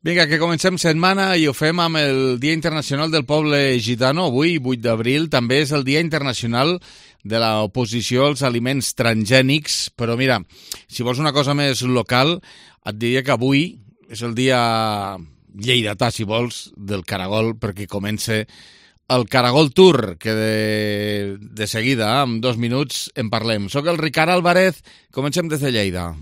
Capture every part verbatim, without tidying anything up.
Vinga, que comencem setmana i ho fem amb el Dia Internacional del Poble Gitano. Avui, vuit d'abril, també és el Dia Internacional de l'oposició als aliments transgènics. Però mira, si vols una cosa més local, et diria que avui és el dia lleidatà, si vols, del caragol, perquè comença el Caragol Tour, que de, de seguida, en dos minuts, en parlem. Soc el Ricard Álvarez, comencem des de Lleida.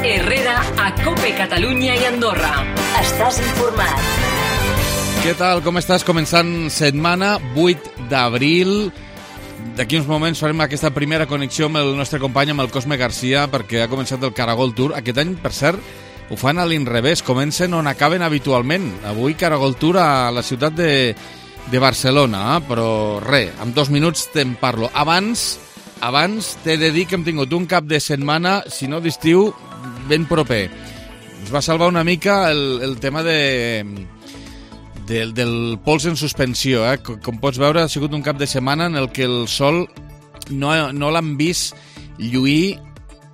Herrera a Cope Catalunya i Andorra. Estàs informat. Què tal? Com estàs? Començant setmana, vuit d'abril. D'aquí uns moments farem aquesta primera connexió amb el nostre company, amb el Cosme Garcia, perquè ha començat el Caragol Tour. Aquest any, per cert, ho fan a l'inrevés. Comencen on acaben habitualment. Avui Caragol Tour a la ciutat de, de Barcelona, eh? Però res, en dos minuts te'n parlo. Abans... Abans t'he de dir que hem tingut un cap de setmana, si no d'estiu, ben proper. Ens va salvar una mica el, el tema de, de, del pols en suspensió. Eh? Com, com pots veure, ha sigut un cap de setmana en el que el sol no, no l'han vist lluir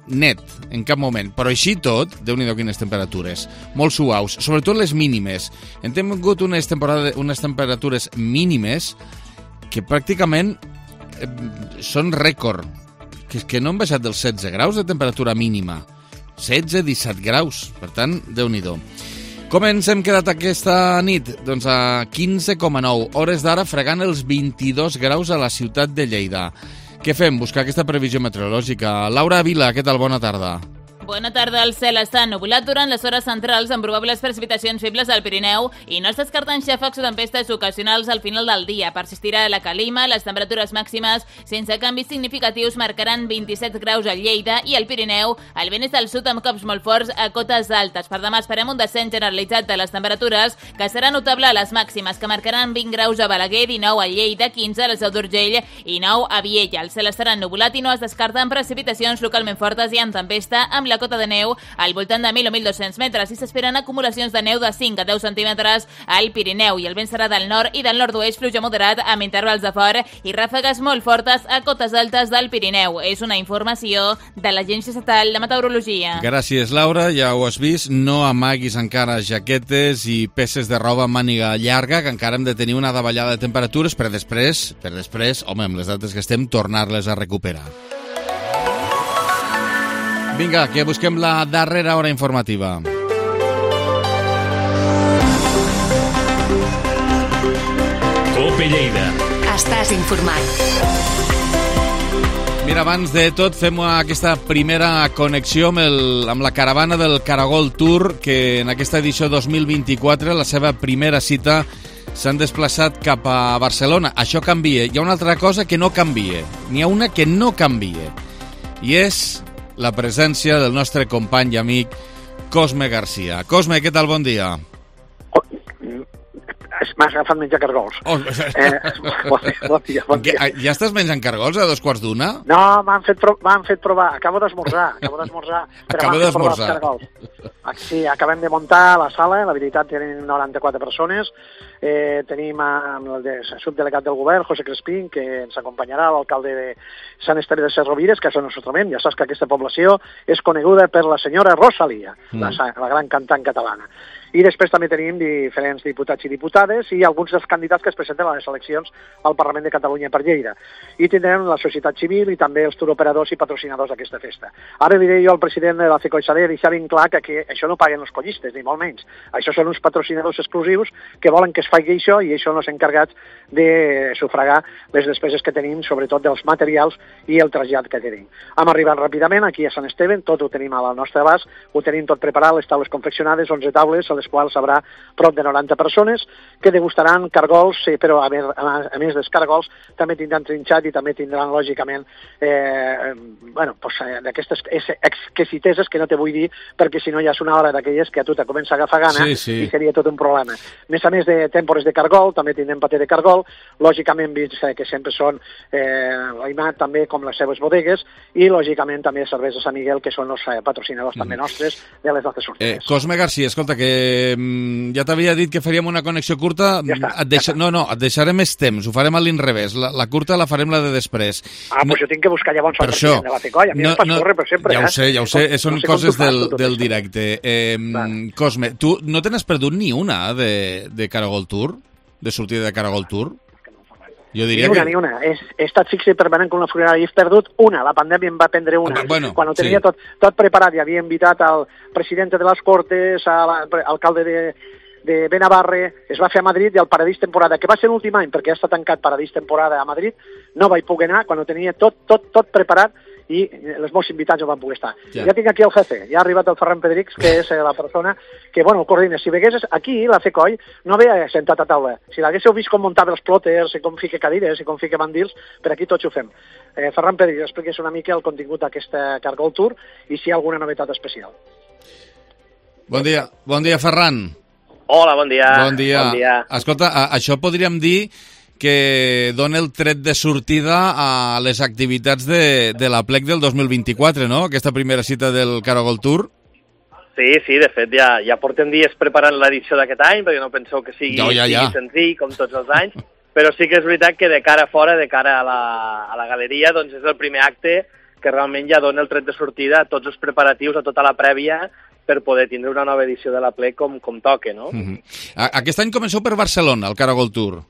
net en cap moment. Però així tot, Déu-n'hi-do quines temperatures, molt suaus, sobretot les mínimes. Hem tingut unes, unes temperatures mínimes que pràcticament són rècord, que és que no han baixat dels setze graus de temperatura mínima, setze a disset graus, per tant, Déu-n'hi-do. Com ens hem quedat aquesta nit? Doncs a quinze coma nou, hores d'ara fregant els vint-i-dos graus a la ciutat de Lleida. Què fem? Buscar aquesta previsió meteorològica. Laura Vila, què tal? Bona tarda. Bona tarda. El cel està ennubulat durant les hores centrals amb probables precipitacions febles al Pirineu i no es descarten xàfecs o tempestes ocasionals al final del dia. Persistirà la calima, les temperatures màximes sense canvis significatius marcaran vint-i-set graus a Lleida i al Pirineu. El vent és del sud amb cops molt forts a cotes altes. Per demà esperem un descens generalitzat de les temperatures que serà notable a les màximes, que marcaran vint graus a Balaguer, dinou a Lleida, quinze a la Seu d'Urgell i nou a Viella. El cel estarà ennubulat i no es descarten precipitacions localment fortes i en tempesta amb la cota de neu al voltant de mil o mil dos-cents metres i s'esperen acumulacions de neu de cinc a deu centímetres al Pirineu i el vent serà del nord i del nord-oest, pluja moderat amb intervals de fort i ràfegues molt fortes a cotes altes del Pirineu. És una informació de l'Agència Estatal de Meteorologia. Gràcies, Laura. Ja ho has vist, no amaguis encara jaquetes i peces de roba amb màniga llarga, que encara hem de tenir una davallada de temperatures per després, per després, home, amb les dates que estem, tornar-les a recuperar. Vinga, que busquem la darrera hora informativa. Cope Lleida. Estàs informat. Mira, abans de tot fem aquesta primera connexió amb, el, amb la caravana del Caragol Tour, que en aquesta edició dos mil vint-i-quatre, la seva primera cita, s'han desplaçat cap a Barcelona. Això canvia. Hi ha una altra cosa que no canvia. N'hi ha una que no canvia. I és la presència del nostre company i amic Cosme Garcia. Cosme, què tal? Bon dia. Oh, m'ha agafat menjar cargols. Oh, eh, bon dia, bon dia, bon dia. Ja estàs menjant cargols a dos quarts d'una? No, m'han fet, m'han fet provar. Acabo d'esmorzar. Acabo d'esmorzar. Acabo d'esmorzar. Sí, acabem de muntar la sala. La veritat, tenim noranta-quatre persones. Eh, tenim amb el de, subdelegat del govern, José Crespín, que ens acompanyarà, l'alcalde de Sant Esteve de Ses Rovires, que és el nostre trobem. Ja saps que aquesta població és coneguda per la senyora Rosalia, mm. la, la gran cantant catalana. I després també tenim diferents diputats i diputades i alguns dels candidats que es presenten a les eleccions al Parlament de Catalunya per Lleida. I tindrem la societat civil i també els turoperadors i patrocinadors d'aquesta festa. Ara diré jo al president de la CECOIXADE deixar ben clar que, que això no paguen els collistes, ni molt menys. Això són uns patrocinadors exclusius que volen que es faci això i això no s'ha encarregat de sufragar les despeses que tenim, sobretot dels materials i el trasllat que tenim. Hem arribat ràpidament aquí a Sant Esteve, tot ho tenim al nostre abast, ho tenim tot preparat, les taules confeccionades, onze taules, a les quals haurà prop de noranta persones que degustaran cargols, sí, però a més, a més dels cargols també tindran trinxat i també tindran, lògicament, eh, bueno, pues, d'aquestes exquisiteses que no te vull dir, perquè si no ja és una hora d'aquelles que a tu te comença a agafar gana, sí, sí. I seria tot un problema. A més a més de tèmpores de cargol, també tindrem paté de cargol, lògicament vins que sempre són eh, l'Aimat, també com les seves bodegues, i lògicament també cerveses Sant Miguel, que són els patrocinadors mm. també nostres de les nostres sortides. Eh, Cosme Garcia, escolta, que eh, ja t'havia dit que faríem una connexió curta. Ja està, et deixa... ja està. No, no, et deixaré més temps, ho farem a l'inrevés. La, la curta la farem la de després. Ah, no... doncs jo tinc que buscar llavors el president de la FECOI. A mi no, em fas no, córrer per sempre, ja eh? ho sé, ja ho sé, no, són no sé coses del, tot del això. directe. Eh, Cosme, tu no te n'has perdut ni una de, de Caragol Tour? De sortida de Caragol Tour? Jo diria ni una, que... ni una. He, he estat fixe i permanent com la funerària. He perdut una. La pandèmia em va prendre una. Bueno, Quan ho tenia sí. tot, tot preparat, hi havia invitat al president de les Cortes, a l'alcalde de, de Benavarre, es va fer a Madrid i al Paradís Temporada, que va ser l'últim any, perquè ja està tancat Paradís Temporada a Madrid, no vaig poder anar quan ho tenia tot, tot, tot preparat i els meus invitats no van poder estar. Ja, ja tinc aquí el jefe, ja ha arribat el Ferran Pedrix, que és la persona que, bueno, coordina. Si veguessis aquí, la FECOI no havia sentat a taula. Si l'haguéssiu vist com muntava els plòters, i com fica cadires, i com fica mandils, per aquí tots ho fem. Eh, Ferran Pedrix, expliqués una mica el contingut d'aquesta Caragol Tour i si hi ha alguna novetat especial. Bon dia, bon dia, Ferran. Hola, bon dia. Bon dia. Bon dia. Escolta, a, això podríem dir que dona el tret de sortida a les activitats de, de la plec del dos mil vint-i-quatre, no? Aquesta primera cita del Caragol Tour. Sí, sí, de fet ja, ja portem dies preparant l'edició d'aquest any, perquè no penseu que sigui, no, ja, ja. sigui senzill, com tots els anys, però sí que és veritat que de cara a fora, de cara a la, a la galeria, doncs és el primer acte que realment ja dona el tret de sortida a tots els preparatius, a tota la prèvia, per poder tindre una nova edició de la plec com, com toque, no? Mm-hmm. Aquest any comenceu per Barcelona, el Caragol Tour.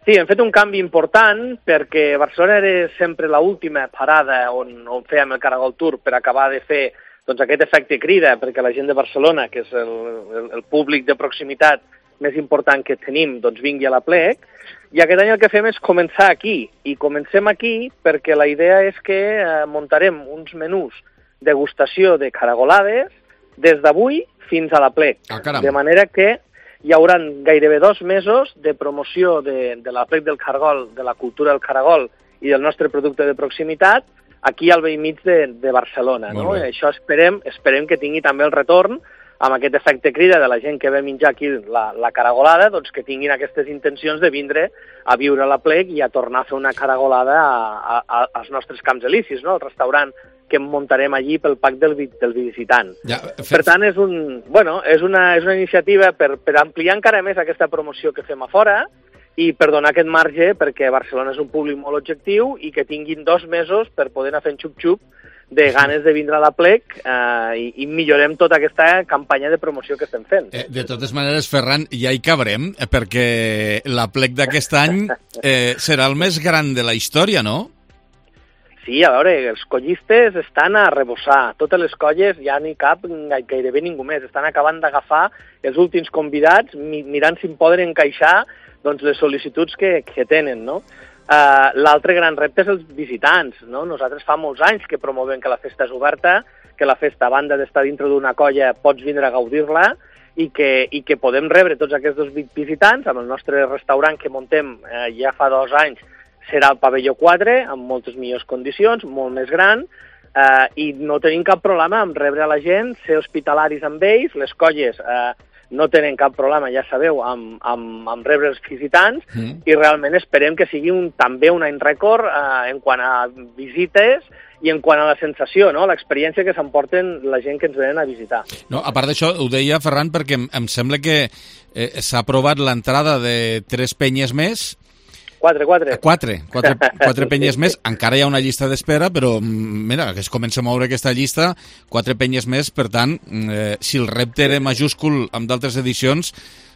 Sí, hem fet un canvi important perquè Barcelona era sempre l'última parada on, on fèiem el Caragol Tour per acabar de fer doncs, aquest efecte crida, perquè la gent de Barcelona, que és el, el, el públic de proximitat més important que tenim, doncs vingui a la plec. I aquest any el que fem és començar aquí. I comencem aquí perquè la idea és que eh, muntarem uns menús degustació de caragolades des d'avui fins a la plec. Ah, caram. De manera que hi haurà gairebé dos mesos de promoció de, de la plec del caragol, de la cultura del caragol i del nostre producte de proximitat aquí al vell mig de, de Barcelona. No? I això esperem, esperem que tingui també el retorn amb aquest efecte crida de la gent que ve menjar aquí la, la caragolada, doncs que tinguin aquestes intencions de vindre a viure a la plec i a tornar a fer una caragolada a, a, als nostres camps elicis, no? El restaurant que muntarem allí pel pack del, del visitant. Ja, fer... Per tant, és, un, bueno, és, una, és una iniciativa per, per ampliar encara més aquesta promoció que fem a fora i per donar aquest marge perquè Barcelona és un públic molt objectiu i que tinguin dos mesos per poder anar fent xup-xup de ganes de vindre a la plec eh, i, i millorem tota aquesta campanya de promoció que estem fent. Eh, de totes maneres, Ferran, ja hi cabrem, perquè la plec d'aquest any eh, serà el més gran de la història, no? Sí, a veure, els collistes estan a rebossar. Totes les colles ja n'hi cap gairebé ningú més. Estan acabant d'agafar els últims convidats, mirant si em poden encaixar doncs, les sol·licituds que, que tenen, no? Uh, L'altre gran repte és els visitants, no? Nosaltres fa molts anys que promovem que la festa és oberta, que la festa, a banda d'estar dintre d'una colla, pots vindre a gaudir-la i que, i que podem rebre tots aquests visitants amb el nostre restaurant que muntem eh, ja fa dos anys. Serà el pavelló quatre, amb moltes millors condicions, molt més gran, eh, i no tenim cap problema amb rebre a la gent, ser hospitalaris amb ells, les colles eh, no tenen cap problema, ja sabeu, amb, amb, amb rebre els visitants, mm. i realment esperem que sigui un, també un any rècord eh, en quant a visites i en quant a la sensació, no? L'experiència que s'emporten la gent que ens venen a visitar. No, a part d'això, ho deia Ferran, perquè em, em sembla que eh, s'ha aprovat l'entrada de tres penyes més. Quatre, quatre. Quatre, quatre, quatre penyes més. Encara hi ha una llista d'espera, però mira, que es comença a moure aquesta llista, quatre penyes més, per tant, eh, si el repte era majúscul amb d'altres edicions,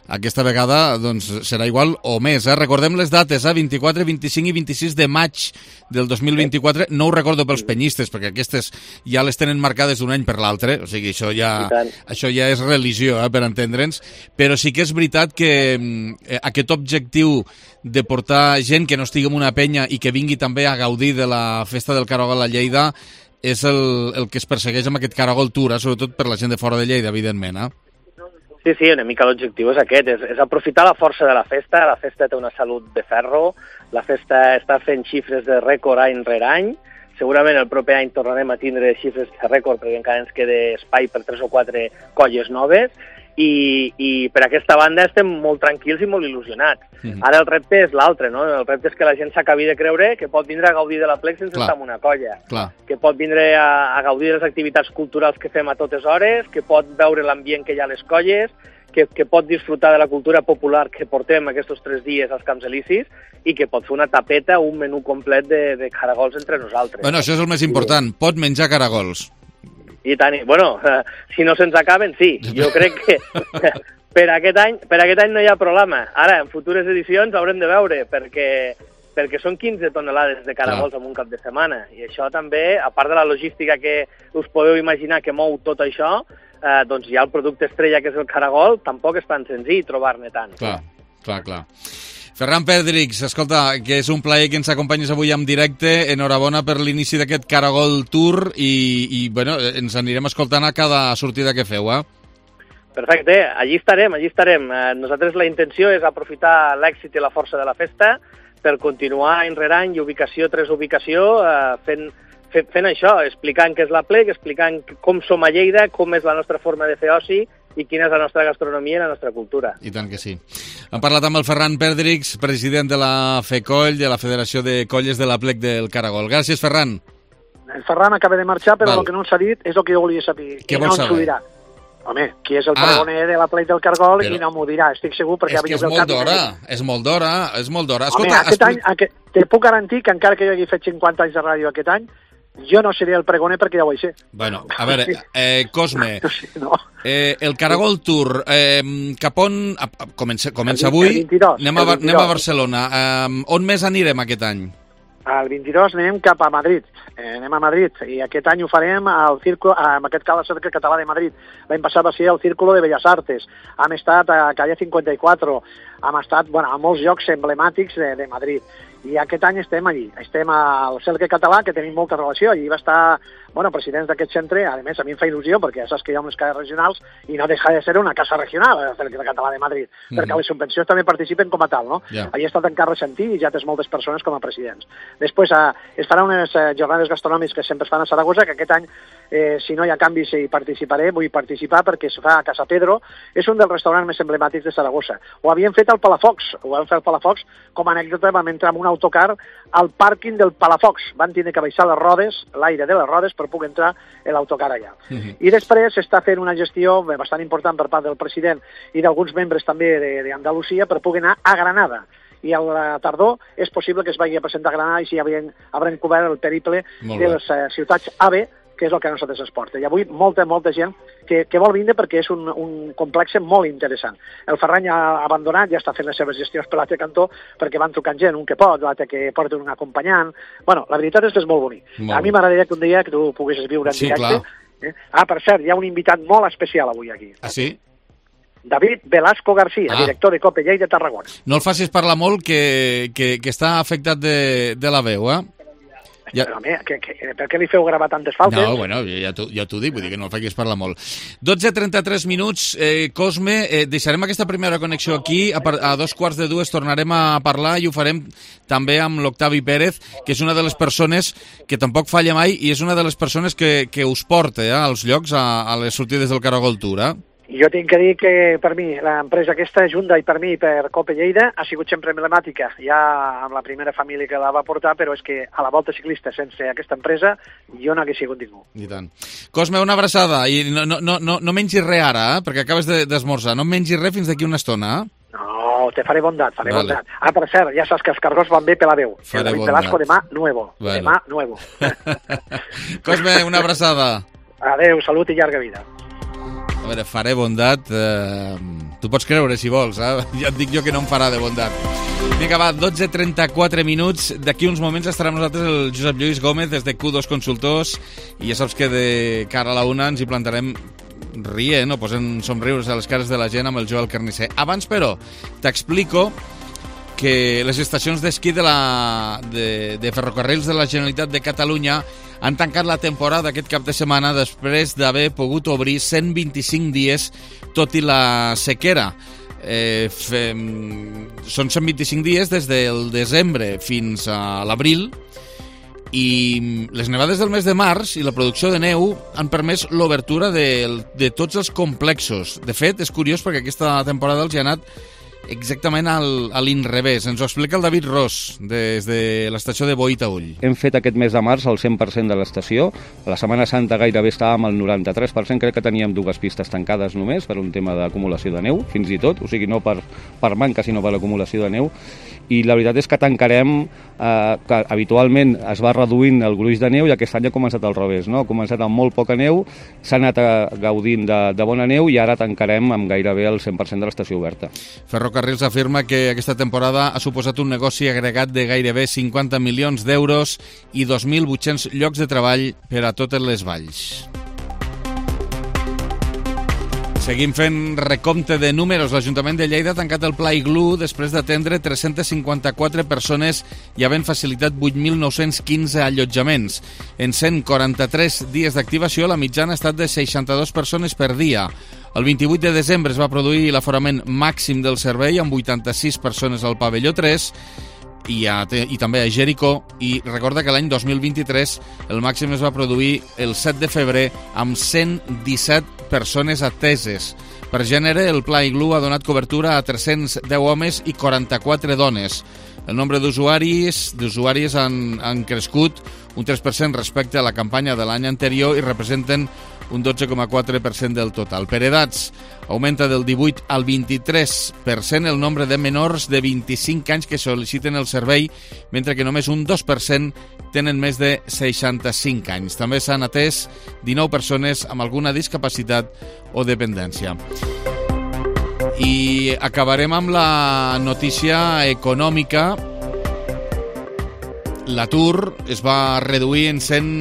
aquesta vegada doncs, serà igual o més. Eh? Recordem les dates, eh? vint-i-quatre, vint-i-cinc i vint-i-sis de maig del dos mil vint-i-quatre. No ho recordo pels penyistes, perquè aquestes ja les tenen marcades d'un any per l'altre, o sigui, això ja, això ja és religió, eh, per entendre'ns, però sí que és veritat que eh, aquest objectiu de portar gent que no estigui en una penya i que vingui també a gaudir de la festa del Caragol a Lleida és el, el que es persegueix amb aquest Caragol Tour, eh? Sobretot per la gent de fora de Lleida, evidentment, eh? Sí, sí, una mica l'objectiu és aquest, és, és aprofitar la força de la festa. La festa té una salut de ferro, la festa està fent xifres de rècord any rere any. Segurament el proper any tornarem a tindre xifres de rècord perquè encara ens queda espai per tres o quatre colles noves i, i per aquesta banda estem molt tranquils i molt il·lusionats. Mm-hmm. Ara el repte és l'altre, no? El repte és que la gent s'acabi de creure que pot vindre a gaudir de la plec sense Clar. estar en una colla. Clar. Que pot vindre a, a gaudir de les activitats culturals que fem a totes hores, que pot veure l'ambient que hi ha a les colles, que, que pot disfrutar de la cultura popular que portem aquests tres dies als Camps Elisis i que pot fer una tapeta, un menú complet de, de caragols entre nosaltres. Bueno, això és el més important, pot menjar caragols. I tant, bueno, eh, si no se'ns acaben, sí. Jo crec que per aquest any per aquest any no hi ha problema. Ara, en futures edicions haurem de veure, perquè perquè són quinze tonelades de caragols en un cap de setmana. I això també, a part de la logística que us podeu imaginar que mou tot això, eh, doncs hi ha el producte estrella, que és el caragol, tampoc és tan senzill trobar-ne tant. Clar, clar, clar. Ferran Pedrix, escolta, que és un plaer que ens acompanyes avui en directe. Enhorabona per l'inici d'aquest Caragol Tour i, i bueno, ens anirem escoltant a cada sortida que feu, eh? Perfecte, allí estarem, allí estarem. Eh, nosaltres la intenció és aprofitar l'èxit i la força de la festa per continuar any rere any i ubicació tras ubicació eh, fent, fent, fent això, explicant què és la Plec, explicant com som a Lleida, com és la nostra forma de fer oci i quina és la nostra gastronomia i la nostra cultura. I tant que sí. Hem parlat amb el Ferran Pedrix, president de la FECOLL, de la Federació de Colles de la Plec del Caragol. Gràcies, Ferran. El Ferran acaba de marxar, però Val. el que no s'ha dit és el que jo volia saber. Què I no vols ens ho saber? dirà. Home, qui és el Ah. pregoner de la Plec del Caragol Però- i no m'ho dirà, estic segur, perquè És ha que vingut és el molt cap i d'hora, m'ha dit. és molt d'hora, és molt d'hora. Home, Escolta, aquest any, expli- aquest, te puc garantir que encara que jo hagi fet cinquanta anys de ràdio aquest any, jo no seré el pregoner perquè ja ho vaig ser. Bueno, a veure, eh, Cosme, Sí, no. eh, el Caragol Tour, eh, cap on... a- a- Comença, comença El avui, vint-i-dos, anem a, el Bar- anem a vint-i-dos. Barcelona. Eh, on més anirem aquest any? El vint-i-dos anem cap a Madrid, eh, anem a Madrid, i aquest any ho farem al circo, en aquest cas al Cercle Català de Madrid. L'any passat va ser el Círculo de Belles Artes, hem estat a Calle cinquanta-quatre, hem estat bueno, a molts llocs emblemàtics de, de Madrid. I aquest any estem allí, estem al Cercle Català, que tenim molta relació, allí va estar, bueno, presidents d'aquest centre, a més a mi em fa il·lusió, perquè ja saps que hi ha unes cases regionals i no deixa de ser una casa regional, el Cercle Català de Madrid, mm-hmm. perquè les subvencions també participen com a tal, no? Yeah. Allí ha estat en Carles Santí i ja tens moltes persones com a presidents. Després eh, es farà unes eh, jornades gastronòmiques que sempre es fan a Saragossa, que aquest any, eh, si no hi ha canvis, hi participaré, vull participar perquè es fa a Casa Pedro, és un dels restaurants més emblemàtics de Saragossa. Ho havíem fet al Palafox, ho vam fer al Palafox, com a anècdota vam entrar en un autocar al pàrquing del Palafox, van tenir que baixar les rodes, l'aire de les rodes, per poder entrar l'autocar allà. Mhm. I després s'està fent una gestió bastant important per part del president i d'alguns membres també d'Andalusia per poder anar a Granada. I a la tardor és possible que es vagi a presentar a Granada i si haurem, haurem cobert el periple Molt de bé. les eh, ciutats A B, que és el que a nosaltres es porta. I avui molta, molta gent que, que vol vindre perquè és un, un complex molt interessant. El Ferran ja ha abandonat, ja està fent les seves gestions per l'altre cantó, perquè van trucant gent, un que pot, l'altre que porta un acompanyant. Bueno, la veritat és que és molt bonic. Molt a mi m'agradaria que un dia que tu poguessis viure en Sí, directe. clar. Eh? Ah, per cert, hi ha un invitat molt especial avui aquí. Ah, sí? David Velasco García, Ah. director de Cope Lleida de Tarragona. No el facis parlar molt, que, que, que està afectat de, de la veu, eh? Ja... Però, home, que, que, per què li feu gravar tantes faltes? No, bueno, ja t'ho ja t'ho dic, vull dir que no el facis parlar molt. dotze trenta-tres minuts, eh, Cosme, eh, deixarem aquesta primera connexió aquí, a, par a dos quarts de dues tornarem a parlar i ho farem també amb l'Octavi Pérez, que és una de les persones que tampoc falla mai i és una de les persones que, que us porta eh, als llocs, a, a les sortides del Caragol Tour, eh? Jo tinc que dir que per mi l'empresa aquesta, Hyundai, per mi, per Cope Lleida, ha sigut sempre emblemàtica, ja amb la primera família que la va portar, però és que a la volta ciclista sense aquesta empresa jo no hagués sigut ningú. I tant. Cosme, una abraçada, i no, no, no, no, no mengis res ara, eh? Perquè acabes d'esmorzar, no mengis res fins d'aquí una estona, eh? No, te faré bondat, faré Vale. bondat. Ah, per cert, ja saps que els cargos van bé per la veu. Faré el David bondat. Velasco demà, nuevo. Bueno. Demà, nuevo. Cosme, una abraçada. Adéu, salut i llarga vida. A veure, faré bondat... Eh, tu pots creure, si vols, eh? Ja et dic jo que no em farà de bondat. Vinga, va, dotze trenta-quatre minuts. D'aquí uns moments estarà amb nosaltres el Josep Lluís Gómez des de Q dos Consultors i ja saps que de cara a la una ens hi plantarem rient o posant somriures a les cares de la gent amb el Joel Carnisser. Abans, però, t'explico que les estacions d'esquí de, la, de, de ferrocarrils de la Generalitat de Catalunya han tancat la temporada aquest cap de setmana després d'haver pogut obrir cent vint-i-cinc dies, tot i la sequera. Eh, fem, són cent vint-i-cinc dies des del desembre fins a l'abril i les nevades del mes de març i la producció de neu han permès l'obertura de, de tots els complexos. De fet, és curiós perquè aquesta temporada els hi ha anat exactament al, a l'inrevés. Ens ho explica el David Ros, des de l'estació de Boí-Taüll. Hem fet aquest mes de març el cent per cent de l'estació. A la Setmana Santa gairebé estàvem al noranta-tres per cent. Crec que teníem dues pistes tancades només per un tema d'acumulació de neu, fins i tot. O sigui, no per, per manca, sinó per acumulació de neu. I la veritat és que tancarem, eh, que habitualment es va reduint el gruix de neu i aquest any ha començat al revés, no? Ha començat amb molt poca neu, s'ha anat a, gaudint de, de bona neu i ara tancarem amb gairebé el cent per cent de l'estació oberta. Ferrocarrils afirma que aquesta temporada ha suposat un negoci agregat de gairebé cinquanta milions d'euros i dos mil vuit-cents llocs de treball per a totes les valls. Seguim fent recompte de números. L'Ajuntament de Lleida ha tancat el Pla Iglú després d'atendre tres-centes cinquanta-quatre persones i havent facilitat vuit mil nou-cents quinze allotjaments. En cent quaranta-tres dies d'activació, la mitjana ha estat de seixanta-dues persones per dia. El vint-i-vuit de desembre es va produir l'aforament màxim del servei amb vuitanta-sis persones al pavelló tres i, a, i també a Jericó, i recorda que l'any dos mil vint-i-tres el màxim es va produir el set de febrer amb cent disset persones ateses. Per gènere, el Pla Iglú ha donat cobertura a tres-cents deu homes i quaranta-quatre dones. El nombre d'usuaris d'usuaris han, han crescut un tres per cent respecte a la campanya de l'any anterior i representen un dotze coma quatre per cent del total. Per edats, augmenta del divuit al vint-i-tres per cent el nombre de menors de vint-i-cinc anys que sol·liciten el servei, mentre que només un dos per cent tenen més de seixanta-cinc anys. També s'han atès dinou persones amb alguna discapacitat o dependència. I acabarem amb la notícia econòmica. L'atur es va reduir en cent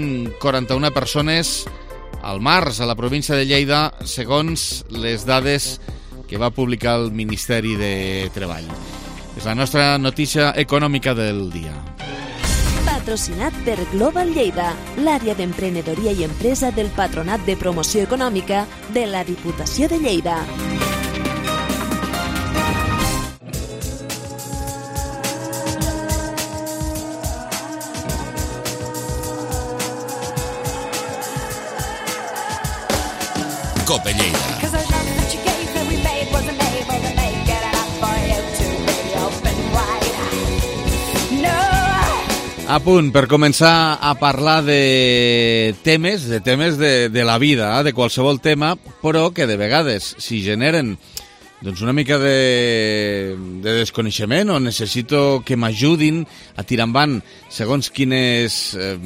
quaranta-una persones al març a la província de Lleida, segons les dades que va publicar el Ministeri de Treball. És la nostra notícia econòmica del dia. Patrocinat per Global Lleida, l'àrea d'emprenedoria i empresa del Patronat de Promoció Econòmica de la Diputació de Lleida. Cope Lleida. A punt per començar a parlar de temes, de temes de, de la vida, de qualsevol tema, però que de vegades, si generen doncs una mica de, de desconeixement o necessito que m'ajudin a tirar endavant segons quines, eh,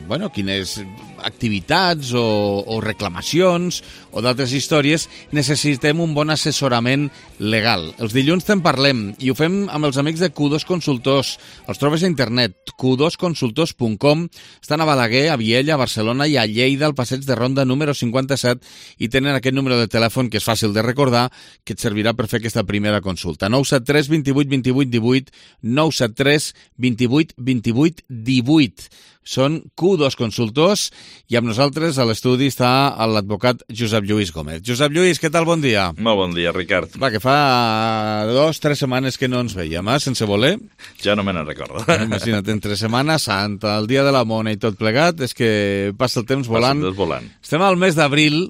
bueno, quines activitats o, o reclamacions o d'altres històries, necessitem un bon assessorament legal. Els dilluns te'n parlem i ho fem amb els amics de Q dos Consultors. Els trobes a internet, q dos consultors punt com. Estan a Balaguer, a Viella, a Barcelona i a Lleida, al passeig de Ronda número cinquanta-set, i tenen aquest número de telèfon que és fàcil de recordar, que et servirà per fer aquesta primera consulta. nou set tres vint vuit vint vuit divuit, nou set tres vint vuit vint vuit divuit. Són Q dos Consultors i amb nosaltres a l'estudi està l'advocat Josep Lluís Gómez. Josep Lluís, què tal? Bon dia. Molt bon dia, Ricard. Va, que fa dos, tres setmanes que no ens veiem, eh? Sense voler. Ja no me n'en recordo. Imagina't, entre Setmana Santa, el dia de la Mona i tot plegat, és que passa el temps volant. Passa el temps volant. Estem al mes d'abril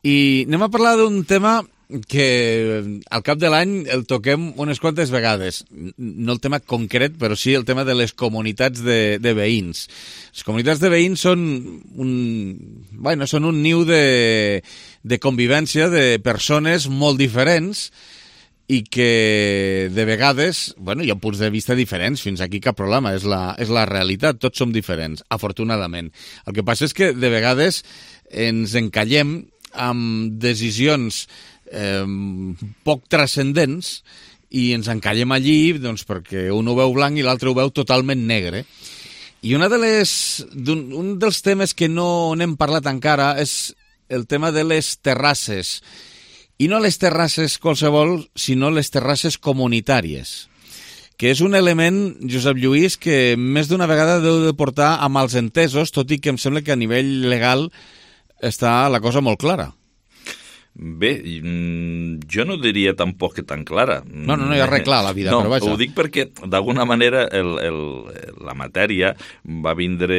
i anem a parlar d'un tema que al cap de l'any el toquem unes quantes vegades. No el tema concret, però sí el tema de les comunitats de, de veïns. Les comunitats de veïns són un, bueno, són un niu de, de convivència de persones molt diferents i que de vegades, bueno, hi ha punts de vista diferents, fins aquí cap problema, és la, és la realitat, tots som diferents, afortunadament. El que passa és que de vegades ens encallem amb decisions eh, poc transcendents i ens encallem allí doncs, perquè un ho veu blanc i l'altre ho veu totalment negre. I una de les, un, un dels temes que no n'hem parlat encara és el tema de les terrasses. I no les terrasses qualsevol, sinó les terrasses comunitàries, que és un element, Josep Lluís, que més d'una vegada deu de portar a mals entesos, tot i que em sembla que a nivell legal està la cosa molt clara. Bé, jo no diria tampoc que tan clara. No, no, no hi ha res clar a la vida, no, però vaja. Ho dic perquè, d'alguna manera, el, el, la matèria va vindre,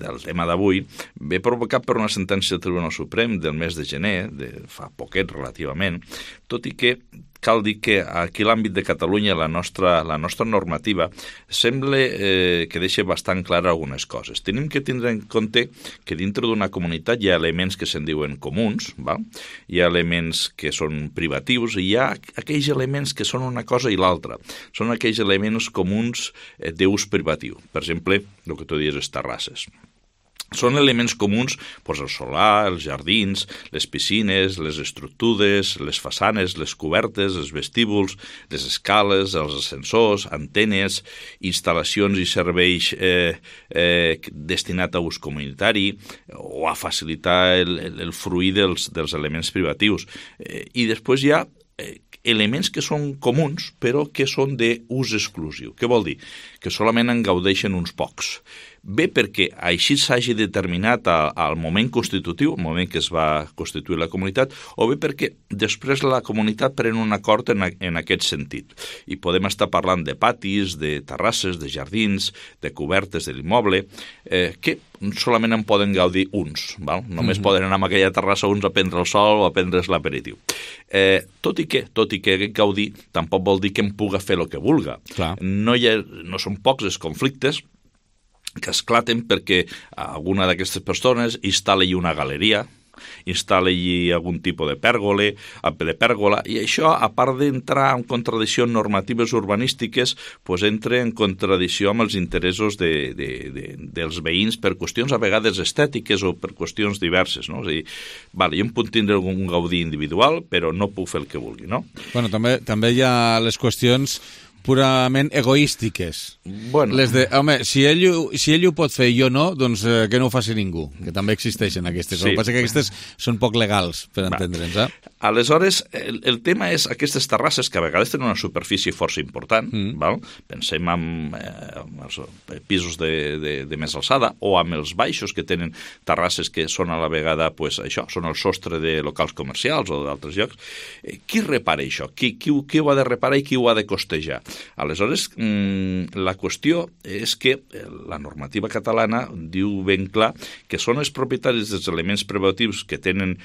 del tema d'avui, ve provocat per una sentència del Tribunal Suprem del mes de gener, de fa poquet relativament, tot i que cal dir que aquí a l'àmbit de Catalunya la nostra, la nostra normativa sembla eh, que deixa bastant clar algunes coses. Tenim que tindre en compte que dintre d'una comunitat hi ha elements que se'n diuen comuns, val? Hi ha elements que són privatius i hi ha aquells elements que són una cosa i l'altra. Són aquells elements comuns eh, d'ús privatiu. Per exemple, el que tu dius, les terrasses. Són elements comuns, doncs el solar, els jardins, les piscines, les estructures, les façanes, les cobertes, els vestíbuls, les escales, els ascensors, antenes, instal·lacions i serveis eh, eh, destinats a ús comunitari o a facilitar el, el, el fruir dels, dels elements privatius. Eh, I després hi ha eh, elements que són comuns però que són d'ús exclusiu. Què vol dir? Que solament en gaudeixen uns pocs. Bé perquè així s'hagi determinat al moment constitutiu, al moment que es va constituir la comunitat, o bé perquè després la comunitat pren un acord en, a, en aquest sentit. I podem estar parlant de patis, de terrasses, de jardins, de cobertes de l'immoble, eh, que solament en poden gaudir uns. Val? Només mm-hmm. poden anar a aquella terrassa uns a prendre el sol o a prendre's l'aperitiu. Eh, tot i que, tot i que gaudir, tampoc vol dir que en puga fer el que vulga. No, hi ha, no són pocs els conflictes que esclaten perquè alguna d'aquestes persones instal·la-hi una galeria, instal·la-hi algun tipus de pèrgole, de pèrgola, i això, a part d'entrar en contradiccions normatives urbanístiques, pues entra en contradicció amb els interessos de, de, de, dels veïns per qüestions a vegades estètiques o per qüestions diverses, no? És a dir, vale, jo em puc tindre un gaudí individual, però no puc fer el que vulgui, no? Bueno, també, també hi ha les qüestions purament egoístiques. Bueno. Les de, home, si ell, si ell ho pot fer i jo no, doncs eh, que no ho faci ningú, que també existeixen aquestes. Sí. El que passa que aquestes són poc legals, per entendre'ns. Eh? Aleshores, el, el tema és aquestes terrasses que a vegades tenen una superfície força important, mm. val? Pensem en, eh, en els pisos de, de, de més alçada o amb els baixos que tenen terrasses que són a la vegada, pues, això, són el sostre de locals comercials o d'altres llocs. Eh, qui repara això? Qui, qui, qui ho ha de reparar i qui ho ha de costejar? Aleshores, la qüestió és que la normativa catalana diu ben clar que són els propietaris dels elements privatius que tenen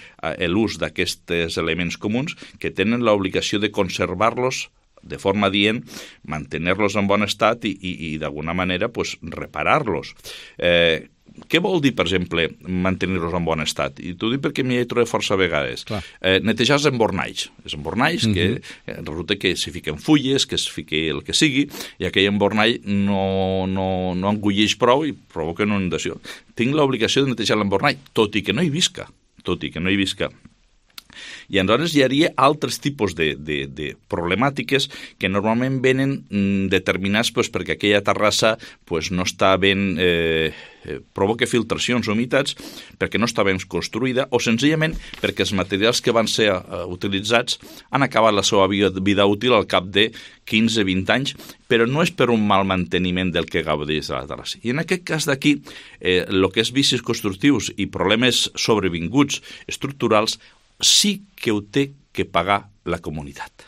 l'ús d'aquests elements comuns que tenen l'obligació de conservar-los de forma dient, mantenir-los en bon estat i, i, i d'alguna manera, pues, reparar-los. Eh, Què vol dir, per exemple, mantenir-los en bon estat? I t'ho dic perquè m'hi he trobat força vegades. Eh, netejar els embornalls. Els embornalls mm-hmm. que eh, resulta que s'hi fiquen fulles, que es fiqui el que sigui, i aquell embornall no, no, no engulleix prou i provoca una inundació. Tinc l'obligació de netejar l'embornall, tot i que no hi visca. Tot i que no hi visca. I aleshores hi hauria altres tipus de, de, de problemàtiques que normalment venen mm, determinats pues, perquè aquella terrassa pues, no està ben... Eh, eh, provoca filtracions o humitats perquè no està ben construïda o senzillament perquè els materials que van ser eh, utilitzats han acabat la seva vida, vida útil al cap de quinze a vint anys, però no és per un mal manteniment del que gaudeix de la terrassa. I en aquest cas d'aquí, eh, el que és vicis constructius i problemes sobrevinguts estructurals sí que ho té que pagar la comunitat.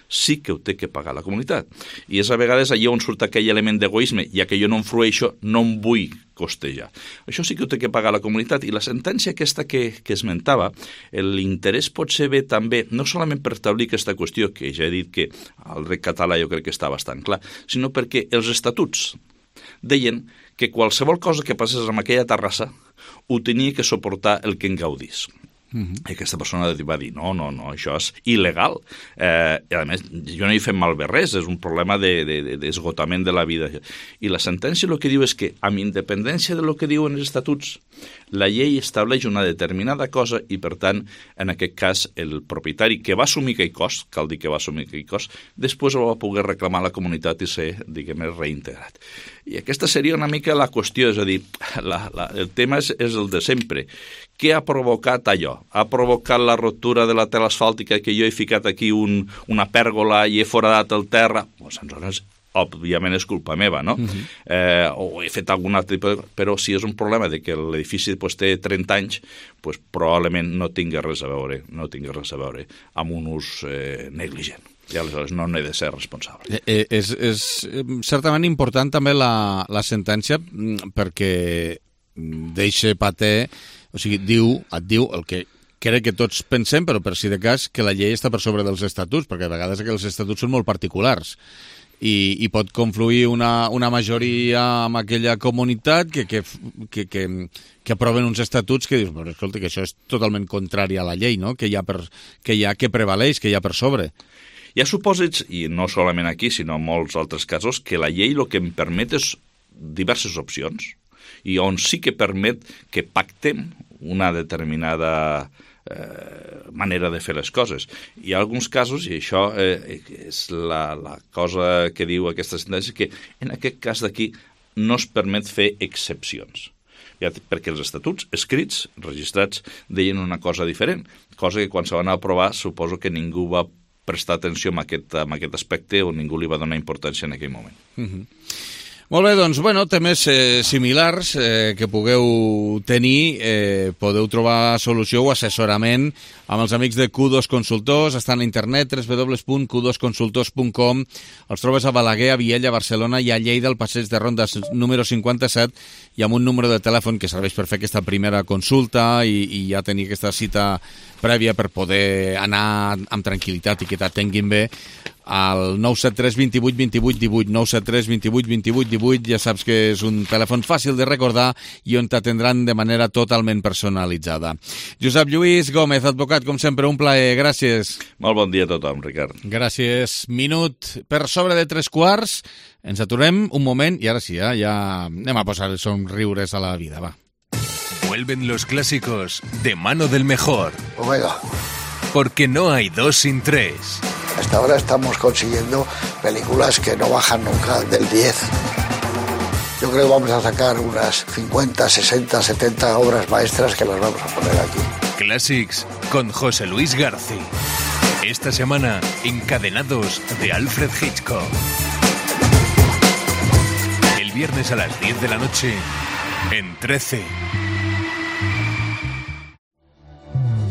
Sí que ho té que pagar la comunitat. I és a vegades allà on surt aquell element d'egoisme, ja que jo no em frueixo, no em vull costejar. Això sí que ho té que pagar la comunitat. I la sentència aquesta que, que esmentava, l'interès pot ser bé també, no solament per establir aquesta qüestió, que ja he dit que al dret català jo crec que està bastant clar, sinó perquè els estatuts deien que qualsevol cosa que passés amb aquella terrassa ho tenia que suportar el que en gaudís. Uh-huh. I aquesta persona va dir, no, no, no, això és il·legal. Eh, I a més, jo no hi fem malbé res, és un problema d'esgotament de, de, de la vida. I la sentència el que diu és que, amb independència de lo que diuen els estatuts, la llei estableix una determinada cosa i, per tant, en aquest cas, el propietari que va assumir aquell cost, cal dir que va assumir aquell cost, després ho va poder reclamar a la comunitat i ser, diguem, reintegrat. I aquesta seria una mica la qüestió, és a dir, la, la, el tema és, és el de sempre. Què ha provocat allò? Ha provocat la ruptura de la tela asfàltica que jo he ficat aquí un, una pèrgola i he foradat el terra? Doncs aleshores, òbviament és culpa meva, no? Uh-huh. eh, o he fet algun altre tipus... Però si és un problema de que l'edifici pues, té trenta anys, pues, probablement no tingui res a veure, no tingui res a veure amb un ús eh, negligent. I aleshores no n'he de ser responsable. Eh, és, és certament important també la, la sentència perquè deixa pater, o sigui, diu, et diu el que crec que tots pensem, però per si de cas, que la llei està per sobre dels estatuts, perquè a vegades que els estatuts són molt particulars. I, i pot confluir una, una majoria amb aquella comunitat que, que, que, que, que aproven uns estatuts que dius, però escolta, que això és totalment contrari a la llei, no? Que hi ha, per, que, hi ha que prevaleix, que hi ha per sobre. Hi ha supòsits, i no solament aquí, sinó en molts altres casos, que la llei el que em permet és diverses opcions, i on sí que permet que pactem una determinada eh, manera de fer les coses. Hi ha alguns casos, i això eh, és la, la cosa que diu aquesta sentència, que en aquest cas d'aquí no es permet fer excepcions. Ja, perquè els estatuts escrits, registrats, deien una cosa diferent, cosa que quan se van aprovar suposo que ningú va prestar atenció en aquest, en aquest aspecte o ningú li va donar importància en aquell moment. Mm-hmm. Molt bé, doncs, bueno, temes eh, similars eh, que pugueu tenir, eh, podeu trobar solució o assessorament amb els amics de Q dos Consultors, estan a internet, w w w punt q dos consultors punt com, els trobes a Balaguer, a Viella, a Barcelona i a Lleida, al passeig de Ronda número cinquanta-set, i amb un número de telèfon que serveix per fer aquesta primera consulta i, i ja tenir aquesta cita prèvia per poder anar amb tranquil·litat i que t'atenguin bé, al nou set tres dos vuit dos vuit un vuit, nou set tres dos vuit dos vuit un vuit, ja saps que és un telèfon fàcil de recordar i on t'atendran de manera totalment personalitzada. Josep Lluís Gómez, advocat, com sempre, un plaer, gràcies. Molt bon dia a tothom, Ricard. Gràcies. Minut per sobre de tres quarts, ens aturem un moment i ara sí, eh? Ja anem a posar els somriures a la vida, va. Vuelven los clásicos de mano del mejor. Omega. Porque no hay dos sin tres. Hasta ahora estamos consiguiendo películas que no bajan nunca del diez. Yo creo que vamos a sacar unas cincuenta, sesenta, setenta obras maestras que las vamos a poner aquí. Classics con José Luis García. Esta semana, Encadenados de Alfred Hitchcock. El viernes a las diez de la noche en trece.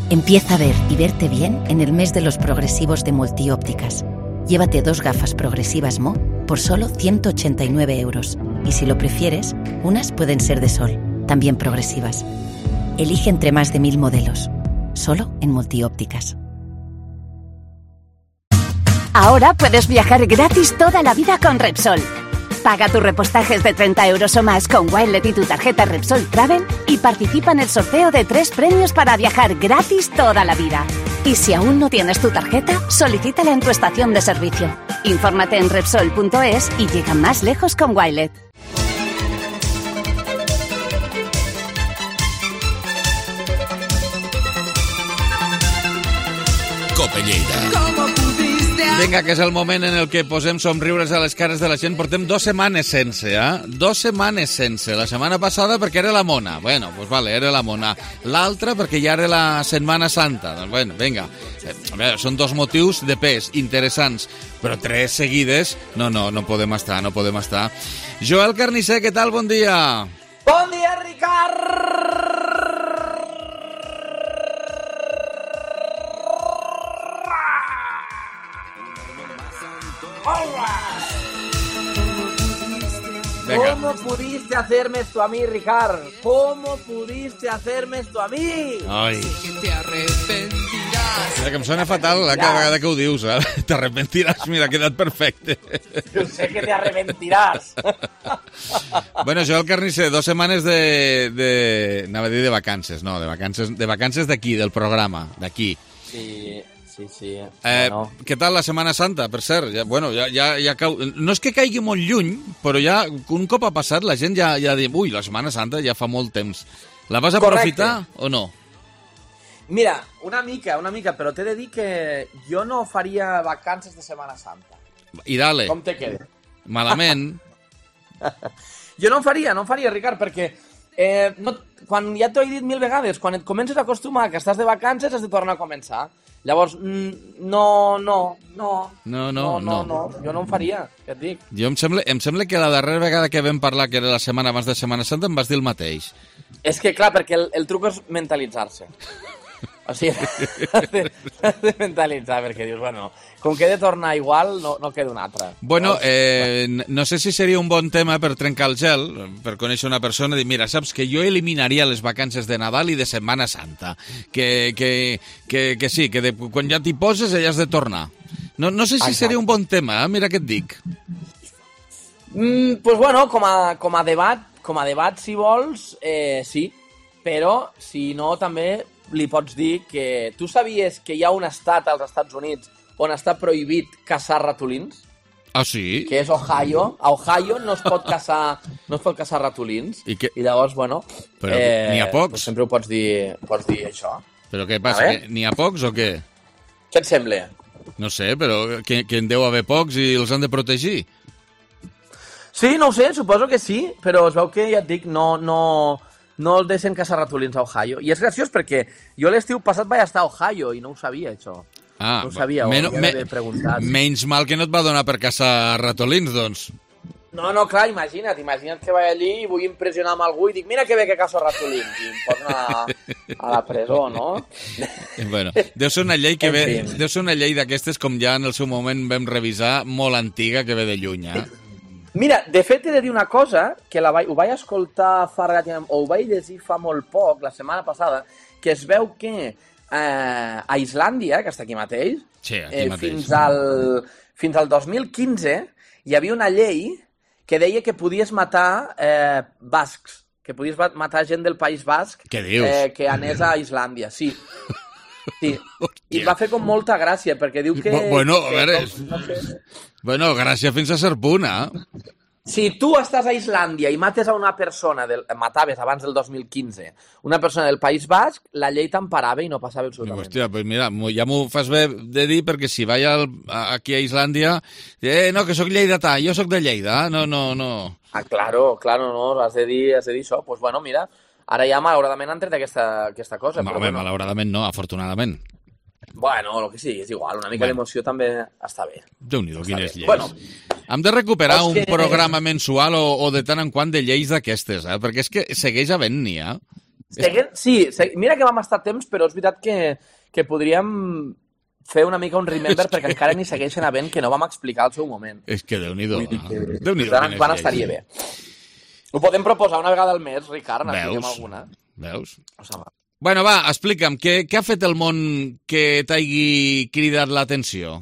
Empieza a ver y verte bien en el mes de los progresivos de Multiópticas. Llévate dos gafas progresivas Mo por solo ciento ochenta y nueve euros. Y si lo prefieres, unas pueden ser de sol, también progresivas. Elige entre más de mil modelos. Solo en Multiópticas. Ahora puedes viajar gratis toda la vida con Repsol. Paga tus repostajes de treinta euros o más con Wilet y tu tarjeta Repsol Travel y participa en el sorteo de tres premios para viajar gratis toda la vida. Y si aún no tienes tu tarjeta, solicítala en tu estación de servicio. Infórmate en Repsol punto es y llega más lejos con Wilet. Cope Lleida. Vinga, que és el moment en el que posem somriures a les cares de la gent. Portem dues setmanes sense, eh? Dues setmanes sense. La setmana passada perquè era la mona. Bueno, doncs pues vale, era la mona. L'altra perquè ja era la Setmana Santa. Doncs bueno, vinga. Eh, veure, són dos motius de pes interessants, però tres seguides, no, no, no podem estar, no podem estar. Joel Carnicer, què tal? Bon dia. Bon dia, Ricard! Venga. ¿Cómo pudiste hacerme esto a mí, Ricard? ¿Cómo pudiste hacerme esto a mí? Ai. Mira, que em sona fatal la cada vegada que ho dius, eh? T'arrepentiràs, mira, ha quedat perfecte. Yo sé que te arrepentirás. Bueno, Joel Carnicer, dos setmanes de, de... anava a dir de vacances, no, de vacances de vacances d'aquí, del programa, d'aquí. Sí... Sí, sí. Eh, bueno. Què tal la Setmana Santa, per cert? Ja, bueno, ja, ja, ja cau... No és que caigui molt lluny, però ja un cop ha passat la gent ja, ja diu, ui, la Setmana Santa ja fa molt temps. La vas aprofitar o no? Mira, una mica, una mica, però t'he de dir que jo no faria vacances de Setmana Santa. I dale. Com te queda? Malament. Jo no en faria, no en faria, Ricard, perquè eh, no, quan ja t'ho he dit mil vegades, quan et comences a acostumar que estàs de vacances has de tornar a començar. Llavors, no, no, no, no, no, no, no, no, jo no en faria, què et dic? Jo em sembla, em sembla que la darrera vegada que vam parlar, que era la setmana abans de Setmana Santa, em vas dir el mateix. És que, clar, perquè el, el truc és mentalitzar-se. O sigui, has de, has de mentalitzar, perquè dius, bueno, com que he de tornar igual, no, no queda un altre. Bueno, eh, no sé si seria un bon tema per trencar el gel, per conèixer una persona i dir, mira, saps que jo eliminaria les vacances de Nadal i de Setmana Santa, que, que, que, que sí, que de, quan ja t'hi poses ja has de tornar. No, no sé si Exacte. seria un bon tema, eh? Mira què et dic. Mm, pues bueno, com a, com a debat, com a debat, si vols, eh, sí, però si no, també li pots dir que tu sabies que hi ha un estat als Estats Units on està prohibit caçar ratolins? Ah, sí? Que és Ohio. A Ohio no es pot caçar, no es pot caçar ratolins. I, que... I llavors, bueno... Però eh, n'hi ha pocs? Pues sempre ho pots dir, pots dir això. Però què passa, que n'hi ha pocs o què? Què et sembla? No sé, però que, que en deu haver pocs i els han de protegir. Sí, no ho sé, suposo que sí, però es veu que, ja et dic, no... no... no el deixen caçar ratolins a Ohio. I és graciós perquè jo l'estiu passat vaig estar a Ohio i no ho sabia, això. Ah, no ho sabia, men ho havia d'haver preguntat. Menys mal que no et va donar per caçar ratolins, doncs. No, no, clar, imagina't, imagina't que vaig allí i vull impressionar amb algú i dic, mira que bé que caço ratolins, i em posen a, a la presó, no? Bueno, deu ser una llei que ve, deu ser una llei d'aquestes, com ja en el seu moment vam revisar, molt antiga, que ve de lluny, eh? Mira, de fet he de dir una cosa, que la vaig, ho vaig escoltar fa relativament, o ho vaig llegir fa molt poc, la setmana passada, que es veu que eh, a Islàndia, que està aquí mateix, sí, aquí eh, mateix. Fins, al, fins al dos mil quinze hi havia una llei que deia que podies matar eh, bascs, que podies matar gent del País Basc Què dius? Eh, que anés a Islàndia, sí. Sí, i et va fer com molta gràcia, perquè diu que... Bueno, a que, veure... com, no sé. Bueno, gràcia fins a cert punt, eh? Si tu estàs a Islàndia i mates a una persona, del, mataves abans del dos mil quinze, una persona del País Basc, la llei t'emparava i no passava absolutament. Hòstia, pues mira, ja m'ho fas bé de dir, perquè si vaig al, aquí a Islàndia, eh, no, que sóc lleidatà, jo sóc de Lleida, no, no, no... Ah, claro, claro, no, has de dir, has de dir això. Pues bueno, mira, ara ja malauradament han tret aquesta, aquesta cosa. No, però home, bueno. malauradament no, afortunadament. Bueno, el que sigui, és igual, una mica bueno. d'emoció també està bé. Déu-n'hi-do, quines lleis. Bueno, hem de recuperar un que... programa mensual o, o de tant en quant de lleis d'aquestes, eh? Perquè és que segueix havent-n'hi, eh? Segue... Sí, segue... mira que vam estar temps, però és veritat que, que podríem fer una mica un remember perquè que... encara n'hi segueixen havent que no vam explicar al seu moment. És que Déu-n'hi-do, que... eh? Déu-n'hi-do, quines lleis. Estaria bé. Ho podem proposar una vegada al mes, Ricard, n'expliquem alguna. Veus? O sigui, bueno, va, explica'm, què, què ha fet el món que t'hagi cridat l'atenció?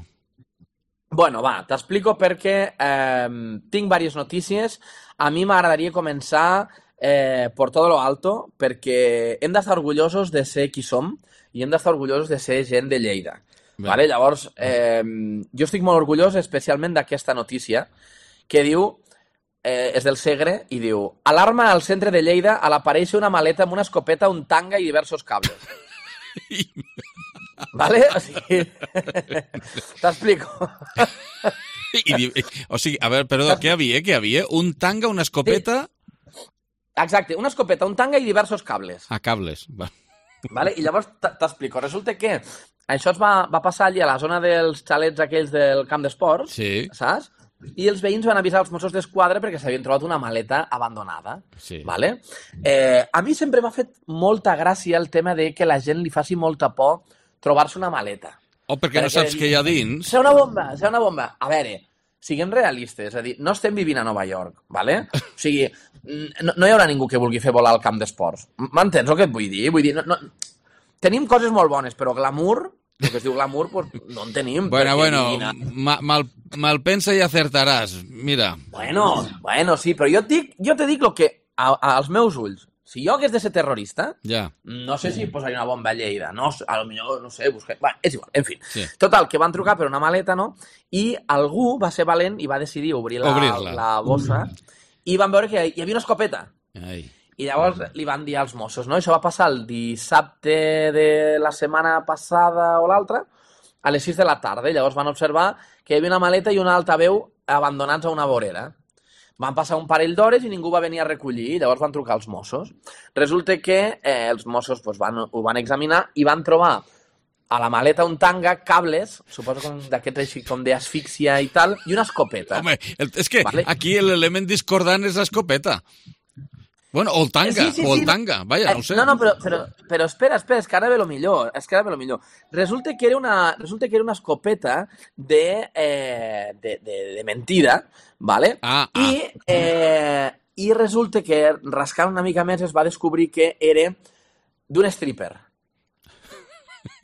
Bueno, va, t'explico perquè eh, tinc diverses notícies. A mi m'agradaria començar eh, por todo lo alto, perquè hem d'estar orgullosos de ser qui som i hem d'estar orgullosos de ser gent de Lleida. Vale? Llavors, eh, jo estic molt orgullós especialment d'aquesta notícia que diu... Eh, és del Segre i diu: alarma al centre de Lleida al aparèixer una maleta amb una escopeta, un tanga i diversos cables. Vale? O sigui... T'explico. I, o sigui, a veure, perdó, què havia? Què havia? Un tanga, una escopeta... Sí. Exacte, una escopeta, un tanga i diversos cables. Ah, cables. Va. Vale? I llavors t'explico. Resulta que això es va, va passar allà a la zona dels xalets aquells del camp d'esports, sí. Saps? I els veïns van avisar els Mossos d'Esquadra perquè s'havien trobat una maleta abandonada. Sí. Vale? Eh, a mi sempre m'ha fet molta gràcia el tema de que la gent li faci molta por trobar-se una maleta. O perquè, perquè no saps què hi ha dins. Serà una bomba, serà una bomba. A veure, siguem realistes, és a dir, no estem vivint a Nova York, vale? O sigui, no, no hi haurà ningú que vulgui fer volar al camp d'esports. M'entens el que et vull dir? Vull dir, no, no... Tenim coses molt bones, però glamour... El que es diu glamour, pues, no en tenim. Bueno, bueno, ma, mal, mal pensa i acertaràs, mira. Bueno, bueno, sí, però jo, dic, jo te dic el que, a, a, als meus ulls, si jo hagués de ser terrorista, ja. No sé si posaria una bomba a Lleida, no, a lo millor, no sé, buscar... Bueno, és igual, en fi. Sí. Total, que van trucar per una maleta, no? I algú va ser valent i va decidir obrir la, la bossa i van veure que hi havia una escopeta. Ai. I llavors li van dir als Mossos, no? Això va passar el dissabte de la setmana passada o l'altra, a les sis de la tarda. I llavors van observar que hi havia una maleta i una altaveu abandonats a una vorera. Van passar un parell d'hores i ningú va venir a recollir, i llavors van trucar als Mossos. Resulta que eh, els Mossos pues, van, ho van examinar i van trobar a la maleta un tanga, cables, suposo com d'aquests així com d'asfíxia i tal, i una escopeta. Home, el, és que vale? Aquí l'element discordant és l'escopeta. Bueno, o el tanga, Sí, sí, o el sí. tanga, vaja, no ho sé. No, no, però, però, però espera, espera, és que ara ve lo millor, és que ara ve lo millor. Resulta que era una, resulta que era una escopeta de, eh, de, de, de mentida, ¿vale? Ah, ah. I, eh, I resulta que, rascant una mica més, es va descobrir que era d'un stripper.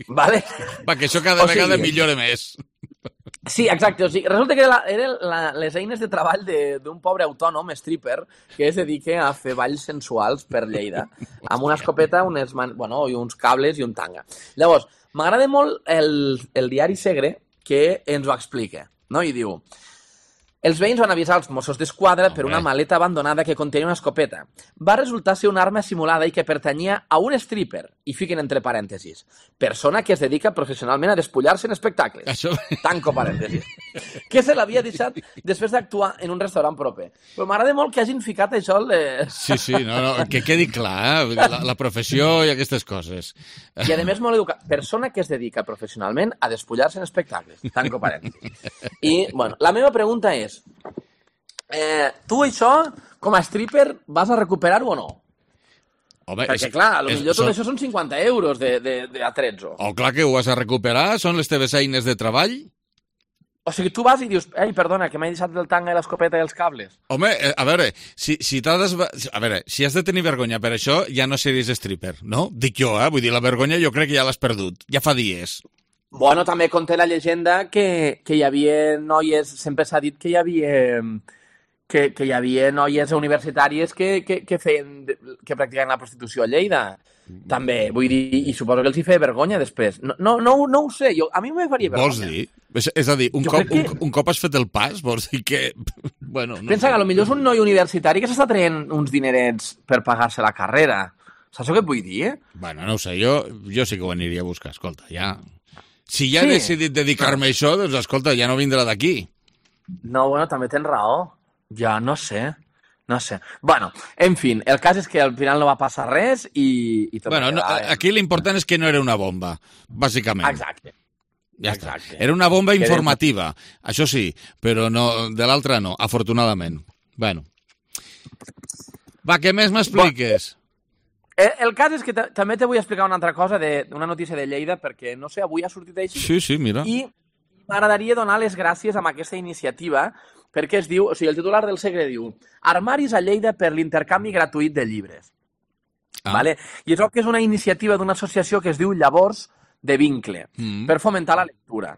¿Vale? Va, que això cada O sigui- vegada millora més. Sí, exacte. O sigui, resulta que eren era la, les eines de treball de- d'un pobre autònom, stripper, que es dedica a fer balls sensuals per Lleida, amb una escopeta, unes man... bueno, i uns cables i un tanga. Llavors, m'agrada molt el, el diari Segre, que ens ho explica, no? I diu... Els veïns van avisar els Mossos d'Esquadra per una maleta abandonada que contenia una escopeta. Va resultar ser una arma simulada i que pertanyia a un stripper, i fiquen entre parèntesis, persona que es dedica professionalment a despullar-se en espectacles. Això... Tanco parèntesis. Que se l'havia deixat després d'actuar en un restaurant proper. Però m'agrada molt que hagin ficat això... Le... Sí, sí, no, no, que quedi clar, eh? Vull dir, la, la professió i aquestes coses. I, a més, molt educat. Persona que es dedica professionalment a despullar-se en espectacles. Tanco parèntesis. I, bueno, la meva pregunta és, eh, tu això, com a stripper, vas a recuperar-ho o no? Home, Perquè, és- clar, a lo és- millor tot són- això són cinquanta euros de, de, de atrezzo. O clar que ho has a recuperar, són les teves eines de treball. O sigui, tu vas i dius, ei, perdona, que m'he deixat el tanga i l'escopeta i els cables. Home, eh, a veure, si, si t'has desva... a veure, si has de tenir vergonya per això, ja no series stripper, no? Dic jo, eh? Vull dir, la vergonya jo crec que ja l'has perdut. Ja fa dies. Bueno, també conté la llegenda que, que hi havia noies, sempre s'ha dit que hi havia que, que hi havia noies universitàries que, que, que feien, que practicaven la prostitució a Lleida. També, vull dir, i suposo que els hi feia vergonya després. No, no, no, no ho sé, jo, a mi me faria vergonya. Vols dir? És, és a dir, un Jo cop, crec que- un, un cop has fet el pas, vols dir que... Bueno, no Pensa sé. que potser és un noi universitari que s'està traient uns dinerets per pagar-se la carrera. Saps el que et vull dir, eh? Bueno, no ho sé, jo, jo sí que ho aniria a buscar, escolta, ja... Si ja Sí. he decidit dedicar-me a això, doncs escolta, ja no vindrà d'aquí. No, bueno, també tens raó. Ja, no sé. No sé. Bueno, en fin, el cas és que al final no va passar res i... i tot Bueno, va no, quedar, eh? aquí l'important és que no era una bomba, bàsicament. Exacte. Ja està. Exacte. Era una bomba Que era- informativa, això sí, però no, de l'altra no, afortunadament. Bueno. Va, què més m'expliques? El, el cas és que ta- també te vull explicar una altra cosa d'una notícia de Lleida, perquè, no sé, avui ha sortit així. Sí, sí, mira. I m'agradaria donar les gràcies amb aquesta iniciativa, perquè es diu, o sigui, el titular del Segre diu Armaris a Lleida per l'intercanvi gratuït de llibres. Ah. Vale? I això que és una iniciativa d'una associació que es diu Llavors de Vincle, Mm. per fomentar la lectura.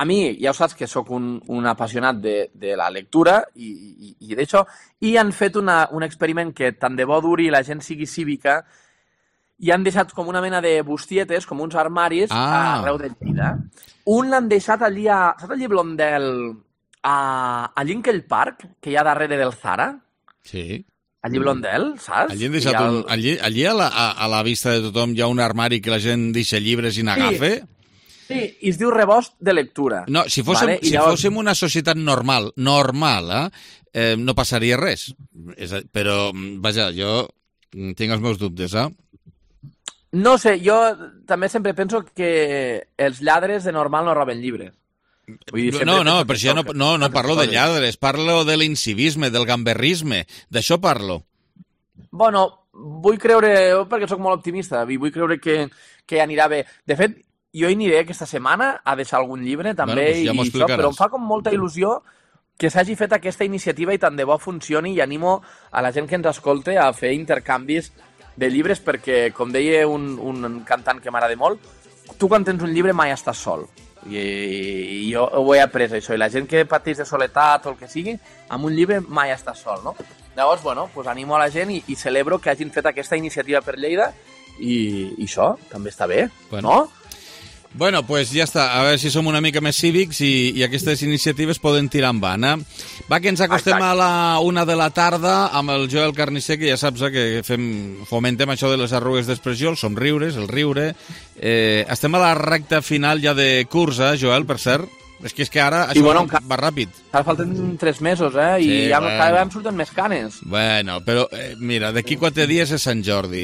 A mi, ja ho saps que sóc un, un apassionat de, de la lectura i, i, i d'això, i han fet una, un experiment que tant de bo duri i la gent sigui cívica, i han deixat com una mena de bustietes, com uns armaris, Ah. arreu de Lleida. Un l'han deixat allí a... Saps allí Blondel? A, a Linkel Park, que hi ha darrere del Zara? Sí. Allí Blondel, saps? Allí, han I deixat el- un, allí, allí a, la, a, a la vista de tothom hi ha un armari que la gent deixa llibres i n'agafa? Sí, i es diu rebost de lectura. No, si fóssim, Vale? I si llavors- fóssim una societat normal, normal, eh, eh, no passaria res. És, a- però, vaja, jo mm, tinc els meus dubtes, eh? No sé, jo també sempre penso que els lladres de normal no roben llibres. Vull dir, sempre No, no, penso per que això no, això- no, no que- parlo de coses. lladres, parlo de l'incivisme, del gamberrisme, d'això parlo. Bueno, vull creure, jo perquè sóc molt optimista, i vull creure que, que anirà bé. De fet, jo hi aniré aquesta setmana a deixar algun llibre, també, Bueno, doncs ja m'ho i això, explicaràs. però em fa com molta il·lusió que s'hagi fet aquesta iniciativa i tant de bo funcioni, i animo a la gent que ens escolte a fer intercanvis de llibres, perquè, com deia un, un cantant que m'agrada molt, tu quan tens un llibre mai estàs sol. I, i jo ho he après, això. I la gent que pateix de soledat o el que sigui, amb un llibre mai estàs sol, no? Llavors, bueno, pues animo a la gent i, i celebro que hagin fet aquesta iniciativa per Lleida i, i això també està bé, Bueno. no? Bueno, pues ja està. A veure si som una mica més cívics i, i aquestes iniciatives poden tirar endavant, eh? Va, que ens acostem Exacte. a la una de la tarda amb el Joel Carnisser, que ja saps eh, que fem, fomentem això de les arrugues d'expressió, els somriures, el riure. Eh, estem a la recta final ja de curs, eh, Joel, per cert? És que és que ara això bueno, va ràpid. Ara falten tres mesos, eh? I Sí, ja bueno. cada vegada em surten més canes. Bueno, però eh, mira, d'aquí quatre dies és Sant Jordi.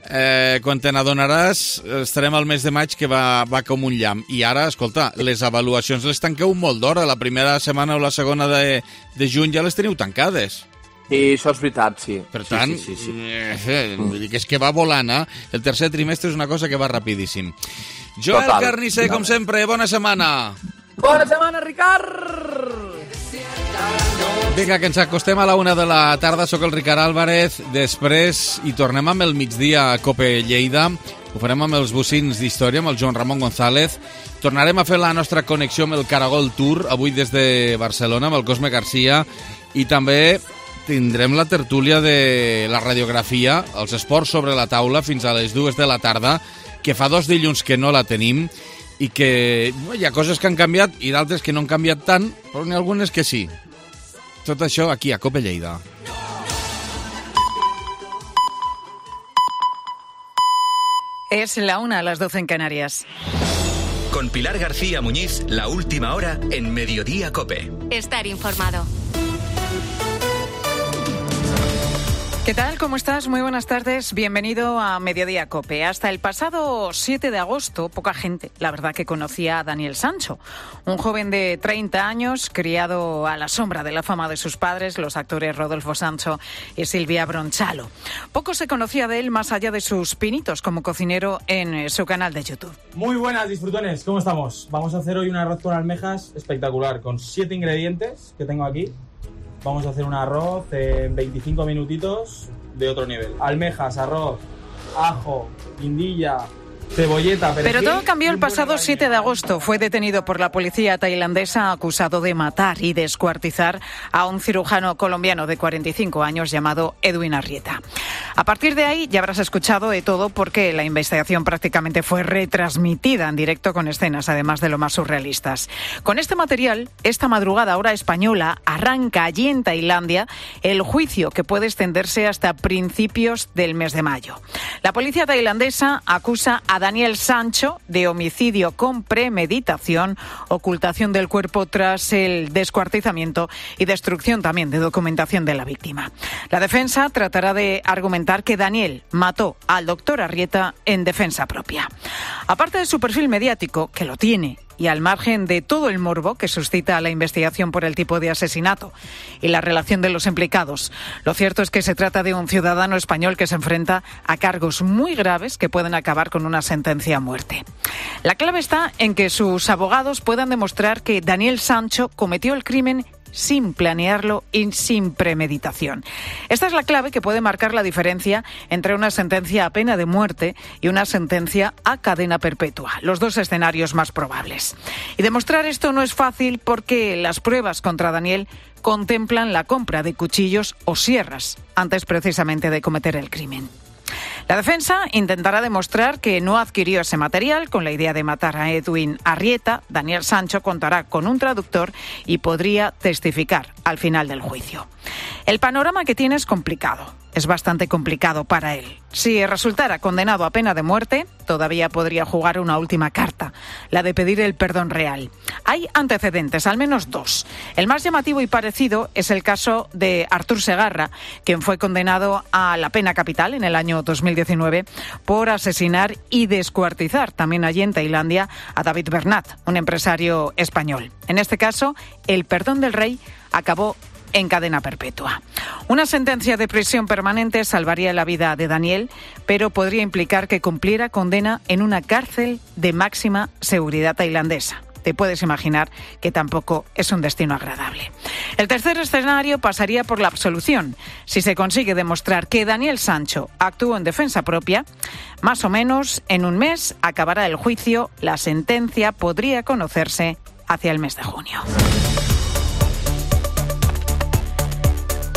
Eh, quan te n'adonaràs, estarem al mes de maig que va, va com un llamp. I ara, escolta, les avaluacions les tanqueu molt d'hora. La primera setmana o la segona de, de juny ja les teniu tancades. I això és veritat, sí. Per tant, sí, sí, sí, sí. Eh, vull dir que és que va volant, eh? El tercer trimestre és una cosa que va rapidíssim. Joel Total. Carnicer, com sempre, bona setmana. Bona setmana, Ricard! Vinga, que ens acostem a la una de la tarda. Soc el Ricard Álvarez. Després hi tornem amb el migdia a Cope Lleida. Ho farem amb els bocins d'història, amb el Joan Ramon González. Tornarem a fer la nostra connexió amb el Caragol Tour, avui des de Barcelona, amb el Cosme Garcia. I també tindrem la tertúlia de la radiografia, els esports sobre la taula, fins a les dues de la tarda, que fa dos dilluns que no la tenim, i que hi ha coses que han canviat i d'altres que no han canviat tant, però n'hi ha algunes que sí. Tot això aquí a Cope Lleida. Es la una a las doce en Canarias. Con Pilar García Muñiz, la última hora en Mediodía Cope. Estar informado. ¿Qué tal? ¿Cómo estás? Muy buenas tardes. Bienvenido a Mediodía Cope. Hasta el pasado siete de agosto, poca gente, la verdad, que conocía a Daniel Sancho, un joven de treinta años, criado a la sombra de la fama de sus padres, los actores Rodolfo Sancho y Silvia Bronchalo. Poco se conocía de él más allá de sus pinitos como cocinero en su canal de YouTube. Muy buenas, disfrutones. ¿Cómo estamos? Vamos a hacer hoy un arroz con almejas espectacular, con siete ingredientes que tengo aquí. Vamos a hacer un arroz en veinticinco minutitos de otro nivel. Almejas, arroz, ajo, guindilla, cebolleta, perejil. Pero todo cambió el pasado siete de agosto. Fue detenido por la policía tailandesa acusado de matar y descuartizar a un cirujano colombiano de cuarenta y cinco años llamado Edwin Arrieta. A partir de ahí ya habrás escuchado de todo porque la investigación prácticamente fue retransmitida en directo con escenas, además de lo más surrealistas. Con este material, esta madrugada hora española, arranca allí en Tailandia el juicio que puede extenderse hasta principios del mes de mayo. La policía tailandesa acusa a Daniel Sancho de homicidio con premeditación, ocultación del cuerpo tras el descuartizamiento y destrucción también de documentación de la víctima. La defensa tratará de argumentar que Daniel mató al doctor Arrieta en defensa propia. Aparte de su perfil mediático, que lo tiene, y al margen de todo el morbo que suscita la investigación por el tipo de asesinato y la relación de los implicados, lo cierto es que se trata de un ciudadano español que se enfrenta a cargos muy graves que pueden acabar con una sentencia a muerte. La clave está en que sus abogados puedan demostrar que Daniel Sancho cometió el crimen sin planearlo y sin premeditación. Esta es la clave que puede marcar la diferencia entre una sentencia a pena de muerte y una sentencia a cadena perpetua, los dos escenarios más probables. Y demostrar esto no es fácil porque las pruebas contra Daniel contemplan la compra de cuchillos o sierras antes precisamente de cometer el crimen. La defensa intentará demostrar que no adquirió ese material con la idea de matar a Edwin Arrieta. Daniel Sancho contará con un traductor y podría testificar al final del juicio. El panorama que tiene es complicado. Es bastante complicado para él. Si resultara condenado a pena de muerte, todavía podría jugar una última carta, la de pedir el perdón real. Hay antecedentes, al menos dos. El más llamativo y parecido es el caso de Artur Segarra, quien fue condenado a la pena capital en el año dos mil diecinueve por asesinar y descuartizar, también allí en Tailandia, a David Bernat, un empresario español. En este caso, el perdón del rey acabó en cadena perpetua. Una sentencia de prisión permanente salvaría la vida de Daniel, pero podría implicar que cumpliera condena en una cárcel de máxima seguridad tailandesa. Te puedes imaginar que tampoco es un destino agradable. El tercer escenario pasaría por la absolución. Si se consigue demostrar que Daniel Sancho actuó en defensa propia, más o menos en un mes acabará el juicio. La sentencia podría conocerse hacia el mes de junio.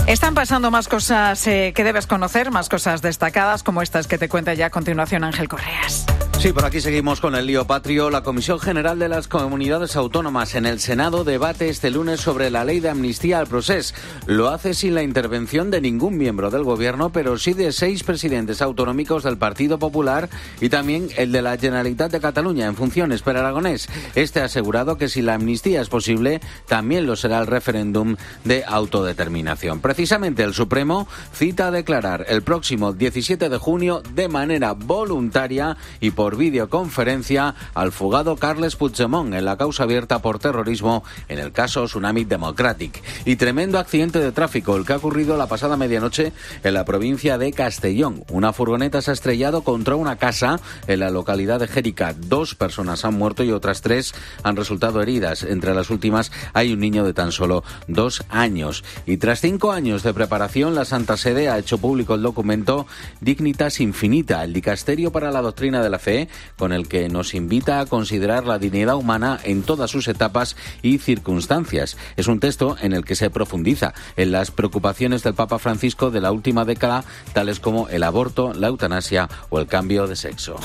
Están pasando más cosas eh, que debes conocer, más cosas destacadas como estas que te cuenta ya a continuación Ángel Correas. Sí, por aquí seguimos con el lío patrio. La Comisión General de las Comunidades Autónomas en el Senado debate este lunes sobre la ley de amnistía al procés. Lo hace sin la intervención de ningún miembro del Gobierno, pero sí de seis presidentes autonómicos del Partido Popular y también el de la Generalitat de Cataluña en funciones, Per Aragonés. Este ha asegurado que si la amnistía es posible, también lo será el referéndum de autodeterminación. Precisamente el Supremo cita a declarar el próximo diecisiete de junio de manera voluntaria y por por videoconferencia al fugado Carles Puigdemont en la causa abierta por terrorismo en el caso Tsunami Democratic. Y tremendo accidente de tráfico el que ha ocurrido la pasada medianoche en la provincia de Castellón. Una furgoneta se ha estrellado contra una casa en la localidad de Jérica. Dos personas han muerto y otras tres han resultado heridas. Entre las últimas hay un niño de tan solo dos años. Y tras cinco años de preparación, la Santa Sede ha hecho público el documento Dignitas Infinita, el dicasterio para la doctrina de la fe, con el que nos invita a considerar la dignidad humana en todas sus etapas y circunstancias. Es un texto en el que se profundiza en las preocupaciones del Papa Francisco de la última década, tales como el aborto, la eutanasia o el cambio de sexo.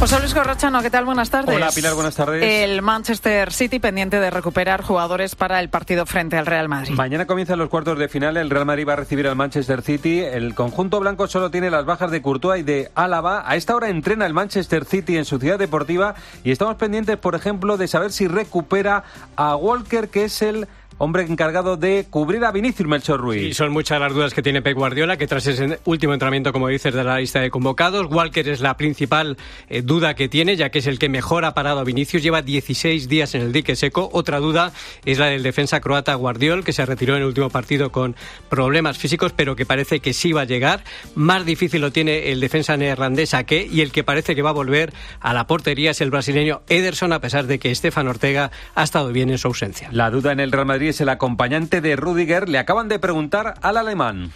José Luis Corrochano, ¿qué tal? Buenas tardes. Hola, Pilar, buenas tardes. El Manchester City pendiente de recuperar jugadores para el partido frente al Real Madrid. Mañana comienzan los cuartos de final. El Real Madrid va a recibir al Manchester City. El conjunto blanco solo tiene las bajas de Courtois y de Álava. A esta hora entrena el Manchester City en su ciudad deportiva y estamos pendientes, por ejemplo, de saber si recupera a Walker, que es el hombre encargado de cubrir a Vinicius, Melchor Ruiz. Y son muchas las dudas que tiene Pep Guardiola, que tras ese último entrenamiento, como dices, de la lista de convocados, Walker es la principal eh, duda que tiene, ya que es el que mejor ha parado a Vinicius, lleva dieciséis días en el dique seco. Otra duda es la del defensa croata Guardiol, que se retiró en el último partido con problemas físicos, pero que parece que sí va a llegar. Más difícil lo tiene el defensa neerlandés Ake, y el que parece que va a volver a la portería es el brasileño Ederson, a pesar de que Stefan Ortega ha estado bien en su ausencia. La duda en el Real Madrid es el acompañante de Rüdiger. Le acaban de preguntar al alemán.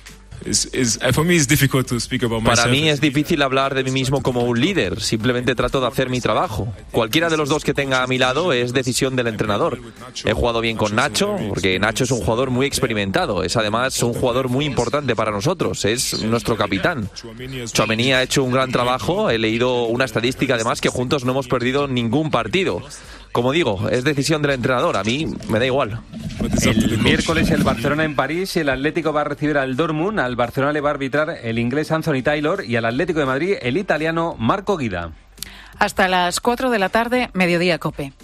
Para mí es difícil hablar de mí mismo como un líder, simplemente trato de hacer mi trabajo. Cualquiera de los dos que tenga a mi lado es decisión del entrenador. He jugado bien con Nacho, porque Nacho es un jugador muy experimentado, es además un jugador muy importante para nosotros, es nuestro capitán. Tchouaméni ha hecho un gran trabajo, he leído una estadística además que juntos no hemos perdido ningún partido. Como digo, es decisión del entrenador, a mí me da igual. El miércoles el Barcelona en París, el Atlético va a recibir al Dortmund, al Barcelona le va a arbitrar el inglés Anthony Taylor y al Atlético de Madrid el italiano Marco Guida. Hasta las cuatro de la tarde, Mediodía Cope.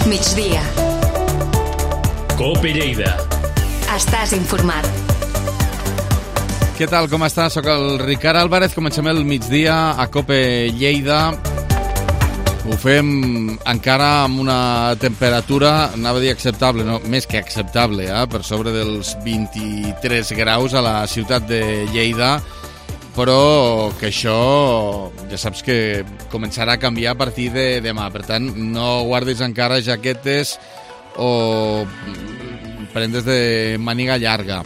Migdia. Cope Lleida. Estàs informat. Què tal, com estàs? Soc el Ricard Álvarez, comencem el migdia a Cope Lleida. Ho fem encara amb una temperatura, anava a dir acceptable, no, més que acceptable, eh? Per sobre dels vint-i-tres graus a la ciutat de Lleida, però que això ja saps que començarà a canviar a partir de demà. Per tant, no guardis encara jaquetes o prendes de màniga llarga.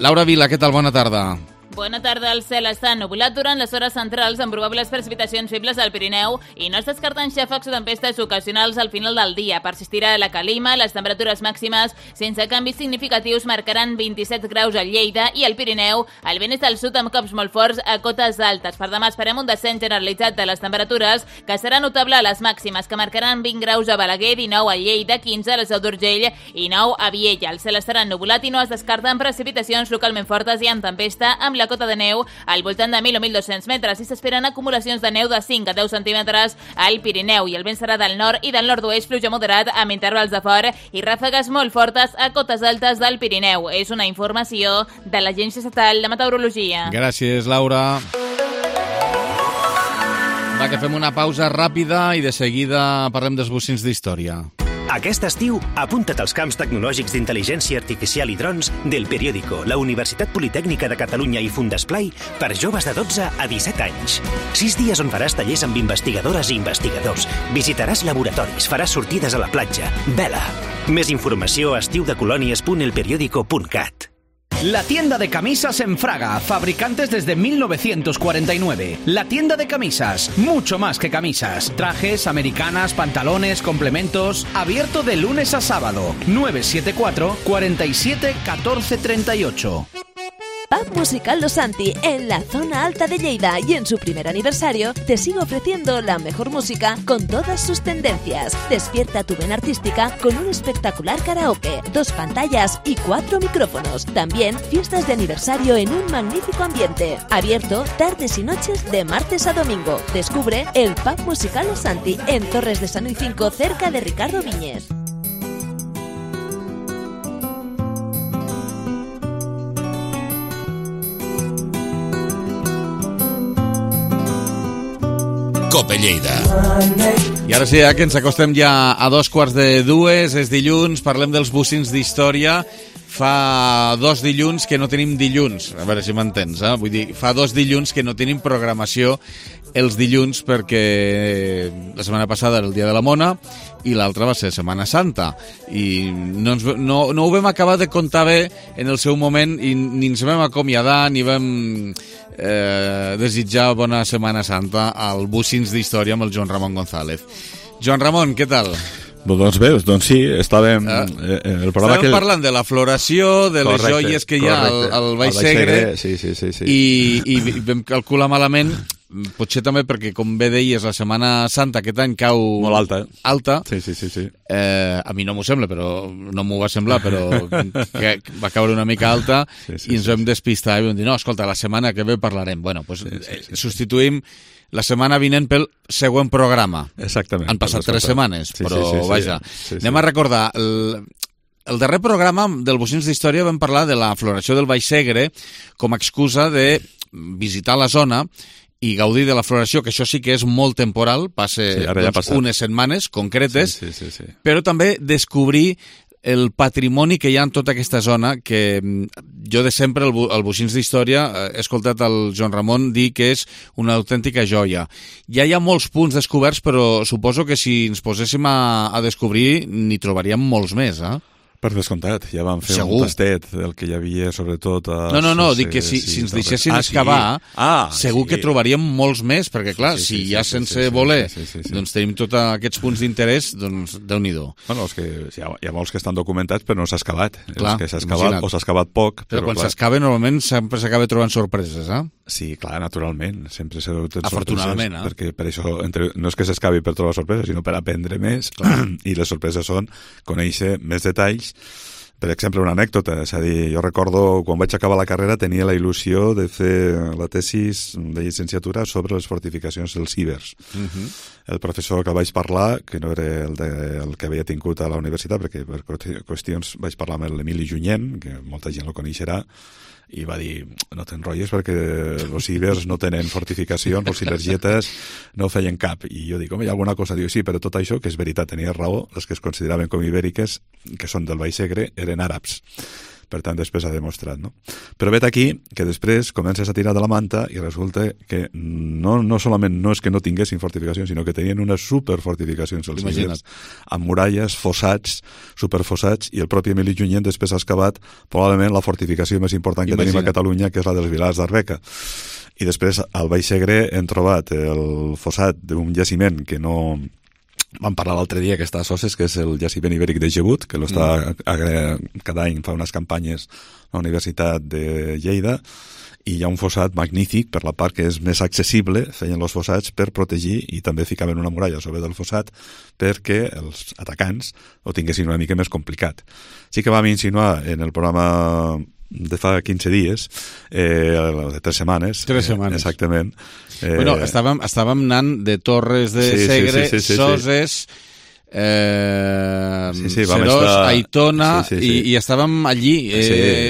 Laura Vila, què tal? Bona tarda. Bona tarda. El cel està ennubulat durant les hores centrals amb probables precipitacions febles al Pirineu i no es descarten xàfecs o tempestes ocasionals al final del dia. Persistirà la calima, les temperatures màximes sense canvis significatius marcaran vint-i-set graus a Lleida i al Pirineu. El vent és del sud amb cops molt forts a cotes altes. Per demà esperem un descens generalitzat de les temperatures que serà notable a les màximes, que marcaran vint graus a Balaguer, dinou a Lleida, quinze a la Seu d'Urgell i nou a Viella. El cel estarà ennubulat i no es descarten precipitacions localment fortes i en tempesta amb la la cota de neu al voltant de mil o mil dos-cents metres i s'esperen acumulacions de neu de cinc a deu centímetres al Pirineu i el vent serà del nord i del nord-oest, fluix moderat amb intervals de fort i ràfegues molt fortes a cotes altes del Pirineu. És una informació de l'Agència Estatal de Meteorologia. Gràcies, Laura. Va, que fem una pausa ràpida i de seguida parlem dels bocins d'història. Aquest estiu, apunta't als camps tecnològics d'intel·ligència artificial i drons del Periódico, la Universitat Politècnica de Catalunya i Fundesplai per joves de dotze a disset anys. Sis dies on faràs tallers amb investigadores i investigadors, visitaràs laboratoris, faràs sortides a la platja. Vela! Més informació a estiudecolònies punt el periódico punt cat. La tienda de camisas en Fraga, fabricantes desde mil novecientos cuarenta y nueve. La tienda de camisas, mucho más que camisas. Trajes, americanas, pantalones, complementos. Abierto de lunes a sábado. nueve siete cuatro, cuatro siete, uno cuatro tres ocho. Pub Musical Los Santi, en la zona alta de Lleida, y en su primer aniversario te sigue ofreciendo la mejor música con todas sus tendencias. Despierta tu vena artística con un espectacular karaoke, dos pantallas y cuatro micrófonos. También fiestas de aniversario en un magnífico ambiente. Abierto tardes y noches de martes a domingo. Descubre el Pub Musical Los Santi en Torres de San Luis cinco, cerca de Ricardo Viñes. Cope Lleida. I ara sí, eh, que ens acostem ja a dos quarts de dues, és dilluns, parlem dels bocins d'història. Fa dos dilluns que no tenim dilluns, a veure si m'entens, eh? Vull dir, fa dos dilluns que no tenim programació els dilluns perquè la setmana passada era el dia de la Mona i l'altra va ser Setmana Santa i no, ens, no, no ho vam acabar de comptar bé en el seu moment i ni ens vam acomiadar ni vam eh, desitjar bona Setmana Santa al Bocins d'Història amb el Joan Ramon González. Joan Ramon, què tal? Doncs bé, doncs sí, estàvem... Ah. Eh, el programa estàvem que... parlant de la floració, de les correcte, joies que hi ha al, al Baix Segre, sí, sí, sí, sí. I, i vam calcular malament, potser també perquè, com bé deies, la Setmana Santa aquest any cau... Molt alta. Alta. Sí, sí, sí. sí. Eh, a mi no m'ho sembla, però no m'ho va semblar, però que va caure una mica alta sí, sí, i ens sí, vam despistar i vam dir, no, escolta, la setmana que ve parlarem. Bueno, doncs pues, sí, sí, sí. substituïm la setmana vinent pel següent programa. Exactament. Han passat tres setmanes, sí, però sí, sí, sí, vaja. Sí, sí. Anem a recordar, el, el darrer programa del Bocins d'Història vam parlar de la floració del Baix Segre com a excusa de visitar la zona i gaudir de la floració, que això sí que és molt temporal, passa sí, ja doncs, unes setmanes concretes, sí, sí, sí, sí. però també descobrir el patrimoni que hi ha en tota aquesta zona, que jo de sempre, al Bocins d'Història, he escoltat el Joan Ramon dir que és una autèntica joia. Ja hi ha molts punts descoberts, però suposo que si ens poséssim a, a descobrir, n'hi trobaríem molts més, eh? Per descomptat, ja vam fer segur. Un tastet del que hi havia, sobretot... A... No, no, no, dic que si, si ens deixessin ah, excavar, sí. ah, segur sí. que trobaríem molts més, perquè clar, sí, sí, sí, si ja sí, sense sí, sí, voler sí, sí, sí, sí. doncs tenim tots aquests punts d'interès, doncs Déu-n'hi-do. Bueno, és que hi ha, hi ha molts que estan documentats, però no s'ha excavat. Clar, els que s'ha excavat o s'ha excavat poc. Però, però quan s'excava, normalment sempre s'acaba trobant sorpreses, eh? Sí, clar, naturalment. Sempre s'ha trobat afortunadament, eh? Perquè per això, entre, no és que s'excavi per trobar sorpreses, sinó per aprendre més, i les sorpreses són conèixer més detalls. Per exemple, una anècdota, és a dir, jo recordo quan vaig acabar la carrera tenia la il·lusió de fer la tesis de llicenciatura sobre les fortificacions dels ibers. Uh-huh. El professor que vaig parlar, que no era el, de, el que havia tingut a la universitat, perquè per qüestions vaig parlar amb l'Emili Junyent, que molta gent el coneixerà, i va dir, no t'enrotlles perquè els ibers no tenen fortificacions, els silergietes no feien cap. I jo dic, home, hi ha alguna cosa? Diu, sí, però tot això, que és veritat, tenia raó, les que es consideraven com ibèriques, que són del Baix Segre, eren àrabs. Per tant, després ha demostrat, no? Però vet aquí que després comences a tirar de la manta i resulta que no, no solament no és que no tinguessin fortificacions, sinó que tenien unes superfortificacions els ibers, amb muralles, fossats, superfossats, i el propi Emili Junyent després ha excavat probablement la fortificació més important que Imagina. tenim a Catalunya, que és la dels Vilars d'Arbeca. I després al Baix Segre hem trobat el fossat d'un jaciment que no... Vam parlar l'altre dia que està a Soses, que és el jaciment ibèric de Gebut, que està mm. cada any fa unes campanyes a la Universitat de Lleida, i hi ha un fossat magnífic per la part que és més accessible, feien els fossats per protegir i també ficaven una muralla sobre del fossat perquè els atacants ho tinguessin una mica més complicat. Sí que vam insinuar en el programa de fa quinze dies, eh, de tres setmanes. Tres setmanes. Eh, exactament. Eh, bueno, estàvem, estàvem anant de Torres de sí, Segre, sí, sí, sí, sí, Soses, eh, sí, sí, Serós, estar... Aitona, sí, sí, sí. I, i estàvem allí. Eh,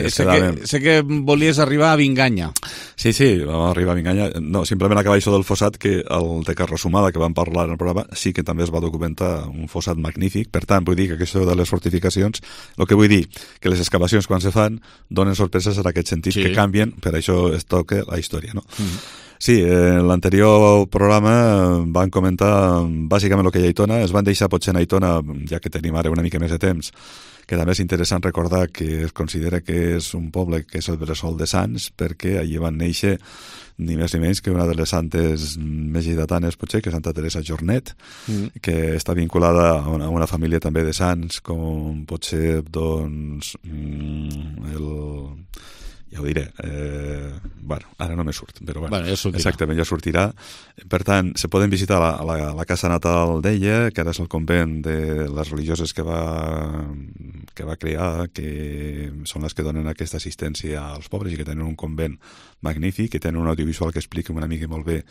sí, sé, que, sé que volies arribar a Vinganya. Sí, sí, vam arribar a Vinganya. No, simplement acabar això del fossat, que el de Carrasumada, que vam parlar en el programa, sí que també es va documentar un fossat magnífic. Per tant, vull dir que això de les fortificacions, el que vull dir, que les excavacions quan se fan donen sorpreses en aquest sentit, sí. que canvien, per això es toca la història, no? Mm-hmm. Sí, en l'anterior programa van comentar bàsicament el que hi ha a Aitona. Es van deixar potser en Aitona, ja que tenim ara una mica més de temps, que també és interessant recordar que es considera que és un poble que és el bressol de Sants, perquè allí van néixer ni més ni menys que una de les santes més lleidatanes, potser, que és Santa Teresa Jornet, mm. que està vinculada a una, a una família també de sants, com pot ser, doncs, el... ja ho diré, eh, bueno, ara no me surt, però bueno, bueno ja exactament, ja sortirà. Per tant, se poden visitar la, la, la casa natal d'ella, que ara és el convent de les religioses que va, que va crear, que són les que donen aquesta assistència als pobres i que tenen un convent magnífic, que tenen un audiovisual que explica una mica molt bé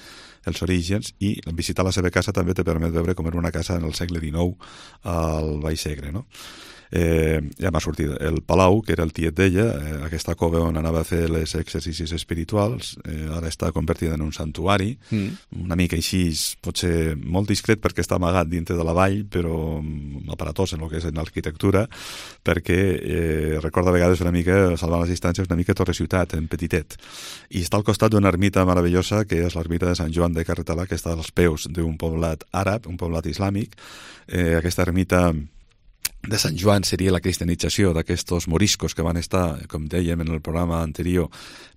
els orígens, i visitar la seva casa també te permet veure com era una casa en el segle dinou al Baix Segre, no? Eh, ja m'ha sortit el Palau, que era el tiet d'ella, eh, aquesta cova on anava a fer els exercicis espirituals, eh, ara està convertida en un santuari, mm. una mica així, potser molt discret perquè està amagat dintre de la vall, però aparatós en el que és en l'arquitectura, perquè eh, recorda a vegades una mica, salvant les distàncies, una mica Torre Ciutat, en petitet. I està al costat d'una ermita meravellosa, que és l'ermita de Sant Joan de Carretalà, que està als peus d'un poblat àrab, un poblat islàmic. Eh, aquesta ermita de Sant Joan seria la cristianització d'aquests moriscos que van estar, com dèiem en el programa anterior,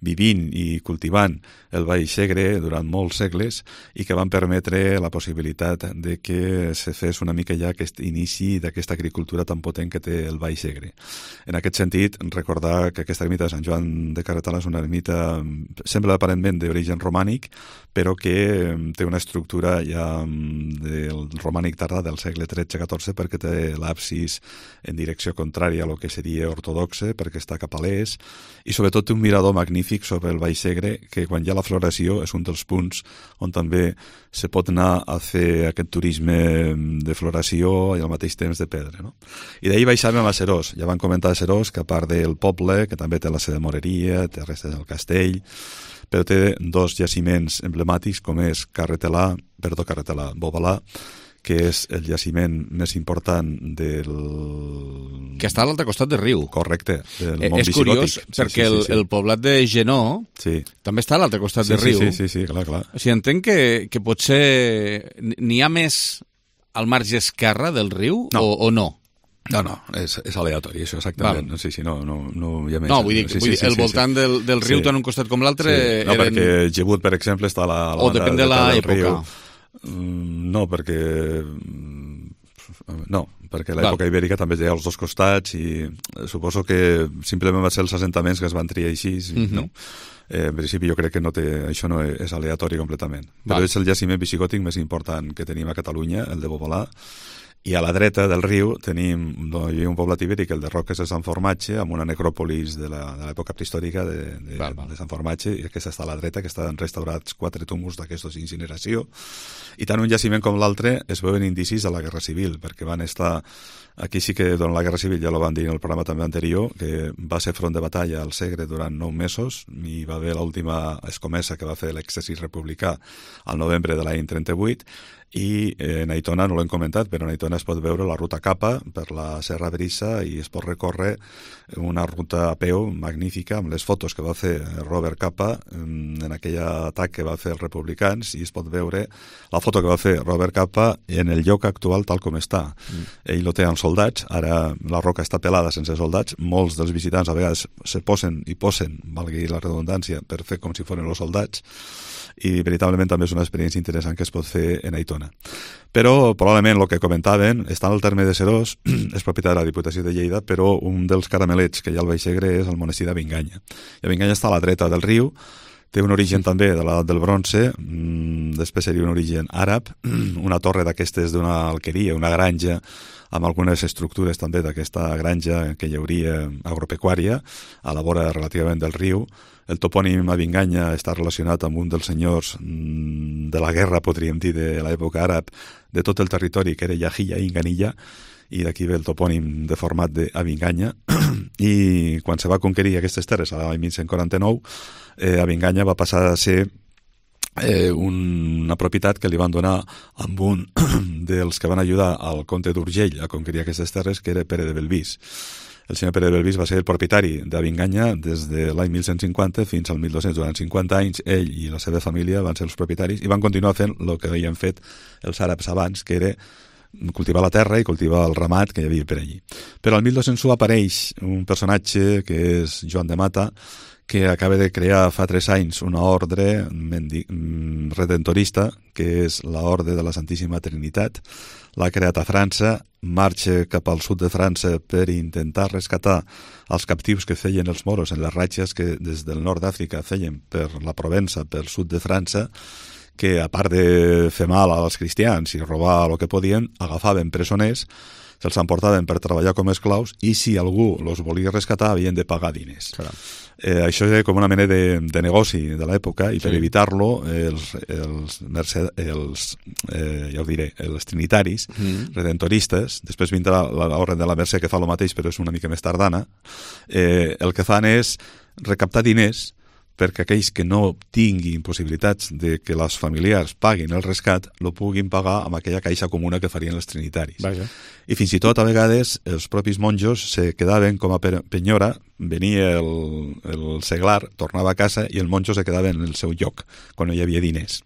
vivint i cultivant el Baix Segre durant molts segles i que van permetre la possibilitat de que se fes una mica ja aquest inici d'aquesta agricultura tan potent que té el Baix Segre. En aquest sentit, recordar que aquesta ermita de Sant Joan de Carretalà és una ermita, sembla aparentment d'origen romànic, però que té una estructura ja del romànic tardà del segle tretze catorze, perquè té l'absis en direcció contrària a lo que seria ortodoxe, perquè està cap a l'est, i sobretot té un mirador magnífic sobre el Baix Segre, que quan hi ha la floració és un dels punts on també se pot anar a fer aquest turisme de floració i al mateix temps de pedra. No? I d'ahir baixàvem a Serós. Ja van comentar a Serós que a part del poble, que també té la seva moreria, té restes del castell, però té dos jaciments emblemàtics com és Carretelà, perdó, Carretelà, Bobalà, que és el jaciment més important del... Que està a l'altre costat del riu. Correcte, del eh, món és visigòtic. curiós, Sí, perquè sí, sí, el, sí. el poblat de Genó sí. també està a l'altre costat Sí, del sí, riu. sí, sí, sí, clar, clar. O sigui, entenc que, que potser n'hi ha més al marge esquerre del riu no. o, o no? No, no, és, és aleatori, això, exactament. Val. Sí, sí, no, no, no hi ha més. No, vull dir, sí, vull sí, dir sí, el sí, voltant sí. del, del riu sí. tant un costat com l'altre... Sí. No, eren... perquè Gebut, per exemple, està a la, a la o depèn de l'època. No, perquè... No, perquè l'època ibèrica també té als dos costats i suposo que simplement va ser els assentaments que es van triar així, mm-hmm. no? Eh, en principi jo crec que no té, això no és aleatori completament. Però Val. és el jaciment visigòtic més important que tenim a Catalunya, el de Bobolà, i a la dreta del riu tenim no, hi ha un poblat ibèric, el de Roques de Sant Formatge, amb una necròpolis de l'època prehistòrica de, de, val, val. de Sant Formatge, i aquesta està a la dreta, que estan restaurats quatre túmuls d'aquestos d'incineració. I tant un jaciment com l'altre es veuen indicis de la Guerra Civil, perquè van estar... Aquí sí que durant la Guerra Civil, ja lo van dir en el programa també anterior, que va ser front de batalla al Segre durant nou mesos, i va haver l'última escomesa que va fer l'exèrcit republicà al novembre de l'any trenta-vuit, i eh, en Aitona no l'hem comentat, però en Aitona es pot veure la ruta Capa per la Serra Brissa i es pot recórrer una ruta a peu magnífica amb les fotos que va fer Robert Capa en, en aquell atac que va fer els republicans, i es pot veure la foto que va fer Robert Capa en el lloc actual tal com està. Mm. Ell lo té amb soldats, ara la roca està pelada sense soldats, molts dels visitants a vegades se posen i posen, valgui la redundància, per fer com si foren els soldats, i veritablement també és una experiència interessant que es pot fer en Aitona. Però probablement el que comentaven està al terme de Serós, és propietat de la Diputació de Lleida, però un dels caramelets que hi ha al Baix Segre és el monestir d'Avinganya. I Avinganya està a la dreta del riu, té un origen també de l'edat del bronze, després seria un origen àrab, una torre d'aquestes d'una alqueria, una granja, amb algunes estructures també d'aquesta granja que hi hauria agropecuària a la vora relativament del riu. El topònim Avinganya està relacionat amb un dels senyors de la guerra, podríem dir, de l'època àrab, de tot el territori, que era Yahilla i Inganilla, i d'aquí ve el topònim deformat d'Avinganya. I quan se va conquerir aquestes terres, a l'any mil cent quaranta-nou, eh, Avinganya va passar a ser eh, una propietat que li van donar amb un dels que van ajudar al comte d'Urgell a conquerir aquestes terres, que era Pere de Belvís. El senyor Pere de Belvís va ser el propietari d'Avinganya des de l'any mil cent cinquanta fins al mil dos-cents. Durant cinquanta anys, ell i la seva família van ser els propietaris i van continuar fent el que havien fet els àrabs abans, que era cultivar la terra i cultivar el ramat que hi havia per allí. Però al mil dos-cents u apareix un personatge que és Joan de Mata, que acaba de crear fa tres anys una ordre redentorista, que és l'Orde de la Santíssima Trinitat. L'ha creat a França, marxa cap al sud de França per intentar rescatar els captius que feien els moros en les ratxes que des del nord d'Àfrica feien per la Provença, pel sud de França, que a part de fer mal als cristians i robar el que podien, agafaven presoners se'ls emportaven per treballar com a esclaus i si algú els volia rescatar havien de pagar diners. Eh, això era com una mena de, de negoci de l'època i per Sí. evitar-lo els, els, merced, els eh, ja ho diré, els trinitaris Mm. redentoristes, després vindrà l'ordre de la Mercè que fa el mateix però és una mica més tardana, eh, el que fan és recaptar diners perquè aquells que no tinguin possibilitats de que les familiars paguin el rescat, lo puguin pagar amb aquella caixa comuna que farien els trinitaris. Vaja. I fins i tot, a vegades, els propis monjos se quedaven com a penyora, venia el, el seglar, tornava a casa i el monjo se quedava en el seu lloc, quan no hi havia diners.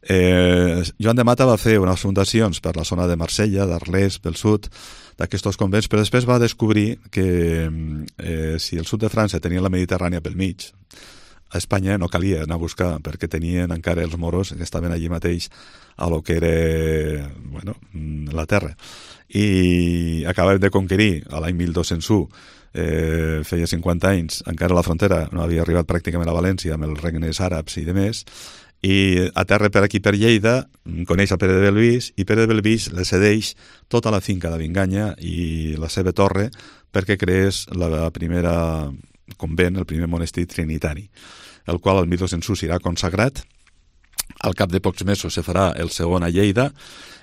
Eh, Joan de Mata va fer unes fundacions per la zona de Marsella, d'Arles, pel sud, d'aquests convents, però després va descobrir que eh, si el sud de França tenia la Mediterrània pel mig, a Espanya no calia anar a buscar perquè tenien encara els moros que estaven allí mateix a lo que era bueno, la terra. I acabàvem de conquerir a l'any mil dos-cents u, eh, feia cinquanta anys, encara la frontera no havia arribat pràcticament a València amb els regnes àrabs i demés, i a terra per aquí per Lleida coneix a Pere de Belvís i Pere de Belvís le cedeix tota la finca de Vinganya i la seva torre perquè creés la primera convent, el primer monestir trinitari, el qual el mil dos-cents u serà consagrat. Al cap de pocs mesos se farà el segon a Lleida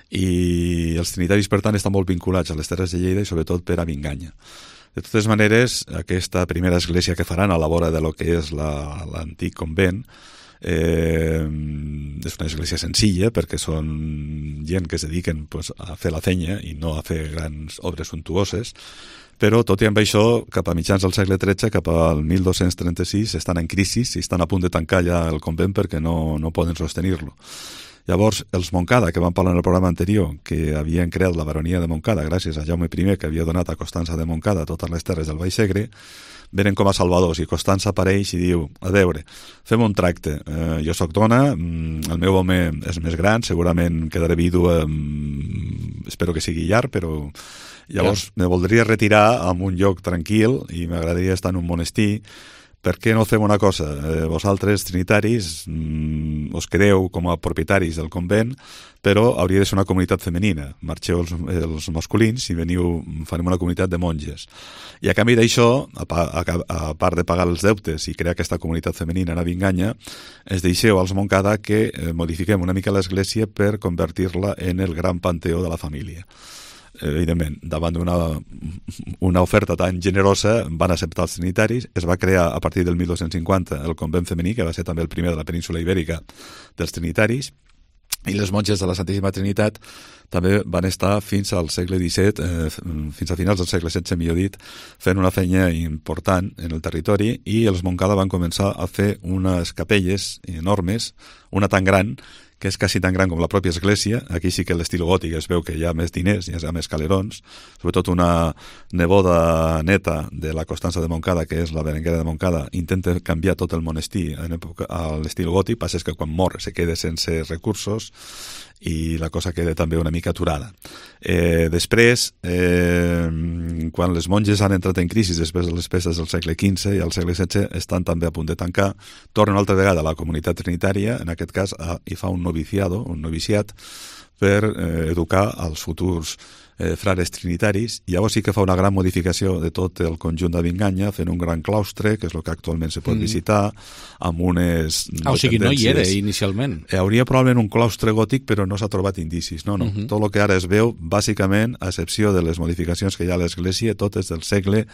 i els trinitaris, per tant, estan molt vinculats a les terres de Lleida i sobretot per a Vinganya. De totes maneres, aquesta primera església que faran a la vora de lo que és la, l'antic convent eh, és una església senzilla perquè són gent que es dediquen pues, a fer la fenya i no a fer grans obres suntuoses, però tot i amb això, cap a mitjans del segle tretze, cap al mil dos-cents trenta-sis, estan en crisi i estan a punt de tancar ja el convent perquè no, no poden sostenir-lo. Llavors, els Montcada, que vam parlar en el programa anterior, que havien creat la baronia de Montcada gràcies a Jaume I, que havia donat a Constança de Montcada totes les terres del Baix Segre, venen com a salvadors i Constança apareix i diu, a veure, fem un tracte, eh, jo sóc dona, el meu home és més gran, segurament quedaré vídua, espero que sigui llarg, però llavors me voldria retirar a un lloc tranquil i m'agradaria estar en un monestir. Per què no fem una cosa? Eh, vosaltres, trinitaris, mm, us quedeu com a propietaris del convent, però hauria de ser una comunitat femenina. Marxeu els, els masculins i veniu, farem una comunitat de monges. I a canvi d'això, a, a, a part de pagar els deutes i crear aquesta comunitat femenina a Vinganya, es deixeu als Montcada que eh, modifiquem una mica l'església per convertir-la en el gran panteó de la família. Evidentment, davant d'una una oferta tan generosa van acceptar els trinitaris, es va crear a partir del mil dos-cents cinquanta el convent femení, que va ser també el primer de la península ibèrica dels trinitaris, i les monges de la Santíssima Trinitat també van estar fins al segle disset, eh, fins a finals del segle setze, millor dit, fent una feina important en el territori, i els Montcada van començar a fer unes capelles enormes, una tan gran que és quasi tan gran com la pròpia església. Aquí sí que l'estil gòtic es veu que hi ha més diners, hi ha més calerons, sobretot una neboda neta de la Constança de Montcada, que és la Berenguera de Montcada, intenta canviar tot el monestir en època, a l'estil gòtic, passa és que quan mor se queda sense recursos i la cosa queda també una mica aturada. Eh, després, eh, quan les monges han entrat en crisi després de les pestes del segle quinze i al segle setze, estan també a punt de tancar, tornen una altra vegada a la comunitat trinitària, en aquest cas a, hi fa un noviciado, un noviciat, per eh, educar als futurs eh, frares trinitaris, i llavors sí que fa una gran modificació de tot el conjunt de Vinganya, fent un gran claustre, que és el que actualment se pot mm. visitar, amb unes ah, o sigui, no hi era inicialment. Eh, hauria probablement un claustre gòtic, però no s'ha trobat indicis. No, no. Mm -hmm. Tot el que ara es veu, bàsicament, a excepció de les modificacions que hi ha a l'església, tot és del segle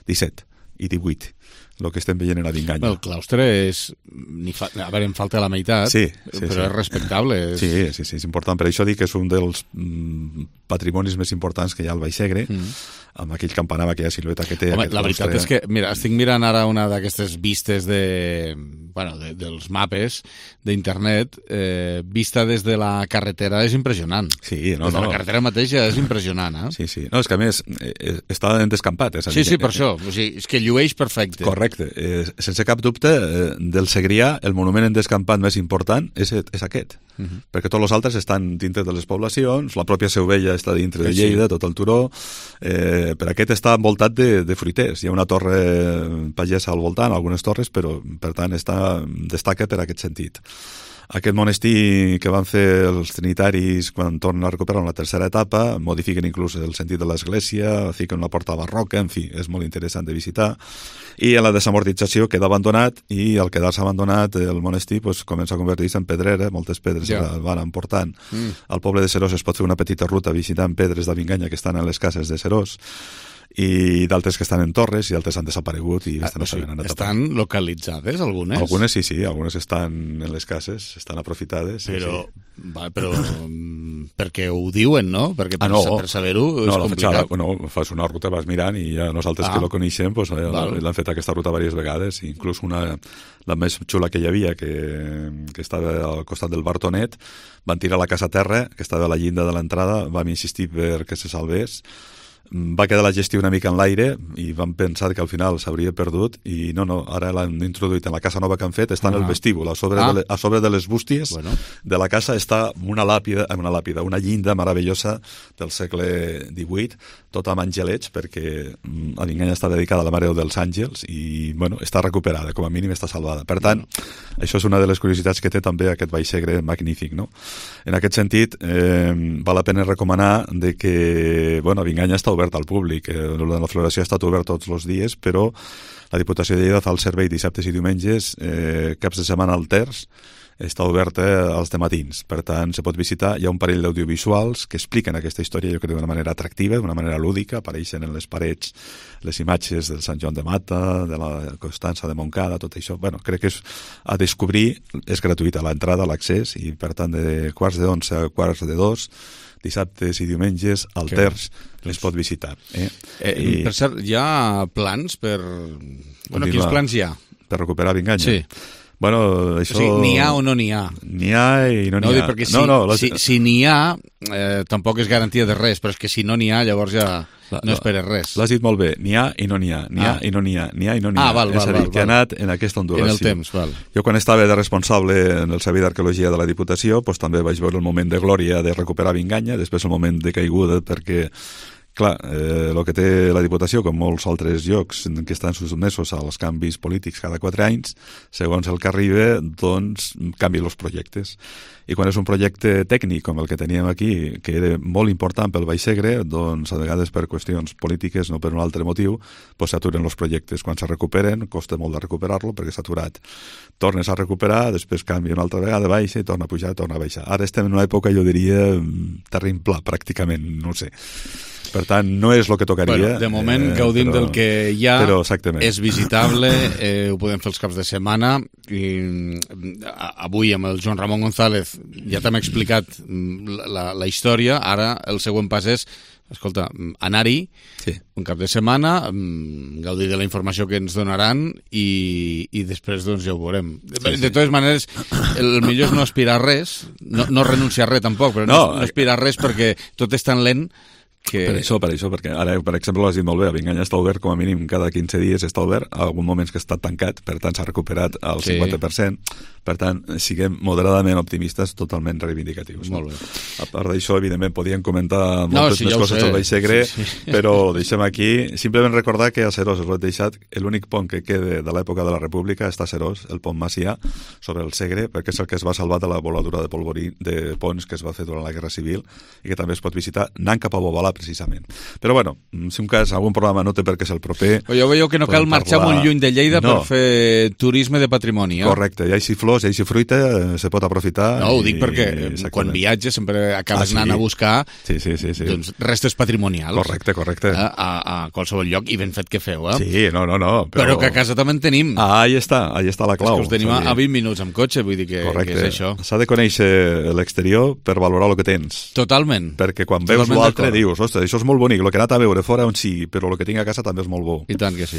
disset i divuit. El que estem veient en la Vinganya. El claustre és... Ni fa... A veure, em falta la meitat, sí, sí, però sí. és respectable. És... Sí, sí, sí, és important. Per això dic que és un dels mm, patrimonis més importants que hi ha al Baix Segre, mm. amb aquell campanar, amb aquella silueta que té. Home, la veritat és que, mira, estic mirant ara una d'aquestes vistes de... Bueno, de, dels mapes d'internet, eh, vista des de la carretera és impressionant. Sí, no, des de no. la carretera mateixa és impressionant, eh? Sí, sí. No, és que a més, eh, està en descampat. És sí, sí, per això. O sigui, és que llueix perfecte. Correcte. Eh, sense cap dubte, eh, del Segrià, el monument en descampat més important és, és aquest. Uh -huh. Perquè tots els altres estan dintre de les poblacions, la pròpia Seu Vella està dintre de Lleida, sí. tot el turó, eh, per aquest està envoltat de, de fruiters. Hi ha una torre pagesa al voltant, algunes torres, però per tant està, destaca per aquest sentit. Aquest monestir que van fer els trinitaris quan tornen a recuperar en la tercera etapa, modifiquen inclús el sentit de l'església, fiquen una porta barroca, en fi, és molt interessant de visitar. I en la desamortització queda abandonat i al quedar-se abandonat el monestir pues, comença a convertir-se en pedrera, moltes pedres ja. el van emportant. Mm. Al poble de Serós es pot fer una petita ruta visitant pedres de Binganya que estan a les cases de Serós, i d'altres que estan en torres i altres han desaparegut i estan, o sigui, estan localitzades algunes? Algunes sí, sí, algunes estan en les cases, estan aprofitades. Però, sí, sí. Va, però perquè ho diuen, no? Perquè per, ah, no. per saber-ho és no, complicat. Fetxada, no, fas una ruta, vas mirant i ja nosaltres ah. que lo coneixem pues, l'han fet aquesta ruta diverses vegades, inclús una, la més xula que hi havia, que, que estava al costat del Bartonet, van tirar la casa a terra, que estava a la llinda de l'entrada, vam insistir perquè se salvés, va quedar la gestió una mica en l'aire i van pensar que al final s'hauria perdut i no, no, ara l'han introduït en la casa nova que han fet, està en ah. el vestíbul, a sobre, ah. de, le, a sobre de les bústies bueno. de la casa està una làpida, una làpida, una llinda meravellosa del segle divuit, tota amb angelets, perquè a Binganya està dedicada a la Mare dels Àngels i, bueno, està recuperada, com a mínim està salvada. Per tant, bueno. això és una de les curiositats que té també aquest Vallsegre magnífic, no? En aquest sentit, eh, val la pena recomanar de que, bueno, Binganya està obert al públic. Eh, la floració ha estat obert tots els dies, però la Diputació de Lleida fa el servei dissabtes i diumenges, eh, caps de setmana al terç, està oberta als dematins. Per tant, se pot visitar. Hi ha un parell d'audiovisuals que expliquen aquesta història, jo crec, d'una manera atractiva, d'una manera lúdica. Apareixen en les parets les imatges del Sant Joan de Mata, de la Constança de Montcada, tot això. Bueno, crec que és a descobrir, és gratuïta l'entrada, l'accés, i per tant, de quarts de onze a quarts de dos, dissabtes i diumenges, al que terç, es pot visitar. Eh? Eh, I... Per cert, hi ha plans per... Bueno, quins plans hi ha? Per recuperar Binganya? Sí. Bueno, això... O sigui, n'hi ha o no n'hi ha? N'hi ha i no n'hi no, ha. Perquè si, no, no, les... si, si n'hi ha, eh, tampoc és garantia de res, però és que si no n'hi ha, llavors ja la, no esperes res. L'has dit molt bé, n'hi ha i no n'hi ha, n'hi ha ah. i no n'hi ha, n'hi ha i no n'hi ha. Ah, val, val, és a dir, val, que val. ha anat en aquesta ondulació. En el temps, val. Jo quan estava de responsable en el Servei d'Arqueologia de la Diputació, doncs també vaig veure el moment de glòria de recuperar Binganya, després el moment de caiguda, perquè clar, eh, el que té la Diputació, com molts altres llocs que estan sotmesos als canvis polítics cada quatre anys, segons el que arriba, doncs canvien els projectes. I quan és un projecte tècnic com el que teníem aquí, que era molt important pel Vallsegre, doncs a vegades per qüestions polítiques, no per un altre motiu, doncs s'aturen els projectes. Quan se recuperen, costa molt de recuperar-lo perquè s'ha aturat. Tornes a recuperar, després canvia una altra vegada, baixa i torna a pujar, torna a baixar. Ara estem en una època, jo diria, terreny pla, pràcticament, no sé. Per tant, no és el que tocaria. Bueno, de moment eh, gaudim però, del que hi ha, però, és visitable, eh, ho podem fer els caps de setmana, i avui amb el Joan Ramon González ja t'hem explicat la, la història, ara el següent pas és, escolta, anar-hi sí. un cap de setmana, gaudir de la informació que ens donaran i, i després doncs ja ho veurem. Sí, de, sí. de totes maneres, el millor és no aspirar a res, no, no renunciar a res tampoc, però no, no, no aspirar a res perquè tot és tan lent que... Per això, per això, perquè ara, per exemple, l'has dit molt bé, a Binganya està obert com a mínim cada quinze dies està obert, a algun moments que està tancat, per tant s'ha recuperat al sí. cinquanta per cent, per tant, siguem moderadament optimistes, totalment reivindicatius. Molt bé. A part d'això, evidentment, podíem comentar moltes no, sí, més coses del Vallsegre, sí, sí. però ho deixem aquí. Simplement recordar que a Serós, us ho he deixat, l'únic pont que queda de l'època de la República està a Serós, el pont Macià, sobre el Segre, perquè és el que es va salvar de la voladura de polvorí de ponts que es va fer durant la Guerra Civil i que també es pot visitar anant cap a Bobalà, precisament. Però bueno, si un cas, algun programa no té per què ser el proper... Jo veieu que no cal marxar parlar... molt lluny de Lleida no. per fer turisme de patrimoni. Eh? Correcte, hi ha així flors, hi ha així fruita, se pot aprofitar... No, ho dic i... perquè exactament. Quan viatges sempre acabes ah, sí. anant a buscar sí, sí, sí, sí. Doncs, restes patrimonials. Correcte, correcte. Eh? A, a qualsevol lloc, i ben fet que feu, eh? Sí, no, no, no. Però, però que a casa també en tenim. Ah, ahí està, ahí està la clau. És que us tenim a vint minuts amb cotxe, vull dir que, que és això. S'ha de conèixer l'exterior per valorar el que tens. Totalment. Perquè quan veus l'altre dius, ostres, això és molt bonic, el que he anat a veure fora on sí, però el que tinc a casa també és molt bo. I tant que sí.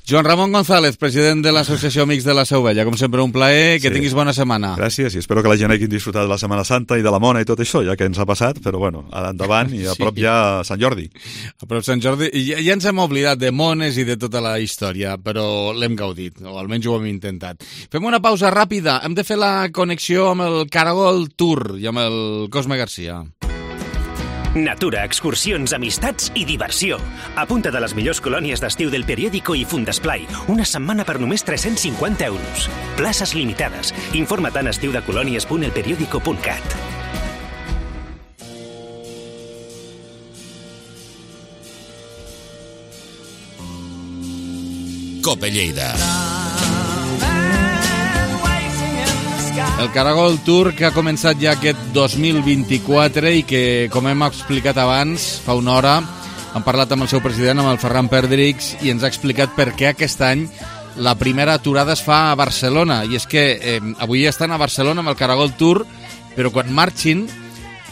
Joan Ramon González, president de l'Associació Amics de la Seu Vella. Com sempre, un plaer, que sí. tinguis bona setmana. Gràcies, i espero que la gent hagi disfrutat de la Setmana Santa i de la Mona i tot això, ja que ens ha passat, però bueno, ara endavant i a prop sí. ja Sant Jordi. A prop Sant Jordi, i ja, ja ens hem oblidat de mones i de tota la història, però l'hem gaudit, o almenys ho hem intentat. Fem una pausa ràpida, hem de fer la connexió amb el Caragol Tour i amb el Cosme Garcia. Natura, excursions, amistats i diversió. Apunta't a les millors colònies d'estiu del Periódico i Fundesplai. Una setmana per només tres-cents cinquanta euros. Places limitades. Informa't a estiudecolònies punt el periódico punt cat. Cope Lleida. El Caragol Tour que ha començat ja aquest dos mil vint-i-quatre i que, com hem explicat abans, fa una hora, hem parlat amb el seu president, amb el Ferran Perdrix, i ens ha explicat per què aquest any la primera aturada es fa a Barcelona. I és que eh, avui estan a Barcelona amb el Caragol Tour, però quan marxin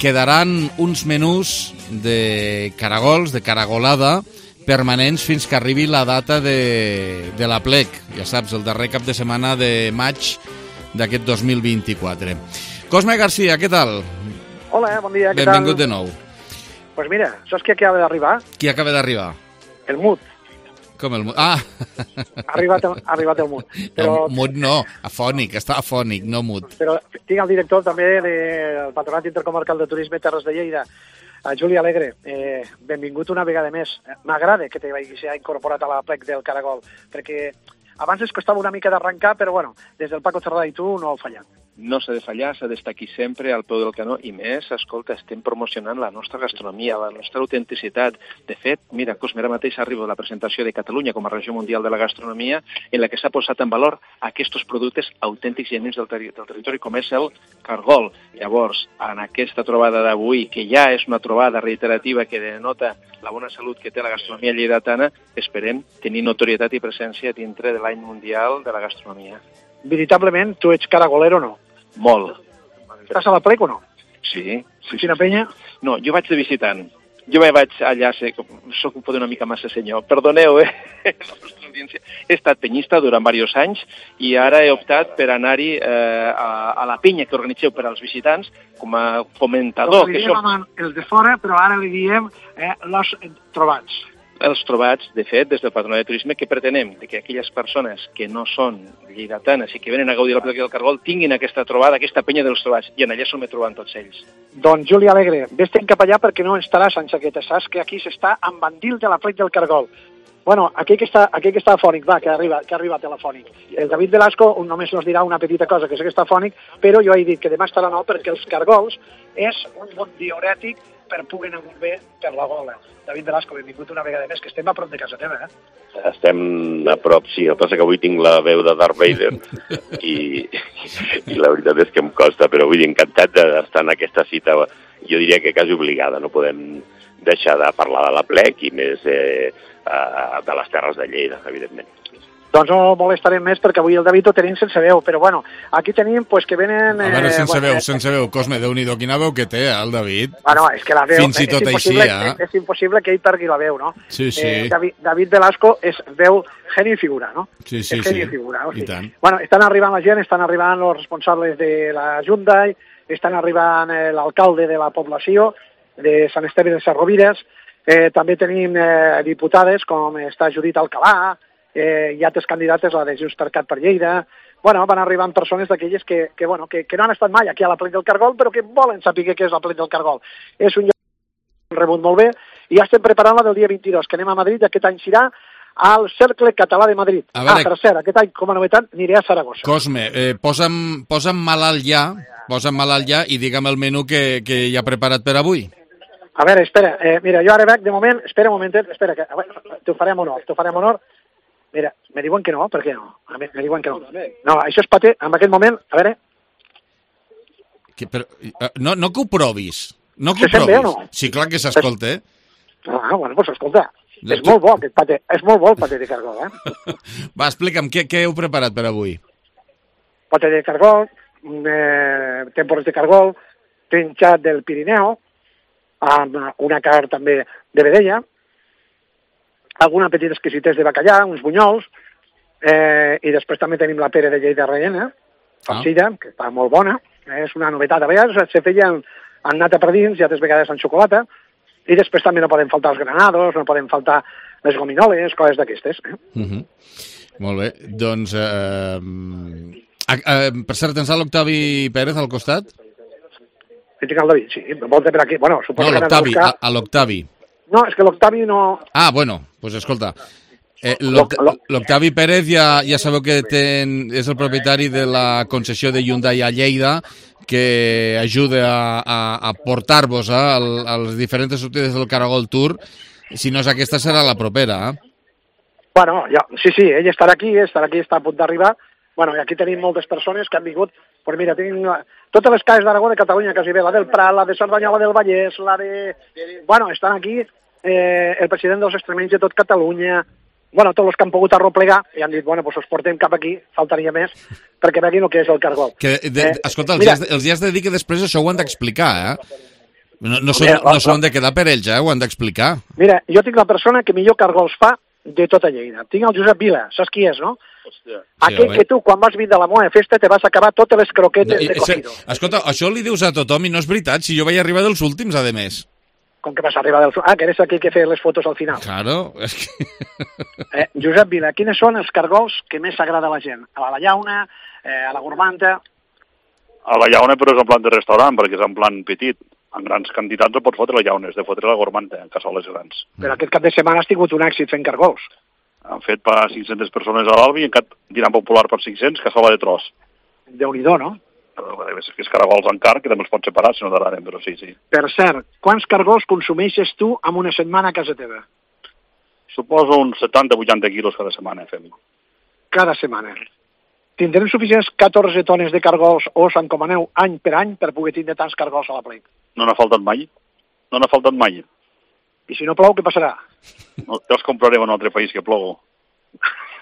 quedaran uns menús de caragols, de caragolada, permanents fins que arribi la data de, de la plec. Ja saps, el darrer cap de setmana de maig d'aquest dos mil vint-i-quatre. Cosme García, què tal? Hola, bon dia, què tal? Benvingut de nou. Pues mira, saps qui acaba d'arribar? Qui acaba d'arribar? El Mut. Com el Mut? Ah! Ha arribat, el, ha arribat el Mut. Però, no, Mut no, afònic, està afònic, no Mut. Però tinc el director també del Patronat Intercomarcal de Turisme Terres de Lleida, a Juli Alegre. Eh, benvingut una vegada més. M'agrada que t'hagis incorporat a la plec del Caragol, perquè abans es costava una mica d'arrencar, però bueno, des del Paco Cerdà i tu no heu fallat. No s'ha de fallar, s'ha d'estar aquí sempre al peu del canó, i més, escolta, estem promocionant la nostra gastronomia, la nostra autenticitat. De fet, mira, Cosme, ara mateix arriba la presentació de Catalunya com a regió mundial de la gastronomia, en la que s'ha posat en valor aquests productes autèntics i genuïns del, ter del territori, com és el cargol. Llavors, en aquesta trobada d'avui, que ja és una trobada reiterativa que denota la bona salut que té la gastronomia lleidatana, esperem tenir notorietat i presència dintre de l'any mundial de la gastronomia. Veritablement, tu ets caragolero o no? Molt. Estàs a la plec o no? Sí. sí Quina penya? No, jo vaig de visitant. Jo me vaig allà, sé, soc un poder una mica massa senyor. Perdoneu, eh? He estat penyista durant diversos anys i ara he optat per anar-hi eh, a, a la penya que organitzeu per als visitants com a fomentador. Doncs li diem som... els de fora, però ara li diem eh, los trobats. Els trobats, de fet, des del Patronat de Turisme, que pretenem que aquelles persones que no són lleidatanes i que venen a gaudir la plec del Caragol tinguin aquesta trobada, aquesta penya dels trobats, i en allà s'ho me troben tots ells. Doncs, Juli Alegre, vés-te'n cap allà perquè no estaràs en xaqueta, saps que aquí s'està amb bandil de la plec del Caragol. Bueno, aquell que està, aquell que està afònic, va, que arriba, que arriba telefònic. El David Velasco només nos dirà una petita cosa, que sé que està afònic, però jo he dit que demà estarà nou perquè els cargols és un bon diurètic per poder anar molt bé per la gola. David Velasco, benvingut una vegada més, que estem a prop de casa teva, eh? Estem a prop, sí. El que passa que avui tinc la veu de Darth Vader i, i la veritat és que em costa, però vull dir, encantat d'estar en aquesta cita, jo diria que quasi obligada. No podem deixar de parlar de la plec i més eh, de les Terres de Lleida, evidentment. Doncs no molestarem més perquè avui el David ho tenim sense veu, però bueno, aquí tenim pues, que venen... A veure, sense eh, veu, bueno, sense veu, Cosme, Déu-n'hi-do, quina veu que té, eh, el David. Ah, no, és que la veu... Fins i tot així, eh? eh? És, és impossible que ell perdi la veu, no? Sí, sí. Eh, David, David Velasco és veu genio i figura, no? Sí, sí, és genio sí. I figura, o sigui. I tant. Bueno, estan arribant la gent, estan arribant els responsables de la Hyundai, estan arribant eh, l'alcalde de la població, de Sant Esteve de Sarrovires, eh, també tenim eh, diputades com està Judit Alcalà, eh, hi ha altres candidates, la de Junts per Cat per Lleida. Bueno, van arribant persones d'aquelles que, que, bueno, que, que no han estat mai aquí a la plec del Caragol, però que volen saber què és la plec del Caragol. És un lloc rebut molt bé, i ja estem preparant la del dia vint-i-dos, que anem a Madrid, aquest any serà al Cercle Català de Madrid. A veure... Ah, per cert, aquest any, com a novetat, aniré a Saragossa. Cosme, eh, posa'm, posa'm malalt ja, posa'm malalt ja i digue'm el menú que, que hi ha preparat per avui. A veure, espera, eh, mira, jo ara veig, de moment, espera un momentet, espera, que t'ho farem honor, t'ho farem honor. Mira, me diuen que no, per què no? A mi, me diuen que no. No, això és paté, en aquest moment, a veure... Que, però, no, no que ho provis, no que Se ho sent bé o provis. no? Sí, clar que s'escolta, eh? Ah, bueno, doncs escolta, La és tu- molt bo aquest paté, és molt bo el paté de cargol, eh? Va, explica'm, què, què heu preparat per avui? Paté de cargol, eh, tempores de cargol, trinxat del Pirineu, amb una carn també de vedella, alguna petita exquisitès de bacallà, uns bunyols, eh, i després també tenim la pere de Lleida rellena, farcida, que està molt bona, és una novetat. A vegades se feia en, en nata per dins i altres vegades en xocolata, i després també no poden faltar els granados, no poden faltar les gominoles, coses d'aquestes. Eh? Uh -huh. Molt bé, doncs... Eh, eh, per cert, tens l'Octavi Pérez al costat? Que tinc el David, sí, volta per aquí. Bueno, suposo no, que l'Octavi, buscar... a, a l'Octavi. No, és que l'Octavi no... Ah, bueno, doncs pues escolta, eh, l'Octavi Pérez ja, ja sabeu que ten, és el propietari de la concessió de Hyundai a Lleida, que ajuda a, a, a portar-vos eh, a les diferents sortides del Caragol Tour. Si no és aquesta, serà la propera. Eh? Bueno, ja, sí, sí, ell estarà aquí, estarà aquí, està a punt d'arribar. Bueno, i aquí tenim moltes persones que han vingut. Pues mira, tinc totes les cases d'Aragó de Catalunya, quasi bé, la del Prat, la de Cerdanyola del Vallès, la de... Bueno, estan aquí eh, el president dels extremenys de tot Catalunya, bueno, tots els que han pogut arroplegar, i han dit, bueno, doncs us portem cap aquí, faltaria més, perquè veguin el que és el Caragol. Que, de, eh, escolta, els, mira, dies, els dies de dir que després això ho han d'explicar, eh? No, no s'ho no han de quedar per ells, eh? Ho han d'explicar. Mira, jo tinc la persona que millor Cargols fa de tota Lleida. Tinc el Josep Vila, saps qui és, no? Hòstia. Aquell sí, que tu, quan vas vindre a la moa festa, te vas acabar totes les croquetes no, de cogido. Escolta, això li dius a tothom i no és veritat, si jo vaig arribar dels últims, a més. Com que vas arribar dels... Ah, que eres aquell que feia les fotos al final. Claro, és que... eh, Josep Vila, quines són els cargols que més agrada a la gent? A la Llauna, eh, a la Gormanta... A la Llauna, però és en plan de restaurant, perquè és en plan petit. En grans quantitats no pots fotre la Llauna, és de fotre la Gormanta, en cassoles grans. Però aquest cap de setmana has tingut un èxit fent cargols. Han fet per cinc-centes persones a l'Albi i en cap dinar popular per cinc-cents, cassola de tros. Déu-n'hi-do, no? És que és caragols en car, que també els pots separar, si no t'agraden, però sí, sí. Per cert, quants cargols consumeixes tu en una setmana a casa teva? Suposo uns setanta vuitanta quilos cada setmana, fem. Cada setmana. Tindrem suficients catorze tones de cargols o us encomaneu any per any per poder tindre tants cargols a la plec? No n'ha faltat mai. No n'ha faltat mai. I si no plou, què passarà? No, ja els comprarem en un altre país que plogo.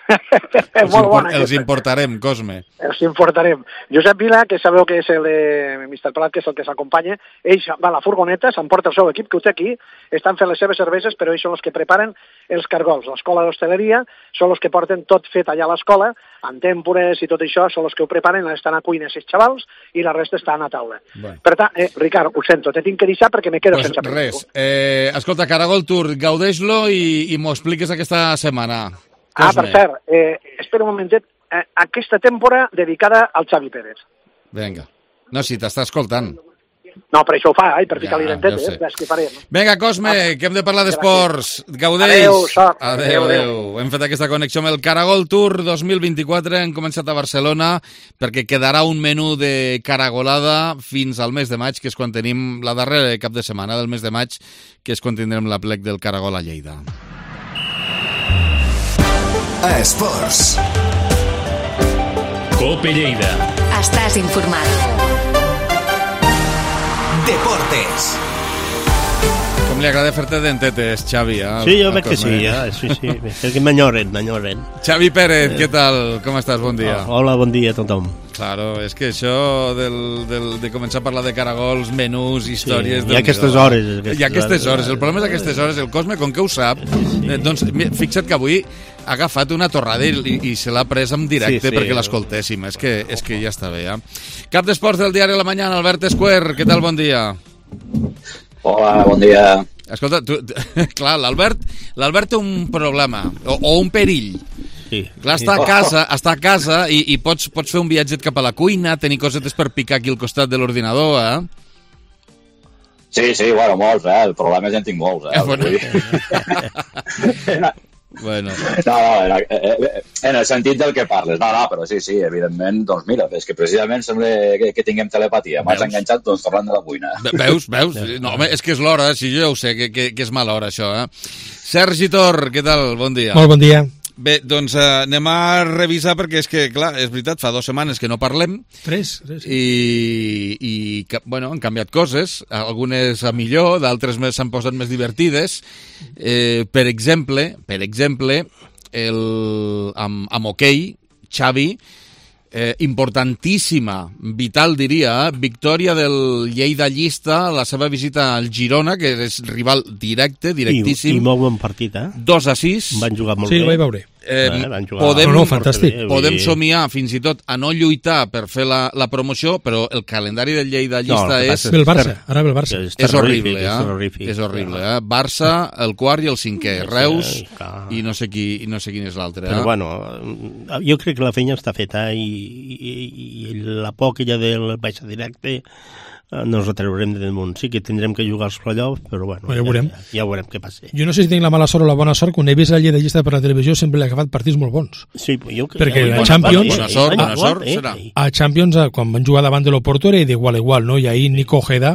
els, import, els importarem, Cosme. Els importarem. Josep Vila, que sabeu que és el de mister Prat, que és el que s'acompanya, ell va a la furgoneta, s'emporta el seu equip, que ho té aquí, estan fent les seves cerveses, però ells són els que preparen els cargols. L'escola d'hostaleria són els que porten tot fet allà a l'escola, en tèmpores i tot això, són els que ho preparen, estan a cuines els xavals, i la resta estan a taula. Bueno. Per tant, eh, Ricard, ho sento, te tinc que deixar perquè me quedo pues sense res. Eh, escolta, Caragol Tour, gaudeix-lo i, i m'ho expliques aquesta setmana. Ah, per cert, eh, espera un momentet, eh, aquesta temporada dedicada al Xavi Pérez. Vinga. No, si t'està escoltant. No, per això ho fa, ai, per ficar-li ja, dentet, eh? És que faré, no? Vinga, Cosme, ah, que hem de parlar d'esports. Gaudeix. Adéu, sort. Adéu, adéu. Hem fet aquesta connexió amb el Caragol Tour dos mil vint-i-quatre. Hem començat a Barcelona perquè quedarà un menú de caragolada fins al mes de maig, que és quan tenim la darrera cap de setmana del mes de maig, que és quan tindrem la plec del Caragol a Lleida. Esports. Cope Lleida. Estàs informat. Deportes. Com li agrada fer-te dentetes, Xavi. Eh? Sí, jo veig que sí, ja. sí, sí. És que m'enyoren, m'enyoren. Xavi Pérez, què tal? Com estàs? Bon dia. Oh, hola, bon dia a tothom. Claro, és que això del, del, de començar a parlar de caragols, menús, històries... Sí, hi ha aquestes hores. Hi ha aquestes hores. El problema és aquestes hores. El Cosme, com que ho sap, eh, doncs fixa't que avui ha agafat una torrada i, i se l'ha pres en directe sí, sí. perquè l'escoltéssim. És que, és que ja està bé, ja. Cap d'esports del diari La Mañana, Albert Esquer. Què tal? Bon dia. Hola, bon dia. Escolta, tu, clar, l'Albert l'Albert té un problema, o, o un perill. Sí. Clar, està a casa, està a casa i, i pots, pots fer un viatget cap a la cuina, tenir cosetes per picar aquí al costat de l'ordinador, eh? Sí, sí, bueno, molts, eh? El problema és que en tinc molts, eh? eh bueno. Bueno. No, no, en el sentit del que parles. No, no, però sí, sí, evidentment, doncs mira, és que precisament sembla que, que tinguem telepatia. M'has enganxat, doncs, parlant de la cuina. Veus, veus? No, home, és que és l'hora, si jo ja ho sé, que, que, que és mala hora, això, eh? Sergi Tor, què tal? Bon dia. Molt bon dia. Bé, doncs eh, anem a revisar perquè és que, clar, és veritat, fa dues setmanes que no parlem. Tres, tres. Sí. I, i bueno, han canviat coses, algunes a millor, d'altres s'han posat més divertides. Eh, per exemple, per exemple, el, amb, amb hoquei, Xavi, eh, importantíssima, vital diria, victòria del Lleida Llista, la seva visita al Girona, que és rival directe, directíssim. I, i molt bon partit, eh? dos a sis. Van jugar molt sí, bé. Sí, ho vaig veure. Eh, eh, podem, no, no, fantàstic. podem somiar fins i tot a no lluitar per fer la, la promoció, però el calendari del Lleida Llista no, és... Ve el Barça, ara ve el Barça. És, és horrible, eh? És, és horrible, eh? Barça, el quart i el cinquè, Reus i no sé, qui, i no sé quin és l'altre. Però eh? bueno, jo crec que la feina està feta i, i, i la por aquella del baix directe no ens retreurem de damunt. Sí que tindrem que jugar als playoffs, però bueno, ja, ja, veurem. Ja, ja veurem què passa. Jo no sé si tinc la mala sort o la bona sort, quan he vist la llei de llista per la televisió sempre l'he agafat partits molt bons. Sí, jo, perquè ja, a Champions... Bona sort, bona sort, eh, serà. A Champions, quan van jugar davant de l'Oporto, era d'igual a igual, no? I ahir Nico Ojeda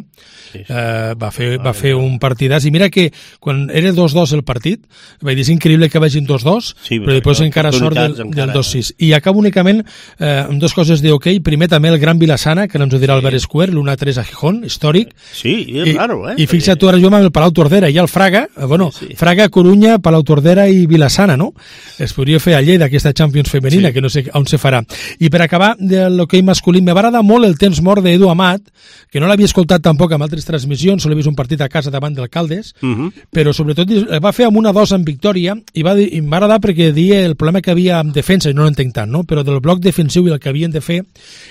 eh, va fer, va fer un partidàs. I mira que quan era dos dos el partit, vaig dir, és increïble que vagin dos dos, sí, però després encara sort del, del dos sis. I acabo únicament eh, amb dues coses de hoquei. Primer també el Gran Vilassana, que ens ho dirà Albert Square, l'un a tres a Gijón, històric. Sí, és I, raro, eh? I fixa't tu, ara jo amb el Palau Tordera i el Fraga, eh, bueno, sí, sí. Fraga, Corunya, Palau Tordera i Vilassana, no? Es podria fer a Lleida aquesta Champions femenina, sí, que no sé on se farà. I per acabar, de l'hoquei masculí, m'agrada molt el temps mort d'Edu Amat, que no l'havia escoltat tampoc amb altres transmissions, solo he vist un partit a casa davant d'Alcaldes, uh -huh. però sobretot va fer amb una dos en victòria, i va dir, i em va agradar perquè dia el problema que havia amb defensa, i no l'entenc tant, no? Però del bloc defensiu i el que havien de fer,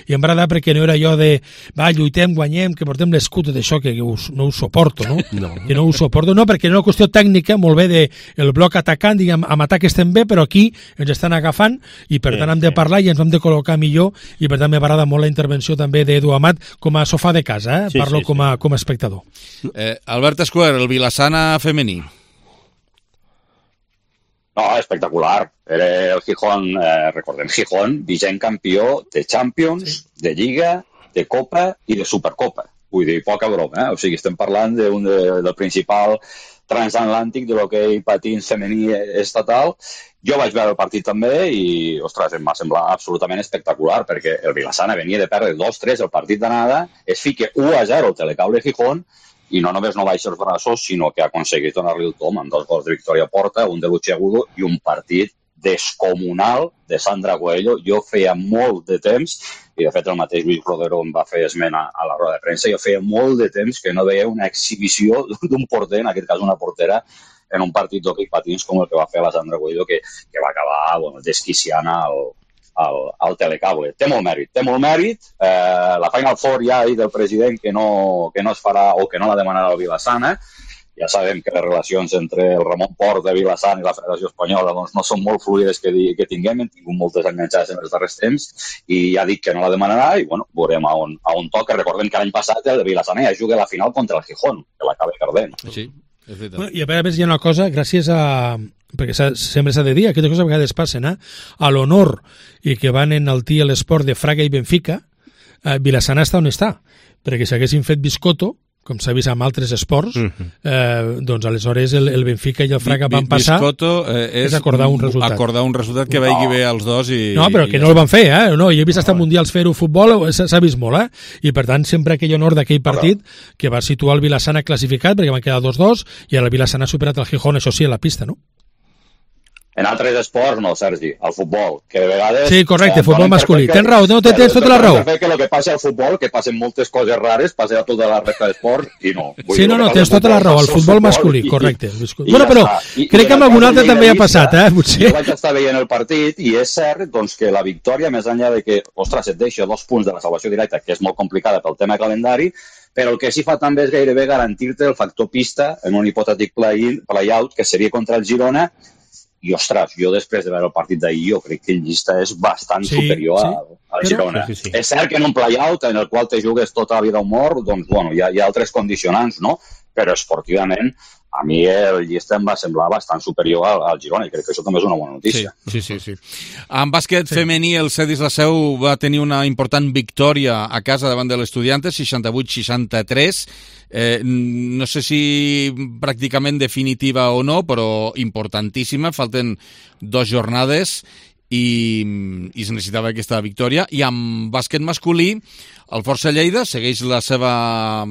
i em va agradar perquè no era allò de, va, lluitem, guanyem, que portem l'escut d'això, que us, no ho suporto, no? no? Que no ho suporto, no, perquè era una qüestió tècnica, molt bé, de el bloc atacant, diguem, amb atac estem bé, però aquí ens estan agafant, i per tant hem de parlar i ens hem de col·locar millor, i per tant m'agrada molt la intervenció també d'Edu Amat com a sofà de casa, eh? Sí, parlo sí, com, a, sí. com a espectador. Eh, Albert Escuer, el Vilassana femení. No, espectacular. Era el Gijón, eh, recordem, Gijón, vigent campió de Champions, sí. de Lliga, de Copa i de Supercopa. Vull dir, poca broma, eh? O sigui, estem parlant de un de, del principal transatlàntic de l'hoquei patins femení estatal. Jo vaig veure el partit també i, ostres, em va semblar absolutament espectacular perquè el Vilassana venia de perdre dos tres el partit d'anada, es fica u a zero el Telecable Gijón i no només no baixa els braços, sinó que ha aconseguit donar-li el tom amb dos gols de Victòria Porta, un de Luchi Agudo i un partit descomunal de Sandra Coelho. Jo feia molt de temps, i de fet el mateix Lluís Rodero em va fer esmena a la roda de premsa, jo feia molt de temps que no veia una exhibició d'un porter, en aquest cas una portera, en un partit d'hoquei patins com el que va fer la Sandra Coelho, que, que va acabar bueno, desquiciant al, al, al Telecable. Té molt mèrit, té molt mèrit. Eh, la Final Four ja ha dit el president que no, que no es farà o que no la demanarà el Vilassana. Ja sabem que les relacions entre el Ramon Port de Vilassana i la Federació Espanyola doncs, no són molt fluides que, que tinguem, hem tingut moltes enganxades en els darrers temps i ja ha dit que no la demanarà i bueno, veurem a on, a on toca. Recordem que l'any passat el Vilassana ja juga la final contra el Gijón, que l'acaba perdent. Sí. Bueno, i a més hi ha una cosa, gràcies a... perquè sempre s'ha de dir, aquestes coses a vegades passen, eh? A l'honor i que van enaltir l'esport de Fraga i Benfica, eh, Vilassana està on està, perquè si haguessin fet biscotto, com s'ha vist amb altres esports, uh-huh. eh, doncs aleshores el, el Benfica i el Fraga van passar, Biscotto, eh, és, és acordar un resultat. Acordar un resultat que no. vegi bé als dos i... No, però que no el van fer, eh? No, jo he vist hasta no. mundials fer-ho futbol, s'ha vist molt, eh? I per tant, sempre aquell honor d'aquell partit que va situar el Vilassana classificat, perquè van quedar dos dos, i el Vilassana ha superat el Gijón, això sí, a la pista, no? En altres esports, no, Sergi, el futbol, que de vegades... Sí, correcte, futbol masculí. Tens raó, no, tens tota la raó. Que el que passa al futbol, que passen moltes coses rares, passa a tota la resta d'esports i no. Sí, no, no, tens tota la raó, el futbol masculí, correcte. Bueno, però crec que amb algun altre també ha passat, eh, potser. Jo vaig estar veient el partit i és cert doncs, que la victòria, més enllà de que, ostres, et deixa dos punts de la salvació directa, que és molt complicada pel tema calendari, però el que sí fa també és gairebé garantir-te el factor pista en un hipotètic play-out, que seria contra el Girona. I, ostres, jo després de veure el partit d'ahir, jo crec que el llista és bastant sí, superior sí. al Girona. Sí, sí, sí. És cert que en un play-out en el qual te jugues tota la vida o mort, doncs, bueno, hi ha, hi ha altres condicionants, no? Però esportivament, a mi el llista em va semblar bastant superior al, al Girona i crec que això també és una bona notícia. Sí, sí, sí. sí. En bàsquet sí. femení, el Cedis La Seu va tenir una important victòria a casa davant de l'Estudiantes, seixanta-vuit seixanta-tres. Eh, no sé si pràcticament definitiva o no, però importantíssima. Falten dues jornades i, i es necessitava aquesta victòria. I amb bàsquet masculí, el Força Lleida segueix la seva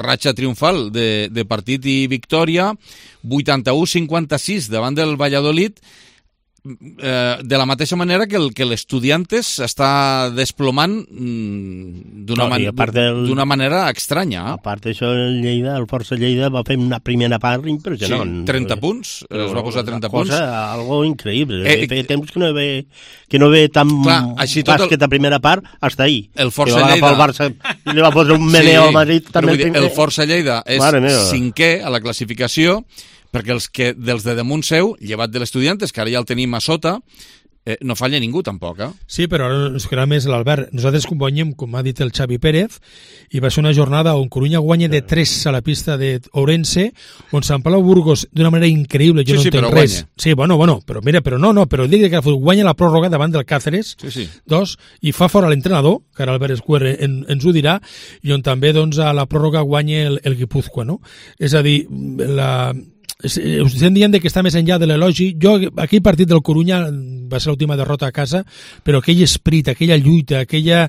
ratxa triomfal de, de partit i victòria, vuitanta-u cinquanta-sis davant del Valladolid, eh, de la mateixa manera que el que l'Estudiantes està desplomant d'una no, man del... manera estranya. Eh? A part d'això, el Lleida, el Força Lleida va fer una primera part impressionant. Sí, trenta punts, no, es va posar trenta punts. Cosa, algo increïble. Eh, Feia temps que no ve, que no ve tan clar, bàsquet el... a primera part hasta ahí. El Força Lleida... El Barça i li va posar un meneo sí, al Madrid. També el, el Força Lleida és cinquè a la classificació, perquè els que dels de damunt seu, llevat de l'Estudiantes, que ara ja el tenim a sota, eh, no falla ningú tampoc, eh? Sí, però ara ens quedarà més l'Albert. Nosaltres guanyem, com ha dit el Xavi Pérez, i va ser una jornada on Corunya guanya de tres a la pista d'Ourense, on Sant Palau Burgos d'una manera increïble, jo sí, no sí, entenc res. Guanya. Sí, bueno, bueno, però mira, però no, no, però el dia que guanya la pròrroga davant del Cáceres, sí, sí. dos, i fa fora l'entrenador, que ara Albert Escuer en, ens ho dirà, i on també doncs, a la pròrroga guanya el, el Guipúzcoa, no? És a dir, la... us estem dient que està més enllà de l'elogi. Jo, aquell partit del Corunya va ser l'última derrota a casa, però aquell esprit, aquella lluita, aquella,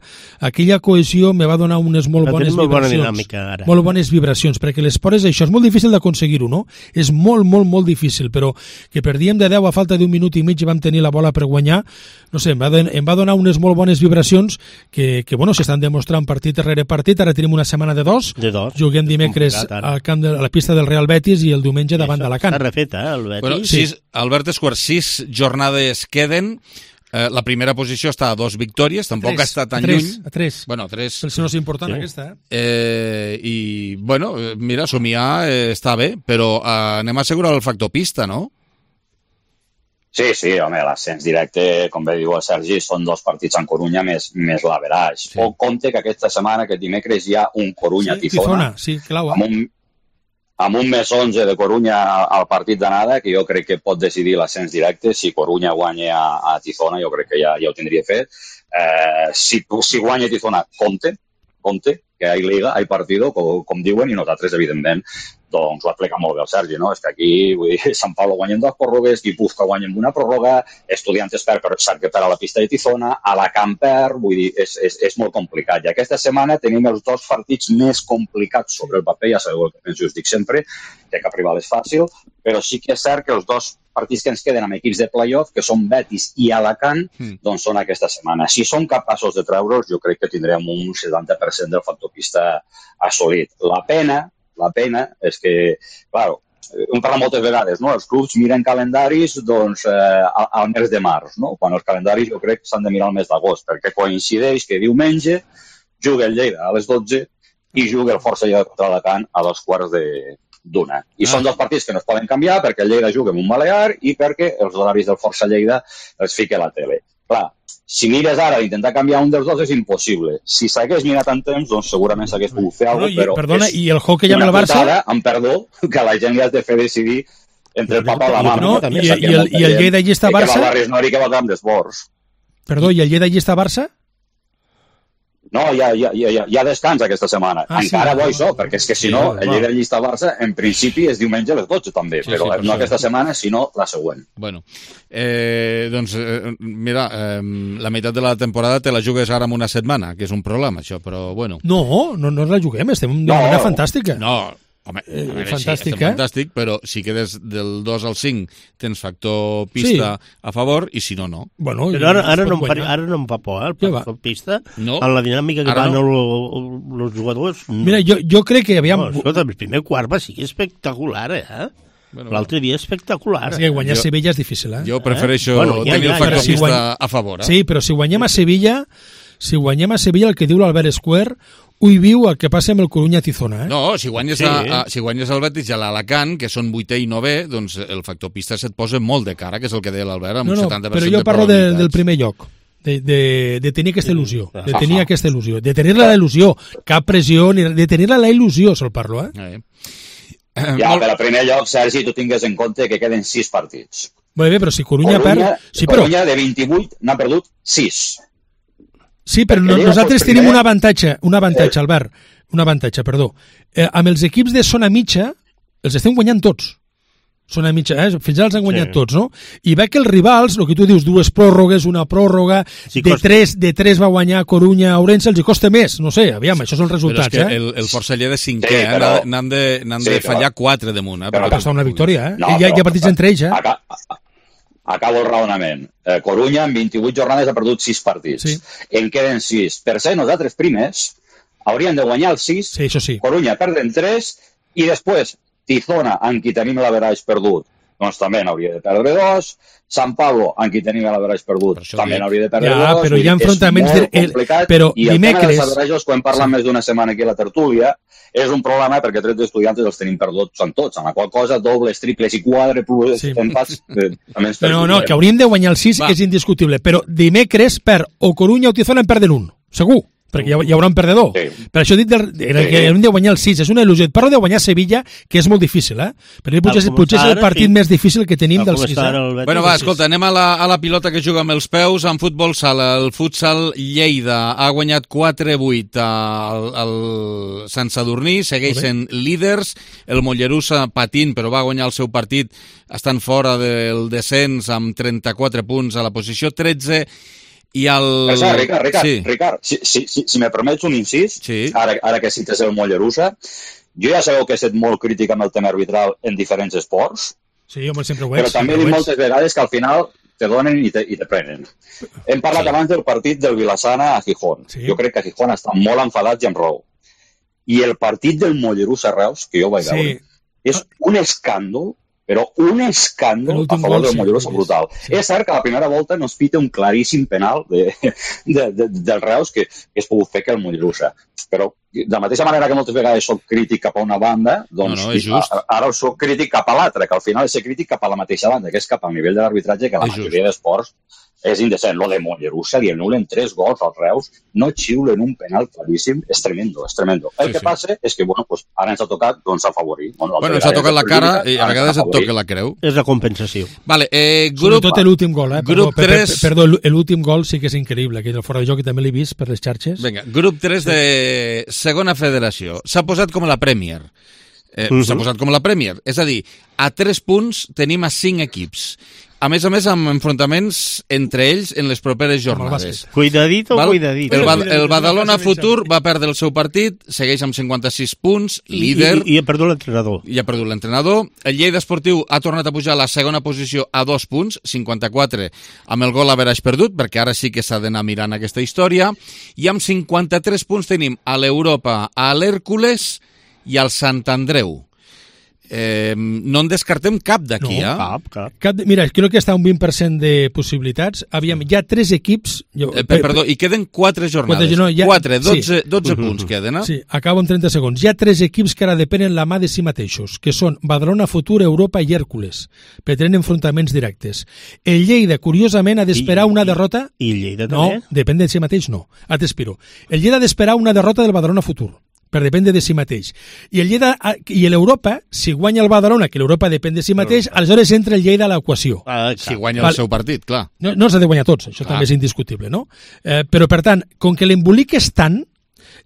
aquella cohesió me va donar unes molt bones molt vibracions. Bona dinàmica, ara. Molt bones vibracions, perquè l'esport és això, és molt difícil d'aconseguir-ho, no? És molt, molt, molt difícil, però que perdíem de deu a falta d'un minut i mig i vam tenir la bola per guanyar, no sé, em va, em va donar unes molt bones vibracions que, que bueno, s'estan demostrant partit darrere partit. Ara tenim una setmana de dos, de dos. Juguem dimecres al camp de, a la pista del Real Betis i el diumenge davant d'Alacant. S'ha refet, eh, el Betis. Bueno, sis, Albert Escuer, sis jornades queden. Eh, la primera posició està a dos victòries, tampoc tres, està tan a tres, lluny. A tres, bueno, tres. Si no és important, sí. Aquesta. Eh? Eh, I, bueno, mira, somiar eh, està bé, però eh, anem a assegurar el factor pista, no? Sí, sí, home, l'ascens directe, com bé diu el Sergi, són dos partits en Corunya més, més l'averaix. Sí. O compte que aquesta setmana, aquest dimecres, hi ha un Corunya-Tifona. Sí, sí, clau, amb un amb un més onze de Corunya al partit d'anada, que jo crec que pot decidir l'ascens directe. Si Corunya guanya a, a Tizona, jo crec que ja, ja ho tindria fet. Eh, si, si guanya Tizona, compte, compte, que hi ha liga, hi ha partido, com, com diuen, i nosaltres, evidentment, doncs ho ha explicat molt bé el Sergi, no? És que aquí, vull dir, Sant Pablo guanyen dos pròrrogues, Guipúzcoa guanyen una pròrroga, Estudiantes per, però sap que per a la pista de Tizona, Alacant per, vull dir, és, és, és molt complicat. I aquesta setmana tenim els dos partits més complicats sobre el paper, ja sabeu el que penso, us dic sempre, que cap rival és fàcil, però sí que és cert que els dos partits que ens queden amb equips de playoff, que són Betis i Alacant, mm. doncs són aquesta setmana. Si som capaços de treure'ls, jo crec que tindrem un setanta per cent del factor pista assolit. La pena, la pena és que, clar, hem parlat moltes vegades, no? Els clubs miren calendaris doncs, eh, al, al mes de març, no? Quan els calendaris jo crec que s'han de mirar al mes d'agost, perquè coincideix que diumenge juga el Lleida a les dotze i juga el Força Lleida contra Alacant a dos quarts de d'una. I ah. són dos partits que no es poden canviar perquè el Lleida juga amb un Balear i perquè els horaris del Força Lleida els fica a la tele. Clar, si mires ara d'intentar canviar un dels dos és impossible. Si s'hagués mirat en temps, doncs segurament s'hagués pogut fer alguna cosa, no, però perdona, és i el hockey amb el Barça? Putada, amb perdó, que la gent li has de fer decidir entre el papa i la mama. No, i, i, el, i el Lleida Llista Barça? Que va a Barris Nori que va al camp d'esports. Perdó, i el Lleida Llista Barça? No, hi ha, hi, ha, hi, ha, hi ha descans aquesta setmana. Ah, Encara sí, bo això, perquè és que si no, el Lleida Llista Barça, en principi, és diumenge a les dotze també, sí, però sí, no aquesta setmana, sinó la següent. Bueno, eh, doncs, eh, mira, eh, la meitat de la temporada te la jugues ara en una setmana, que és un problema, això, però bueno. No, no, no la juguem, estem d'una no. manera fantàstica. No, home, eh, veure, fantàstic, sí, eh? fantàstic, però si quedes del dos al cinc tens factor pista sí. a favor, i si no, no. Bueno, però ara, ara, no em, ara no em fa por, eh, el factor pista, no. en la dinàmica que van no. els jugadors. No. Mira, jo, jo crec que aviam... No, escolta, el primer quart va ser espectacular, eh? Bueno, l'altre dia espectacular. És que guanyar jo, Sevilla és difícil, eh? Jo prefereixo eh? bueno, ja, tenir ja, el factor ja, pista si guany... a favor, eh? Sí, però si guanyem a Sevilla, si guanyem a Sevilla, el que diu l'Albert Escuer, ui viu el que passa amb el Corunya-Tizona, eh? No, si guanyes, sí. a, a, si guanyes el Betis i l'Alacant, que són vuitè i novè, doncs el factor pista se't posa molt de cara, que és el que deia l'Albert, amb no, no, un setanta per cent però jo parlo de, del primer lloc, de, de, de tenir aquesta il·lusió, de tenir aquesta il·lusió, de tenir-la la il·lusió, cap pressió, de tenir-la la il·lusió, se'l parlo, eh? eh. Ja, per al primer lloc, Sergi, tu tingues en compte que queden sis partits. Molt bé, però si Corunya, Corunya perd... Sí, però... Corunya de vint-i-vuit n'ha perdut sis. Sí, però no, nosaltres tenim un avantatge, un avantatge, Albert, un avantatge, perdó. Eh, amb els equips de zona mitja, els estem guanyant tots. Zona mitja, eh? Fins ara els han guanyat sí. tots, no? I veig que els rivals, el que tu dius, dues pròrrogues, una pròrroga, sí, de, tres, de tres va guanyar Corunya, Ourense, els hi costa més, no sé, aviam, això són els resultats, però és que eh? el, el Força Lleida de cinquè, sí, però... eh? N'han de, n'han sí, de fallar però... quatre damunt, eh? Però ha passat una victòria, eh? No, hi, ha, hi ha partits entre ells, eh? Acá... Acabo el raonament. Eh, Corunya en vint-i-vuit jornades ha perdut sis partits. Sí. En queden sis. Per ser nosaltres primers, haurien de guanyar els sis. Sí, això sí. Corunya perden tres i després Tizona, en qui tenim l'averaix perdut, doncs també n'hauria de perdre dos. Sant Pablo, en qui tenim l'average perdut, també n'hauria de perdre ja, dos. Però hi ha enfrontaments... És molt complicat. Però I el dimecres... tema dels averages, quan parlat sí. més d'una setmana aquí a la tertúlia, és un problema perquè tres d'estudiantes els tenim perduts en tots, amb la qual cosa dobles, triples i quadruples sí. empats eh, també ens No, no, que hauríem de guanyar el sis Va. és indiscutible, però dimecres per o Corunya o Tijuana en perden un, segur. perquè hi, ha, hi haurà un perdedor. Sí. Per això he dit del, era sí. que hem de guanyar el sis, és una il·lusió. Et parlo de guanyar Sevilla, que és molt difícil, eh? Però potser, potser és el partit sí. més difícil que tenim del sis. Eh? Bueno, va, escolta, anem a la, a la pilota que juga amb els peus, en futbol sala. El futsal Lleida ha guanyat quatre a vuit al, al Sant Sadurní, segueixen líders, el Mollerussa patint, però va guanyar el seu partit estant fora del descens amb trenta-quatre punts a la posició tretze. I el... Però, Ricard, Ricard, sí. Ricard si, si, si, si me permets un incís, sí. ara, ara que cites el Mollerussa, jo ja sabeu que he estat molt crític amb el tema arbitral en diferents esports, sí, home, sempre ho però ets, també he dit moltes vegades que al final te donen i te, i te prenen. Hem parlat sí. abans del partit del Vilassana a Gijón. Sí. Jo crec que a Gijón estan molt enfadats i amb raó. I el partit del Mollerussa Reus, que jo vaig sí. veure, és un escàndol, però un escàndol a favor del Mollerussa brutal. Sí. És cert que a la primera volta nos pita un claríssim penal de, de, de, del Reus que, que es pogut fer que el Mollerussa. Però de la mateixa manera que moltes vegades soc crític cap a una banda, doncs no, no, a, ara soc crític cap a l'altra, que al final és ser crític cap a la mateixa banda, que és cap al nivell de l'arbitratge, que la és majoria just. d'esports és indecent. Lo de Mollerussa, li anulen tres gols als Reus, no xiulen un penal claríssim, és tremendo, és tremendo. El sí, que sí. passa és que, bueno, pues, ara ens ha tocat doncs, afavorir. Bueno, bueno ens ha tocat la cara i a vegades et toca la creu. És la compensació. Vale, eh, grup... Sobretot l'últim gol, eh? Grup perdó, tres... per, per, perdó, l'últim gol sí que és increïble, que el fora de joc també l'he vist per les xarxes. Vinga, grup tres sí. de segona federació. S'ha posat com la Premier. Eh, uh-huh. S'ha posat com la Premier. És a dir, a tres punts tenim a cinc equips. A més a més, amb enfrontaments entre ells en les properes jornades. Cuidadito, Val? cuidadito. El, Bad, el Badalona Futur va perdre el seu partit, segueix amb cinquanta-sis punts, líder... I, i, i ha perdut l'entrenador. I ha perdut l'entrenador. El Lleida Esportiu ha tornat a pujar a la segona posició a dos punts, cinquanta-quatre, amb el gol average perdut, perquè ara sí que s'ha d'anar mirant aquesta història. I amb cinquanta-tres punts tenim a l'Europa, a l'Hèrcules i al Sant Andreu. Eh, no en descartem cap d'aquí, no, eh? cap, cap. cap de, mira, crec que està un vint per cent de possibilitats. Aviam, hi ha tres equips... Jo, eh, per, perdó, i queden quatre jornades. Quatre, no, ha, quatre dotze, sí. dotze punts queden, eh? Sí, acabo en trenta segons. Hi ha tres equips que ara depenen la mà de si mateixos, que són Badalona Futur, Europa i Hèrcules, per tenir enfrontaments directes. El Lleida, curiosament, ha d'esperar una derrota... I el Lleida també? No, depèn de si mateix, no. Ah, t'espero. El Lleida ha d'esperar una derrota del Badalona Futur, per dependre de si mateix. I el Lleida i l'Europa, si guanya el Badalona, que l'Europa depèn de si mateix, no. aleshores entra el Lleida a l'equació. Ah, si guanya Val. el seu partit, clar. No, no s'ha de guanyar tots, això ah. també és indiscutible, no? Eh, però, per tant, com que l'embolic és tant,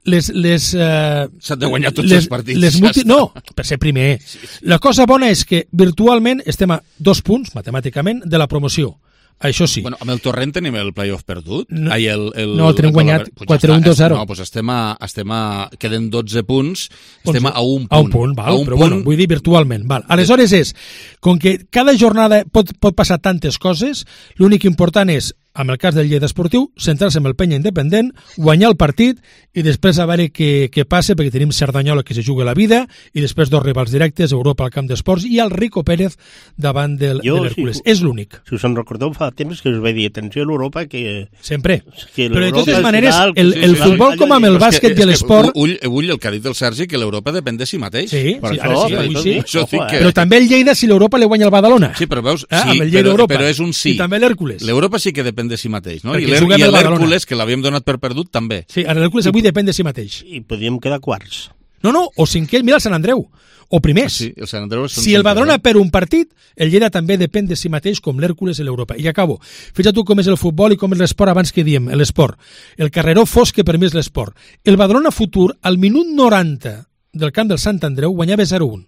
les... les eh, S'han de guanyar tots les, els partits. Les multi... No, per ser primer. Sí, sí. La cosa bona és que virtualment estem a dos punts, matemàticament, de la promoció. Això sí. Bueno, amb el Torrent tenim el playoff perdut? No, Ai, el, el, no el tenim guanyat pues quatre un dos zero. No, doncs estem a, estem a... Queden dotze punts, estem a un punt. A un punt, val, un però punt... bueno, vull dir virtualment. Val. Aleshores és, com que cada jornada pot, pot passar tantes coses, l'únic important és, amb el cas del Lleida Esportiu, centrar-se en el penya independent, guanyar el partit i després a veure què, què passa, perquè tenim Cerdanyola que se juga la vida i després dos rivals directes, Europa al camp d'esports i el Rico Pérez davant del, jo, de l'Hèrcules. Si, és l'únic. Si us en recordeu fa temps que us vaig dir, atenció a l'Europa que... Sempre. Que però de totes maneres, final, el, el sí, futbol com amb el bàsquet i l'esport... Ull, ull, el que ha dit el Sergi, que l'Europa depèn de si mateix. Sí, sí, ara sí, avui sí. Això sí que... Però també el Lleida si l'Europa li guanya el Badalona. Sí, però veus, eh? sí, però, però és un sí. I també l'Hèrcules. L'Europa sí que depèn de si mateix, no? I l'Hèrcules, que l'havíem donat per perdut, també. Sí, l'Hèrcules avui depèn de si mateix. I podríem quedar quarts. No, no, o cinquè, mira el Sant Andreu, o primers. Ah, sí, el Sant Andreu si el Badalona per un partit, el Lleida també depèn de si mateix, com l'Hèrcules i l'Europa. I acabo. Fixa't tu com és el futbol i com és l'esport abans que diem, l'esport. El carreró fosc que per mi és l'esport. El Badalona Futur, al minut noranta del camp del Sant Andreu, guanyava zero un.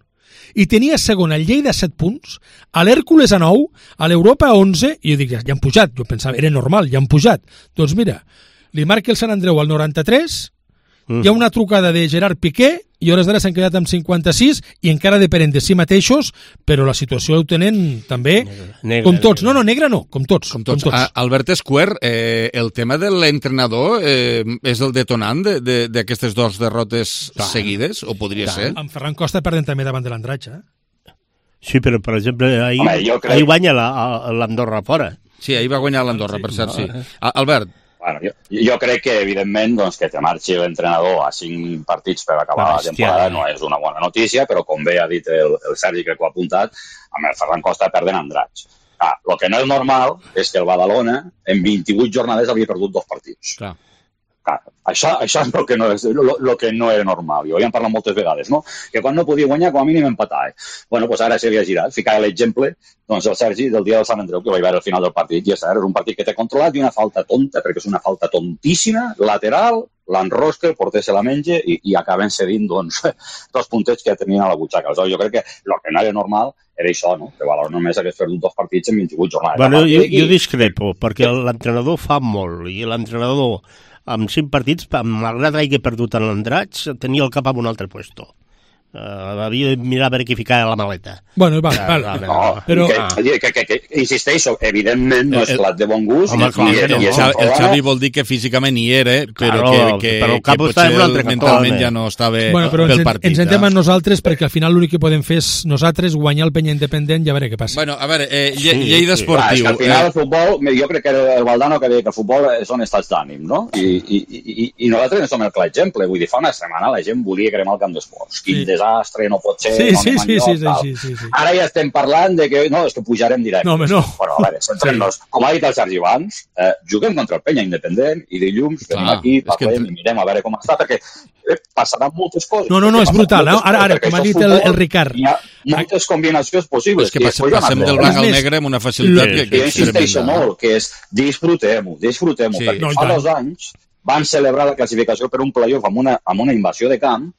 I tenia segon el Lleida a set punts, a l'Hèrcules a nou, a l'Europa a onze, i jo dic, ja, ja han pujat, jo pensava, era normal, ja han pujat. Doncs mira, li marca el Sant Andreu al noranta-tres, mm. hi ha una trucada de Gerard Piqué, i hores d'ara s'han quedat amb cinquanta-sis i encara depenen de si mateixos, però la situació ho tenen també negra, com tots. Negra. No, no, negra no, com tots. Com tots. Com tots. A, Albert Escuer, eh, el tema de l'entrenador eh, és el detonant d'aquestes dues derrotes Tant. seguides, o podria Tant. ser? Amb Ferran Costa perden també davant de l'Andratx, eh? Sí, però, per exemple, ahir, Home, crec... ahir guanya l'Andorra fora. Sí, ahir va guanyar l'Andorra, sí, per cert, sí. Ah, Albert. Bueno, jo, jo crec que, evidentment, doncs, que te marxi l'entrenador a cinc partits per acabar la temporada no és una bona notícia, però com bé ha dit el, el Sergi, que ho ha apuntat, amb el Ferran Costa perden Andratx. Ah, el que no és normal és que el Badalona en vint-i-vuit jornades havia perdut dos partits. Clar. Clar, això, això és el que, no és, lo, lo que no era normal. I ho havíem parlat moltes vegades, no? Que quan no podia guanyar, com a mínim empatar. Eh? Bueno, doncs ara s'havia girat. Ficava l'exemple, doncs, el Sergi del dia del Sant Andreu, que va veure al final del partit. I és cert, és un partit que té controlat i una falta tonta, perquè és una falta tontíssima, lateral, l'enrosca, el porter se la menja i, i acaben cedint, doncs, dos puntets que tenien a la butxaca. Aleshores, jo crec que el que no era normal era això, no? Que Valor només hagués perdut dos partits en vint-i-vuit jornades. Bueno, jo, jo discrepo, perquè l'entrenador fa molt, i l'entrenador amb cinc partits, malgrat que hagi perdut en l'Andratx, tenia el cap en un altre puesto. Uh, havia de mirar a veure qui ficava la maleta. Bueno, val, val. No, no, però... que, que, que, que, insisteixo, evidentment no és plat de bon gust. Home, clar, i, no, i el, Xavi, el Xavi vol dir que físicament hi era, però claro, que, que, però que potser mentalment ja no estava bueno, però pel ens, partit. Ens sentem a nosaltres perquè al final l'únic que podem fer és nosaltres guanyar el Penya Independent i a veure què passa. Bueno, a veure, eh, lle, sí, Lleida sí. Esportiu. Clar, al final el futbol, jo crec que el Valdano que deia que el futbol són estats d'ànim, no? I, i, i, i nosaltres en som el clar exemple. Vull dir, fa una setmana la gent volia cremar el camp d'esports. Quin sí. desastre, no pot Sí, no sí, sí, sí, sí, sí, sí. Ara ja estem parlant de que no, és que pujarem directe. No, no. Però, a veure, centrem-nos. Com ha dit el Sergi abans, eh, juguem contra el Penya Independent i dilluns venim aquí, parlem que... i mirem a veure com està, perquè eh, passaran moltes coses. No, no, no, és brutal. Eh? Ara, ara, com ha dit el, el Ricard. Hi ha moltes combinacions possibles. És que passem, passem del blanc al negre amb una facilitat que, que, que és insisteixo molt, que és disfrutem-ho, disfrutem-ho, sí, perquè no, fa dos anys van celebrar la classificació per un playoff amb una, amb una invasió de camp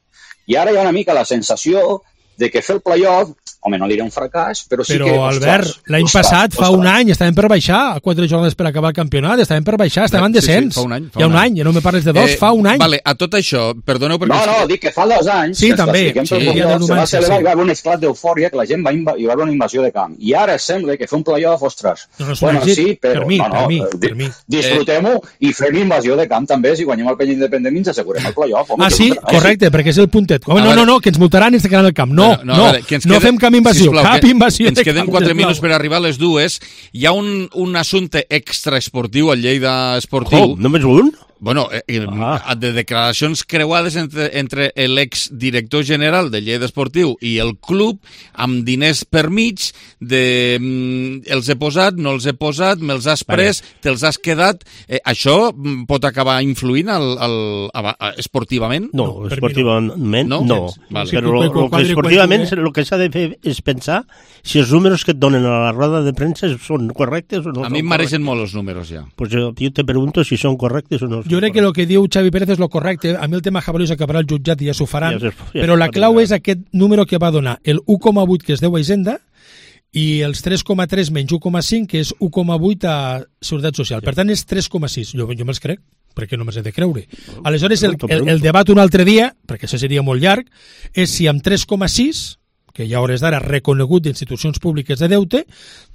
i ara hi ha una mica la sensació de que fer el playoff, home, no diré un fracàs, però sí però, que... Però, Albert, l'any passat, fa un any, estàvem per baixar, a quatre jornades per acabar el campionat, estàvem per baixar, estàvem en descens. Sí, sí, fa un any. Fa Hi ha un any. any, ja no me parles de dos, eh, fa un any. Vale, a tot això, perdoneu perquè... No, no, dic que fa dos anys, sí, també. Sí, sí, ja se va celebrar, sí. Hi va haver un esclat d'eufòria, que la gent va, inv... hi va haver una invasió de camp. I ara sembla que fer un playoff, ostres, no, no, bueno, sí, però... Per mi, no, no, per mi, di... per mi. Disfrutem-ho i fem invasió de camp també, si guanyem el Penya Independent ens assegurem el playoff. Ah, sí? Correcte, perquè és el puntet. No, no, no, que ens multaran i ens quedaran al camp. No, no, no fem cap invasió, cap invasió. Ens queden quatre minuts per arribar a les dues. Hi ha un, un assumpte extraesportiu al Lleida Esportiu. Oh, només un? Bueno, eh, ah. de declaracions creuades entre, entre l'exdirector general del Lleida Esportiu i el club, amb diners per mig, de mm, els he posat, no els he posat, me'ls has pres, vale. Te'ls has quedat. Eh, això pot acabar influint al, al, al, al, esportivament? No, no esportivament no. no. Vale. Però lo, lo que esportivament el que s'ha de fer és pensar si els números que et donen a la roda de premsa són correctes o no. A mi em mareixen molt els números ja. Pues jo, jo te pregunto si són correctes o no. Jo crec que el que diu Xavi Pérez és lo correcte. A mi el tema Jabalí s'acabarà al jutjat i ja s'ho faran. Ja, ja, però la clau és aquest número que va donar, el u coma vuit que es deu a Hisenda i els tres coma tres menys u coma cinc que és u coma vuit a Seguretat Social. Per tant, és tres coma sis. Jo, jo me'ls crec, perquè no me'ls he de creure. Aleshores, el, el, el debat un altre dia, perquè això seria molt llarg, és si amb tres coma sis que ja a hores d'ara reconegut d'institucions públiques de deute,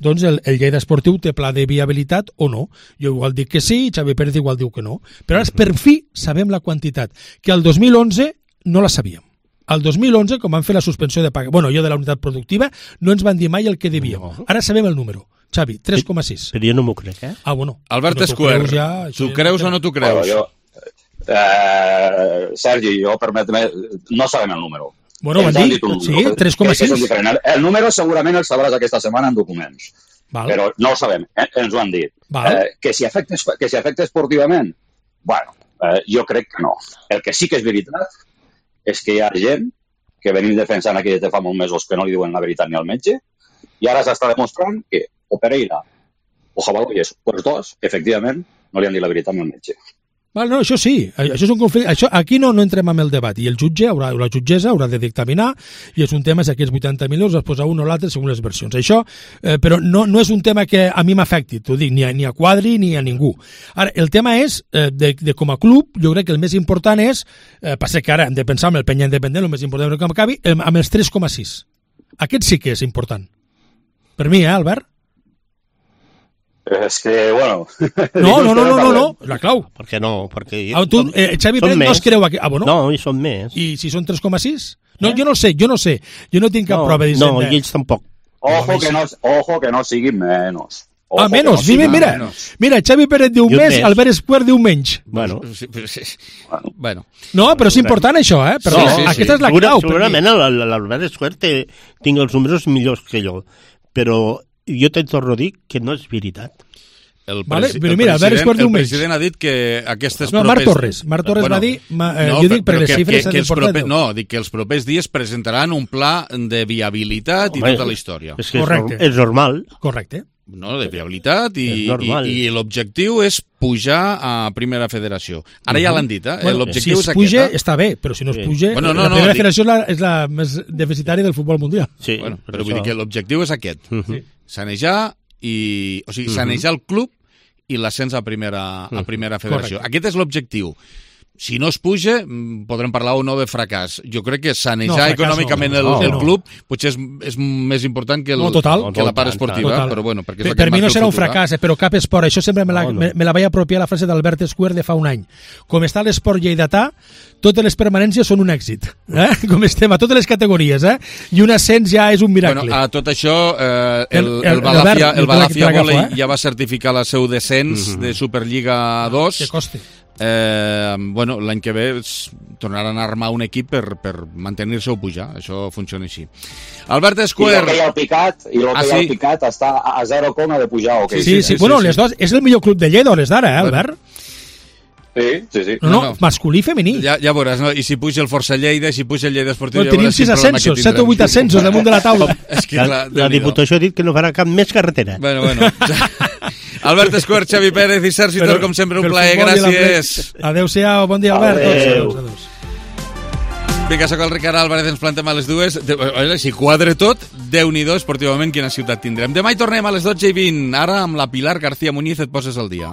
doncs el, el Lleida Esportiu té pla de viabilitat o no. Jo igual dic que sí, Xavi Pérez igual diu que no. Però ara per fi sabem la quantitat, que el dos mil onze no la sabíem. El dos mil onze, com van fer la suspensió de paga, bueno, jo de la unitat productiva, no ens van dir mai el que devíem. Ara sabem el número. Xavi, tres coma sis. Però jo no m'ho crec, eh? Ah, bueno. Albert Escuer, ja, tu creus o no tu creus? Bueno, jo, eh, Sergi, jo permet-me, no sabem el número. Bueno, van dir, sí, tres coma sis. El número segurament el sabràs aquesta setmana en documents, Val. Però no ho sabem, eh? Ens ho han dit. Eh, que si afecta, que si afecta esportivament, bueno, eh, jo crec que no. El que sí que és veritat és que hi ha gent que venim defensant aquí des de fa molts mesos que no li diuen la veritat ni al metge, i ara s'està demostrant que o Pereira o Jabalolles, o els dos, efectivament, no li han dit la veritat ni al metge. Val, no, això sí, això és un conflicte. Això, aquí no, no entrem amb el debat i el jutge haurà, la jutgessa haurà de dictaminar i és un tema si aquests vuitanta milions es posa un o l'altre segons les versions. Això, eh, però no, no és un tema que a mi m'afecti, t'ho dic, ni a, ni a Quadri ni a ningú. Ara, el tema és, eh, de, de com a club, jo crec que el més important és, eh, passa que ara hem de pensar amb el Penya Independent, el més important que acabi, amb els tres coma sis. Aquest sí que és important. Per mi, eh, Albert? És que, bueno... No, no, no, no, no, no, la clau. Per què no? Perquè... Ah, tu, eh, Xavi Pérez no es creu aquí. Ah, bueno. No, i són més. I si són tres coma sis? No, eh? jo no sé, jo no sé. Jo no tinc cap no, prova d'Hisenda. No, i ells tampoc. Ojo que no, ojo que no sigui menys. Ojo, ah, menos, no mira, mira, menos. Mira, Xavi Pérez diu més, Albert Esquer diu menys. Bueno. Sí, sí. bueno. No, però és important això, eh? Però no, sí, sí, aquesta sí. és la clau. Segurament l'Albert Esquer tinc els números millors que jo, però jo te torno a dir que no és veritat. El, vale, però mira, el, president, el president ha dit que aquestes no, propers... Marc Torres, Marc Torres bueno, va dir... Ma, eh, no, jo dic perquè les xifres són importants. Proper, no, dic que els propers dies presentaran un pla de viabilitat Home, i tota la història. És que Correcte. és normal. Correcte. No, de viabilitat i, i, i l'objectiu és pujar a Primera Federació. Ara uh-huh. ja l'han dit, eh? Bueno, l'objectiu si es és puja, aquest. Eh? està bé, però si no es puja, bueno, no, la no, Primera dic... Federació és la, és la més deficitària del futbol mundial. Sí, bueno, però vull dir que l'objectiu és aquest. Uh-huh. Sanejar i... O sigui, sanejar uh-huh. el club i l'ascens a primera, a primera federació. Correcte. Aquest és l'objectiu. Si no es puja, podrem parlar o no de fracàs. Jo crec que sanejar no, econòmicament no. el, no, el club no. potser és, és més important que, el, no, total, que la part esportiva. Total. Però bueno, perquè és per, per mi no serà un fracàs, eh, però cap esport. Això sempre me la, no, no. me, me la vaig apropiar la frase d'Albert Esquer de fa un any. Com està l'esport lleidatà, totes les permanències són un èxit. Eh? Com estem a totes les categories. Eh? I un ascens ja és un miracle. Bueno, a tot això, eh, el, el, el, el Balafia, el Balafia Volei eh? ja va certificar el seu descens mm-hmm. de Superliga dos. Que costi. Eh, bueno, l'any que ve tornaran a armar un equip per, per mantenir-se o pujar, això funciona així. Albert Esquer... I el que hi ha al Picat, i el que ah, hi ha al sí? Picat està a zero coma de pujar, o okay? Sí, sí, sí, sí, bueno, sí, les sí. dos, és el millor club de Lleida, les d'ara, eh, Albert? Sí, sí, sí. No, no, no. masculí i femení. Ja, ja veuràs, no? I si puja el Força Lleida, si puja el Lleida Esportiu... Bueno, tenim sis ascensos, set o vuit ascensos damunt de la taula. És que, clar, la, la Diputació ha dit que no farà cap més carretera. Bueno, bueno... Albert Esquer, Xavi Pérez i Sergi Tor, com sempre, un plaer, gràcies. Adéu-siau, bon dia, Albert. Adéu. Adéu. Vinga, soc el Ricard Álvarez, ens plantem a les dues. Si quadre tot, Déu-n'hi-do, esportivament, quina ciutat tindrem. Demà hi tornem a les dotze i vint. Ara, amb la Pilar García Muñiz, et poses al dia.